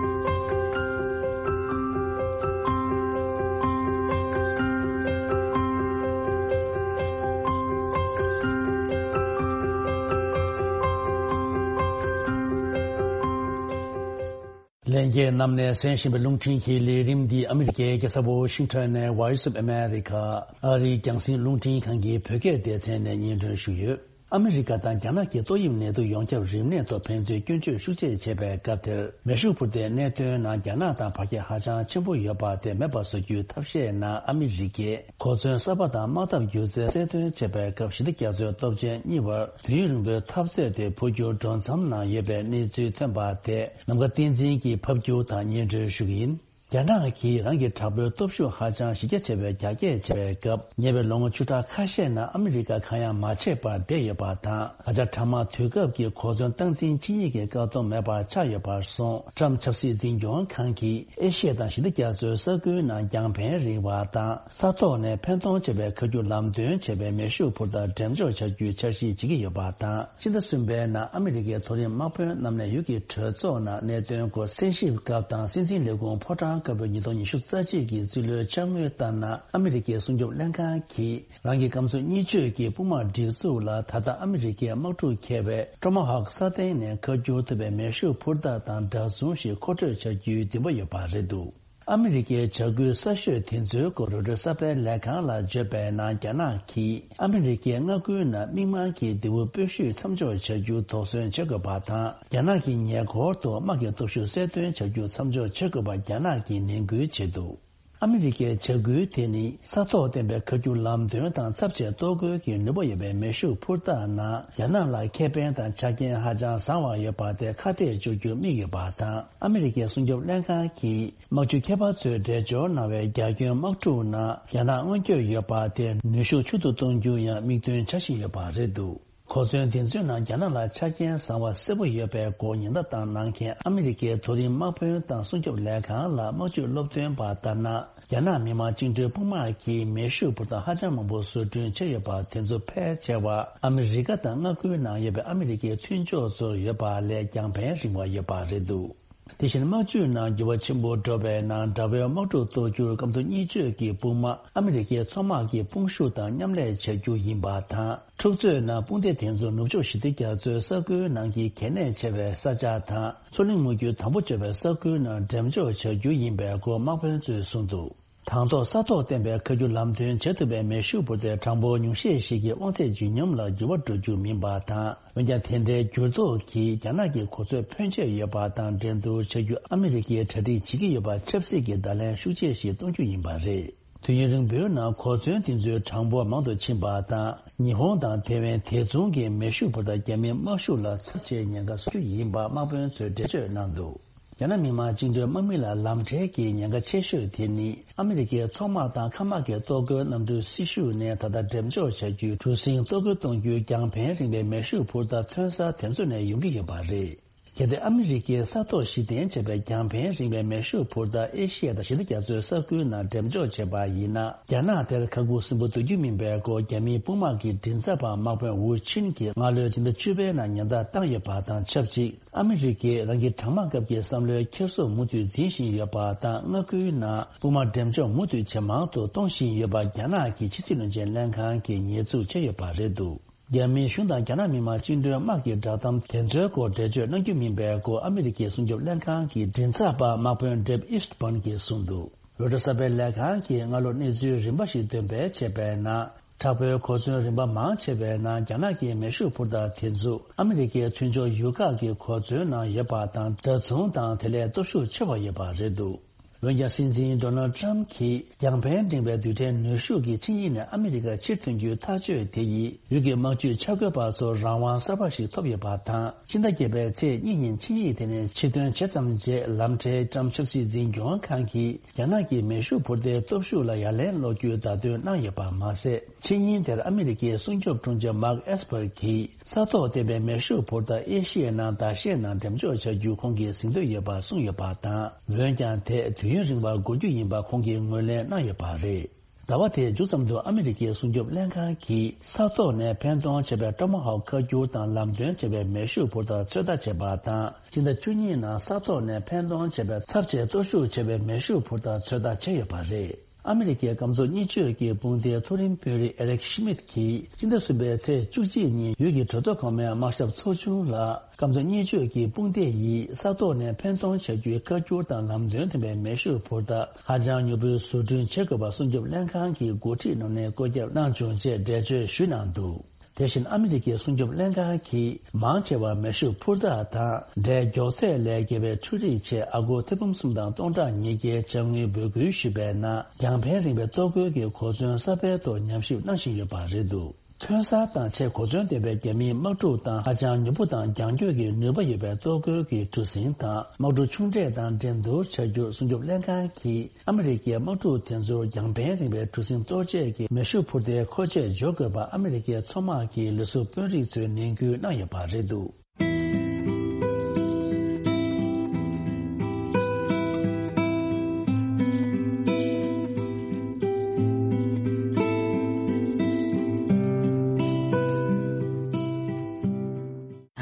ལྷན་རྒྱས་རྣམས་ནས་གསན་བཞིན་པའི་རླུང་འཕྲིན་གྱི་ལས་རིམ་འདི་ཨ་མི་རི་ཀའི་རྒྱལ་ས་ཝོ་ཤིང་ཊོན་ནས་Voice of America ཨ་རིའི་རྒྱང་སྲིང་རླུང་འཕྲིན་ཁང་གི་བོད་སྐད་སྡེ་ཚན་ནས་སྙན་སྒྲོན་ཞུས་ཡོད། ཨ་མི་རི་ཀ་དང་རྒྱ་ནག་གི་ཏོག་དབྱིབས་ནད་དུག་ཡོངས་ཁྱབ་རིམས་ནད་ཐོག་ཕན་ཚུན་སྐྱོན་བརྗོད་ཤུགས་ཆེ་བྱས་པའི་སྐབས་དེར། མེ་ཤུགས་འཕུར་མདའི་གནད་དོན་ནང་རྒྱ་ནག་དང་བར་ཁྱད་ཧ་ཅང་ཆེན་པོ་ཡོད་པ་དེ་མེད་པ་བཟོ་རྒྱུའི་ཐབས་ཤེས་ནང་ཨ་མི་རི་ཀས་གོ་མཚོན་གསར་པ་དང་དམག་འཐབ་སྒྱུ་རྩལ་གསལ་སྟོན་བྱས་པའི་སྐབས་ཞི་བདེ་རྒྱ་མཚོའི་སྟོབས་ཆེན་གཉིས་བར་དུས་ཡུན་རིང་པོའི་འཐབ་རྩོད་དེ་འཕོ་འགྱུར་འགྲོ་མཚམས་ན་ཡོད་པའི་གནས་ཚུལ་ཐོན་པ་དེ། ནམ་མཁའ་བསྟན་འཛིན་གྱིས་ཕབ་སྒྱུར་དང་སྙན་སྒྲོན་ཞུ་གི་ཡིན། རྒྱ་ནག་གིས་རང་གི་དྲག་པོའི་སྟོབས་ཤུགས་ཧ་ཅང་གཞི་རྒྱ་ཆེ་བའི་རྒྱ་སྐྱེད་བྱས་པའི་སྐབས། ཉེ་བའི་ལོ་ངོ་བཅུ་ཕྲག་ཁ་ཤས་ནང་ཨ་མི་རི་ཀ་གང་ཡང་མ་བྱས་པར་བསྡད་ཡོད་པ་དང་། ད་ཆ་དྲག་དམག་དུས་སྐབས་ཀྱི་གོ་མཚོན་སྟངས་འཛིན་ཆིངས་ཡིག་གི་བཀག་སྡོམ་མེད་པར་ཆགས་ཡོད་པར་སོང་། ཊམ་ཆབ་སྲིད་འཛིན་སྐྱོང་ཁང་གིས་ཨེ་ཤི་ཡ་དང་ཞི་བདེ་རྒྱ་མཚོའི་ས་ཁུལ་ནང་རྒྱང་འཕེན་རིང་བ་དང་། ས་ཐོག་ནས་འཕེན་གཏོང་བྱེད་པའི་མཁའ་རྒྱུག་ལམ་སྟོན་བྱེད་པའི་མེ་ཤུགས་འཕུར་མདའ་འགྲེམས་འཇོག་བྱ་རྒྱུའི་འཆར་གཞི་བྱེད་ཀྱི་ཡོད་པ་དང་། ཕྱི་ཟླ་གསུམ་པའི་ནང་ཨ་མི་རི་ཀའི་མཐོ་རིམ་དམག་དཔོན་རྣམས་ནས་ཡུལ་གྱི་གྲོས་ཚོགས་ནང་གནད་དོན་སྐོར་གསན་ཞིབ་སྐབས་དང་། སྲིད་འཛིན་ལས་ཁུངས་ཕོ་བྲང་དཀར་པོའི་ཉིས་སྟོང་ཉི་ཤུ་རྩ་གཅིག་གི་རྩིས་ལོའི་འཆར་དངུལ་ལྟར་ན། ཨ་མི་རི་ཀའི་སྲུང་སྐྱོབ་ལྷན་ཁང་གིས་རང་གི་སྐམ་སོ་གཉིས་བརྗོད་ཀྱི་དཔུང་དམག་སྒྲིག་འཛུགས་ལ་ད་ལྟ་ཨ་མི་རི་ཀའི་དམག་འཁྲུག་འཁེལ་བའི་ཀྲོ་མ་ཧོག་ས་སྟེང་ནས་མཁའ་སྒྱུར་ཐུབ་པའི་མེ་ཤུགས་འཕུར་མདའ་དང་འདྲ་མཚུངས་ཤིག་མཁོ་སྤྲོད་བྱ་རྒྱུའི་འདུན་པ་ཡོད་པ་རེད་འདུག་ཨ་མི་རི་ཀའི་བྱ་འགུལ་གསར་ཤོས་དེ་ཚོའི་སྐོར་རོའི་ཊར་གསར་པའི་ལས་ཁང་ལ་བརྗོད་པའི་ནང་། རྒྱ་ནག་གིས་ཨ་མི་རི་ཀའི་མངའ་ཁུལ་ནང་མི་དམངས་ཀྱི་འདས་པོ་སྤོས་ཤུད་མཚམས་འཇོག་བྱ་རྒྱུ་དོགས་ཟོན་བྱེད་དགོས་པ་དང་། རྒྱ་ནག་གི་ཉེ་འཁོར་དུ་དམག་གི་སྟོབས་ཤུགས་གསལ་སྟོན་བྱ་རྒྱུ་མཚམས་འཇོག་བྱེད་དགོས་པ་རྒྱ་ནག་གིས་ནན་སྐུལ་བྱས་འདུག་ཨ་མི་རི་ཀའི་བྱ་འགུལ་དེ་ནི་ས་ཐོག་བསྟན་པའི་མཁའ་རྒྱུག་ལམ་སྟོན་དང་ཚབས་ཆེ་གཏོར་རྒོལ་གྱི་ནུས་པ་ཡོད་པའི་མེ་ཤུགས་འཕུར་མདའ་ནང་རྒྱ་ནག་ལ་ཁེ་ཕན་དང་ཆ་རྐྱེན་ཧ་ཅང་བཟང་བ་ཡོད་པ་དེ་ཁ་གཏད་གཅོག་རྒྱུར་དམིགས་ཡོད་པ་དང་། ཨ་མི་རི་ཀའི་སྲུང་སྐྱོབ་ལྷན་ཁང་གིས། དམག་སྤྱི་ཁྱད་པར་ཚོས་འགྲེལ་བརྗོད་གནང་བའི་རྒྱ་ཁྱོན་དམག་འཁྲུག་ནང་རྒྱ་ནག་མངོན་སྐྱོད་ཡོད་པ་དེ་ནུས་ཤུགས་ཆུང་དུ་གཏོང་རྒྱུ་ཡང་དམིགས་འདུན་བྱ་བཞིན་ཡོད་པ་རེད་འདུག་གོ་མཚོན་འདི་ཚོའི་ནང་རྒྱ་ནག་ལ་ཆ་རྐྱེན་བཟང་བ་གསལ་པོ་ཡོད་པའི་སྐོར་ཉེན་བརྡ་བཏང་གནང་མཁན་ཨ་མི་རི་ཀའི་མཐོ་རིམ་དམག་དཔོན་དང་སྲུང་སྐྱོབ་ལས་ཁང་ལ་དམག་སྤྱོད་སློབ་སྟོན་པ་ལྟར་ན། རྒྱ་ནག་མི་དམངས་བཅིངས་འགྲོལ་དཔུང་དམག་གིས་མེ་ཤུགས་འཕུར་མདའ་ཧ་ཅང་མང་པོ་བཟོ་སྐྲུན་བྱས་ཡོད་པ་དེ་ཚོ་ཕལ་ཆེ་བ་ཨ་མི་རི་ཀ་དང་མངའ་ཁུལ་ནང་ཡོད་པའི་ཨ་མི་རི་ཀའི་མཐུན་ཕྱོགས་ཚོར་ཡོད་པ་ལས་རྒྱང་འཕེན་རིང་བ་ཡོད་པ་རེད་འདུག་དེ་བཞིན་དམག་ཇུས་ནང་འགྱུར་བ་ཆེན་པོ་འགྲོ་བའི་ནང་དགྲ་བོའི་དམག་འཁྲུག་གཏོར་རྒྱུར་སྐམ་མཚོ་གཉིས་ཆོས་ཀྱི་དཔུང་དམག་ཨ་མི་རི་ཀའི་མཚོ་དམག་གི་དཔུང་ཤུགས་དང་མཉམ་ལས་བྱ་རྒྱུ་ཡིན་པ་དང་། འཁྲུག་རྩོད་ནང་དཔུང་སྡེ་དེ་ཚོ་ནུབ་ཕྱོགས་ཞི་བདེ་རྒྱ་མཚོའི་ས་ཁུལ་ནང་གི་གལ་གནད་ཆེ་བའི་ས་ཆ་དང་མཚོ་གླིང་མུ་རྒྱུད་དམ་པོ་བྱས་པའི་ས་ཁུལ་ནང་འགྲེམས་འཇོག་བྱ་རྒྱུ་ཡིན་པའི་སྐོར་དམག་དཔོན་ཚོས་གསུངས་འདུག་དང་ཐོག་ས་ཐོག་བརྟེན་པའི་མཁའ་སྒྱུར་ལམ་སྟོན་བྱེད་ཐུབ་པའི་མེ་ཤུགས་འཕུར་མདའི་གྲངས་འབོར་ཉུང་ཤས་ཤིག་གི་དབང་ཚད་ལྗིད་སྙོམས་ལ་འགྱུར་བ་འགྲོ་རྒྱུ་མིན་པ་དང་། འོན་ཀྱང་དེ་འདྲའི་འགྱུར་ལྡོག་གིས་རྒྱ་ནག་གི་གོ་ཚོད་ཕོན་ཆེ་ཡོད་པ་དང་འགྲན་བསྡུར་བྱ་རྒྱུ་ཨ་མི་རི་ཀས་གྲ་སྒྲིག་བྱེད་ཀྱི་ཡོད་པ་ཆབ་སྲིད་ཀྱི་བརྡ་ལན་ཤུགས་ཆེ་ཞིག་གཏོང་རྒྱུ་ཡིན་པ་རེད། དུས་ཡུན་རིང་པོའི་ནང་གོ་མཚོན་དེ་ཚོའི་གྲངས་འབོར་མང་དུ་ཕྱིན་པ་དང་། ཉི་ཧོང་དང་ཐེ་ཝན་དེ་མཚུངས་ཀྱི་མེ་ཤུགས་འཕུར་མདའ་རྒྱ་མིའི་དམག་ཤུགས་ལ་ཚབས་ཆེའི་ཉེན་ཁ་བཟོ་རྒྱུ་ཡིན་པ་དམག་དཔོན་ཚོས་འགྲེལ་བརྗོད་གནང་འདུག་རྒྱ་ནག་མི་དམངས་བཅིངས་འགྲོལ་དམག་མི་ལ་ལམ་ཁྲལ་གྱི་ཉེན་ཁ་ཆེ་ཤོས་དེ་ནི་ཨ་མི་རི་ཀའི་མཚོ་དམག་དང་མཁའ་དམག་གི་གཏོར་རྒོལ་གནམ་གྲུ་སྲི་ཞུ་ནས་ད་ལྟ་འགྲེམས་འཇོག་བྱ་རྒྱུའི་གྲུ་གཟིངས་གཏོར་རྒོལ་གཏོང་རྒྱུའི་རྒྱང་འཕེན་རིང་བའི་མེ་ཤུགས་འཕུར་མདའ་ཐོན་ས་དེ་ཚོ་ནས་ཡོང་གི་ཡོད་པ་རེད། གལ་ཏེ་ཨ་མི་རི་ཀའི་ས་ཐོག་གཞི་རྟེན་བྱས་པའི་རྒྱང་འཕེན་རིང་བའི་མེ་ཤུགས་འཕུར་མདའ་ཨེ་ཤི་ཡ་དང་ཞི་བདེ་རྒྱ་མཚོའི་ས་ཁུལ་ནང་འགྲེམས་འཇོག་བྱས་པ་ཡིན་ན། རྒྱ་ནག་དེར་ཁ་ཁུ་སིམ་པོ་སྡོད་རྒྱུ་མིན་པའི་སྐོར་རྒྱ་མིའི་དཔུང་དམག་གི་མགྲིན་ཚབ་པ་དམག་དཔོན་ཝུ་ཆིན་གྱིས་སྔ་ལོའི་སྤྱི་ཟླ་བཅུ་པའི་ནང་ཉེན་བརྡ་བཏང་ཡོད་པ་དང་ཆབས་ཅིག་ཨ་མི་རི་ཀས་རང་གི་གྲང་དམག་སྐབས་ཀྱི་བསམ་བློའི་འཁྱེར་སོ་མུ་མཐུད་འཛིན་བཞིན་ཡོད་པ་དང་། མངའ་ཁུལ་ནང་དཔུང་དམག་འགྲེམས་འཇོག་མུ་མཐུད་ཇེ་མང་དུ་གཏོང་བཞིན་ཡོད་པ་རྒྱ་ནག་གི་ཕྱི་སྲིད་བློན་ཆེན་ལྷན་ཁང་གིས་ཉེས་འཛུགས་བྱས་ཡོད་པ་རེད་འདུག་རྒྱ་མིའི་གཞུང་དང་རྒྱ་ནག་མི་དམངས་བཅིངས་འགྲོལ་དམག་གི་བསྒྲགས་གཏམ་དེ་ཚོའི་སྐོར་འགྲེལ་བརྗོད་གནང་རྒྱུ་མིན་པའི་སྐོར་ཨ་མི་རི་ཀའི་སྲུང་སྐྱོབ་ལྷན་ཁང་གི་མགྲིན་ཚབ་པ་དམག་དཔོན་ཌེབ་ཨིསྟ་བྷན་གྱིས་གསུངས་འདུག་རོའི་ཊར་གསར་སྤེལ་ལས་ཁང་གིས་སྔ་ལོ་གནས་ཚུལ་རིམ་པ་ཞིག་འདོན་སྤེལ་བྱས་པའི་ནང་། དྲག་པོའི་གོ་མཚོན་རིམ་པ་མང་ཆེ་བའི་ནང་རྒྱ་ནག་གི་མེ་ཤུགས་འཕུར་མདའ་དེ་ཚོ་ཨ་མི་རི་ཀའི་མཐུན་ཕྱོགས་ཡུལ་ཁག་གི་གོ་མཚོན་ནང་ཡོད་པ་དང་འདྲ་མཚུངས་དང་དེ་ལས་སྟོབས་ཤུགས་ཆེ་བ་ཡོད་པ་རེད་འདུག་འོན་ཀྱང་སྲིད་འཛིན་ཌོ་ནལ་ཊམ་གྱིས་རྒྱང་འཕེན་འབྲིང་བའི་རྡུལ་ཕྲན་ནུས་ཤུགས་ཀྱི་ཆིངས་ཡིག་ནས་ཨ་མི་རི་ཀ་ཕྱིར་ཐོན་རྒྱུའི་ཐག་གཅོད་དེ་ཡིས་ཡུལ་གྱི་དམག་ཇུས་འཆར་འགོད་པ་ཚོར་རང་དབང་གསར་པ་ཞིག་ཐོབ་ཡོད་པ་དང་། ཕྱི་ཟླ་བརྒྱད་པའི་ཚེས་གཉིས་ཉིན་ཆིངས་ཡིག་དེ་ནས་ཕྱིར་ཐོན་བྱས་ཙམ་རྗེས་ལམ་ཁྲལ་ཊམ་ཆབ་སྲིད་འཛིན་སྐྱོང་ཁང་གིས་རྒྱ་ནག་གི་མེ་ཤུགས་འཕུར་མདའི་སྟོབས་ཤུགས་ལ་ཡ་ལན་སློག་རྒྱུའི་བརྡ་སྟོན་གནང་ཡོད་པ་མ་ཟད། ཆིངས་ཡིག་དེར་ཨ་མི་རི་ཀའི་སྲུང་སྐྱོབ་དྲུང་ཆེ་མཱག་ཨེས་པར་གྱིས། ས་ཐོག་བརྟེན་པའི་མེ་ཤུགས་འཕུར་མདའ་ཨེ་ཤི་ཡའི་ནང་ཟླ་ཤས་ནང་འགྲེམས་འཇོག་བྱ་རྒྱུ་ཁོང་གིས་ཟིན་འདོད་ཡོད་པ་གསུངས་ཡོད་པ་དང་། འོན་ཀྱང་དེ་དུས་ཡུན་རིང་བ་འགོར་རྒྱུ་ཡིན་པ་ཁོང་གིས་ངོས་ལེན་གནང་ཡོད་པ་རེད། ཟླ་བ་དེའི་མཇུག་ཙམ་དུ་ཨ་མི་རི་ཀའི་སྲུང་སྐྱོབ་ལྷན་ཁང་གིས་ས་ཐོག་ནས་འཕེན་གཏོང་བྱས་པའི་ཊོ་མ་ཧོག་མཁའ་སྒྱུར་དང་ལམ་སྟོན་བྱས་པའི་མེ་ཤུགས་འཕུར་མདའ་ཚོད་ལྟ་བྱས་པ་དང་། སྤྱི་ཟླ་བཅུ་གཉིས་ནང་ས་ཐོག་ནས་འཕེན་གཏོང་བྱས་པའི་ཚབས་ཆེའི་གཏོར་བཤིག་བྱས་པའི་མེ་ཤུགས་འཕུར་མདའ་ཚོད་ལྟ་བྱས་ཡོད་པ་རེད། ཨ་མི་རི་ཀའི་སྐམ་མཚོ་གཉིས་ཆོས་ཀྱི་དཔུང་སྡེའི་མཐོ་རིམ་དཔོན་རིགས་ཨེ་རིག་ཤི་མིད་ཀྱིས་སྤྱི་ཟླ་གསུམ་པའི་ཚེས་བཅུ་གཅིག་ཉིན་ཡུལ་གྱི་གྲོས་ཐོག་གོང་མའི་དམག་ཞབས་ཚོགས་ཆུང་ལ། སྐམ་མཚོ་གཉིས་ཆོས་ཀྱི་དཔུང་སྡེ་ཡིས་ས་ཐོག་ནས་འཕེན་གཏོང་བྱ་རྒྱུའི་བཀའ་འགྱུར་དང་ལམ་སྟོན་ལྡན་པའི་མེ་ཤུགས་འཕུར་མདའ་ཧ་ཅང་མྱུར་པོའི་བཟོ་སྐྲུན་བྱེད་དགོས་པ་སྲུང་སྐྱོབ་ལྷན་ཁང་གི་འགོ་ཁྲིད་རྣམ་གཉིས་བཀོད་ཁྱབ་གནང་བྱུང་ཅེས་འགྲེལ་བརྗོད་ཞུས་གནང་འདུག་དེ་བཞིན་ཨ་མི་རི་ཀའི་སྲུང་སྐྱོབ་ལྷན་ཁང་གིས་མང་ཆེ་བ་མེ་ཤུགས་འཕུར་མདའ་དང་འབྲས་མགྱོགས་ཚད་ལས་བརྒལ་བའི་འཕྲུལ་རིག་ཆེད་ཨ་སྒོར་ཐེར་འབུམ་གསུམ་དང་སྟོང་ཕྲག་ཉིས་བརྒྱའི་དཔྱ་དངུལ་འབོད་སྐུལ་ཞུས་པའི་ནང་རྒྱང་འཕེན་རིང་བའི་གཏོར་རྒོལ་གྱི་གོ་མཚོན་གསར་པའི་ཐོག་ཉམས་ཞིབ་གནང་བཞིན་ཡོད་པ་རེད་འདུག་ཐོན་གསར་དང་ཆེས་གོ་མཚོན་ལྡན་པའི་རྒྱ་མིའི་དམག་འཁྲུག་དང་ཧ་ཅང་མྱུར་པོ་དང་རྒྱང་སྐྱོད་ཀྱི་ནུས་པ་ཡོད་པའི་གཏོར་རྒོལ་གྱི་གྲུ་གཟིངས་དང་དམག་གྲུ་ཆུང་གྲས་དང་འགྲན་བསྡུར་བྱ་རྒྱུར་སྲུང་སྐྱོབ་ལྷན་ཁང་གིས་ཨ་མི་རི་ཀའི་དམག་འཁྲུག་དེ་ཚོར་རྒྱང་འཕེན་རིང་བའི་གྲུ་གཟིངས་གཏོར་བྱེད་ཀྱི་མེ་ཤུགས་འཕུར་མདའི་མཁོ་ཆས་འཇོག་དགོས་པ་ཨ་མི་རི་ཀའི་མཚོ་དམག་གི་ལས་ཟུར་དཔོན་རིགས་ཚོས་ནན་སྐུལ་གནང་ཡོད་པ་རེད་འདུག་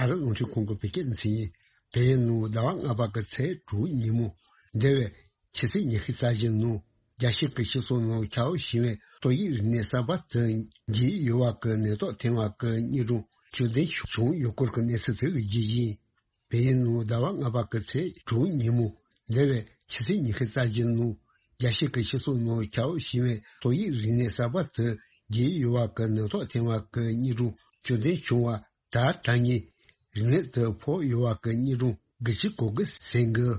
ཨ་རི་རླུང་འཕྲིན་ཁང་གི་བོད་སྐད་སྡེ་ཚན་ཡིན། བལ་ཡུལ་ནང་ཟླ་བ་ལྔ་པ་གི་ཚེས་དྲུག་ཉིན་མོ། འདས་པའི་ཕྱི་ཚེས་ཉི་ཤུ་རྩ་བཞི་ནང་རྒྱལ་སྤྱི་གི་སྤྱི་ཚོགས་ནང་ཁྱབ་བཞིན་པའི་ཏོག་དབྱིབས་རིམས་ནད་གསར་པ་དེ་རྒྱལ་ཡུལ་ཡུར་བ་གི་ནད་ཐོག་ཐེ་ཝན་གྱི་གཉིས་སྒྲུང་བཅུད་ལྡན་བྱུང་ཡོད་སྐོར་གྱི་གནས་ཚུལ་དེ་གི་རྒྱུ་ཡིན། བལ་ཡུལ་ནང་ཟླ་བ་ལྔ་པ་གི་ཚེས་དྲུག་ཉིན་མོ། འདས་པའི་ཕྱི་ཚེས་ཉི་ཤུ་རྩ་བཞི་ནང་རྒྱལ་སྤྱི་གི་སྤྱི་ཚོགས་ནང་ཁྱབ་བཞིན་པའི་ཏོག་དབྱིབས་རིམས་ནད་གསར་པ་དེ་རྒྱལ་ཡུལ་ཡུར་བ་གི་ནད་ཐོག་ཐེ་ཝན་གྱི་གཉིས་སྒྲུང་བཅུད་ལྡན་བྱུང་བ། ད་ད་ངས་རིམས་ནད་དེ་ཕོག་ཡོད་པ་གི་གཉིས་སྒྲུང་གི་ཅི་གོ་གི་ཟིན་གི།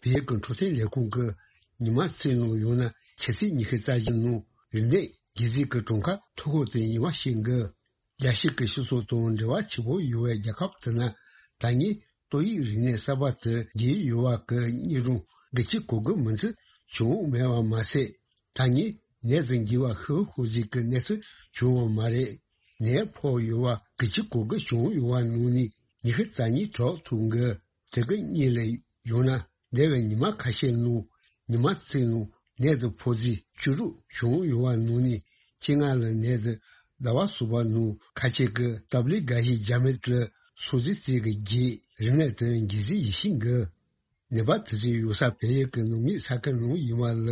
བལ་ཡུལ་གྱི་འཕྲོད་བསྟེན་ལས་ཁུངས་ཀྱིས་ཉི་མ་རྩིས་ནང་ཡོང་ན་ཕྱི་ཚེས་ཉི་ཤུ་རྩ་བཞི་ནང་རིམས་ནད་རྒྱུ་རྫས་ཀྱི་གྲངས་ཀ་མཐོ་ཤོས་དེ་ཡིན་པ་ཤེས་གི། རྒྱལ་སྤྱི་གི་སྤྱི་ཚོགས་དང་འབྲེལ་བ་ཆེ་པོ་ཡོད་པའི་རྒྱལ་ཁབ་དེ་ན་ད་ངས་ཏོག་དབྱིབས་རིམས་ནད་གསར་པ་དེ་རྒྱལ་ཡུལ་ཡུར་བ་གི་གཉིས་སྒྲུང་གི་ཅི་གོ་གི་མིན་ཚུལ་བྱུང་མེད་པ་མ་ཟད། ད་ངས་ནད་དང་འགོས་པ་ཤི་ཤོར་རྫས་ཀྱི་གནས་ཚུལ་བྱུང་བ་མ་རེད། ནད་ཕོག་ཡོད་པ་གི་ཅི་གོ་གི་བྱུང་ཡོད་པ་ནང་ནས་ཉི་ཤུ་རྩ་གཉིས་གྲོགས་ཐུག་གི། དེ་གི་གཉིས་ལས་ཡོང་ན་འདས་པའི་ཉི་མ་ཁ་ཤས་ནང་ཉི་མ་གཅིག་ནང་ནད་དེ་ཕོག་རྩིས་བཅུ་དྲུག་བྱུང་ཡོད་པ་ནང་ནས་བཅོ་ལྔ་ལ་ནད་དེ་ཟླ་བ་གསུམ་པ་ནང་ཁ་ཤས་ཀྱི་སྟབས་ལེགས་འགའ་ཞིག་རྒྱ་མི་དེ་སོ་རྩིས་རྩིས་ཀྱི་རྗེས་རིམས་ནད་དེ་འགོས་རྩིས་ཡོད་ཤིང་གི། ནད་པ་དེ་ཚོའི་ཡོད་ས་བལ་ཡུལ་གྱི་ནང་མིའི་ས་ཁུལ་ནང་ཡིན་པ་ལ་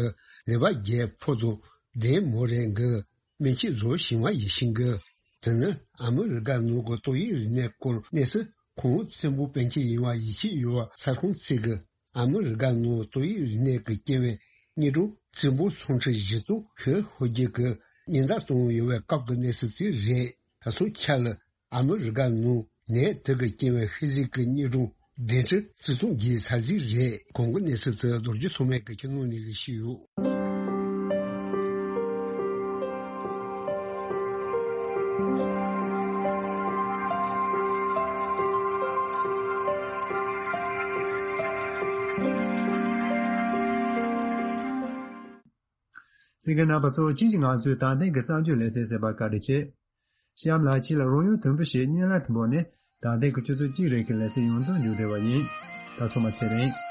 ནད་པ་བརྒྱད་ཕོག་དང་བདུན་མོ་རེད་གི། སྨན་བཅོས་རྫོགས་ཤིང་བ་ཡིན་ཤིང་གི། དེ་ནི་ཨ་མི་རི་ཀ་ནང་གི་ཏོག་དབྱིབས་རིམས་ནད་སྐོར་གནས་ཚུལ་ཁོང་བཙན་པོ་པཎ་ཆེན་ཡིན་པ་ཡིད་ཆེས་ཡོད་པ་ས་ཁོངས་ཚིག་གི། ཨ་མི་རི་ཀ་ནང་ཏོག་དབྱིབས་རིམས་ནད་ཀྱི་རྐྱེན་པས་དངོས་གྲུབ་བཙན་པོ་ཚོང་ཁྲི་བཞི་སྟོང་ཤོད་ཧོ་རྒྱལ་གྱི་ཉེན་བརྡ་བཏང་ཡོད་པའི་སྐབས་ཀྱི་གནས་ཚུལ་དེ་རེད། ད་ཐོག་ཆ་ལ། ཨ་མི་རི་ཀ་ནང་ནད་དེ་གི་རྐྱེན་པས་ཤི་གཟུགས་ཀྱི་དངོས་གྲུབ་བདུན་ཁྲི་བརྩི་སྟོང་བརྒལ་ཚར་རྩིས་རེད། གོང་གི་གནས་ཚུལ་དེ་རྡོ་རྗེ་ཐོགས་མེད་ཀྱི་ཁྱིམ་ནང་ནས་གི་ཞུས་ཡོད། གསན་མཁན་རྣམ་པ་ཚོ། ཁྱེད་ཀྱིས་ང་ཚོའི་ད་ཐེངས་ཀྱི་གསར་འགྱུར་ལེ་ཚན་གསན་པར་བཀའ་དྲིན་ཆེ། གཤམ་ལ་ཁྱེད་ལ་རོལ་དབྱང་དུམ་བུ་ཞིག་སྙན་ལ་འབོད་ནས། ད་ཐེངས་ཀྱི་ཆུ་ཚོད་གཅིག་རིང་གི་ལེ་ཚན་ཡོངས་རྫོགས་མཇུག་བསྒྲིལ་བ་ཡིན། ད་ཚང་མ་ཚེ་རིང་།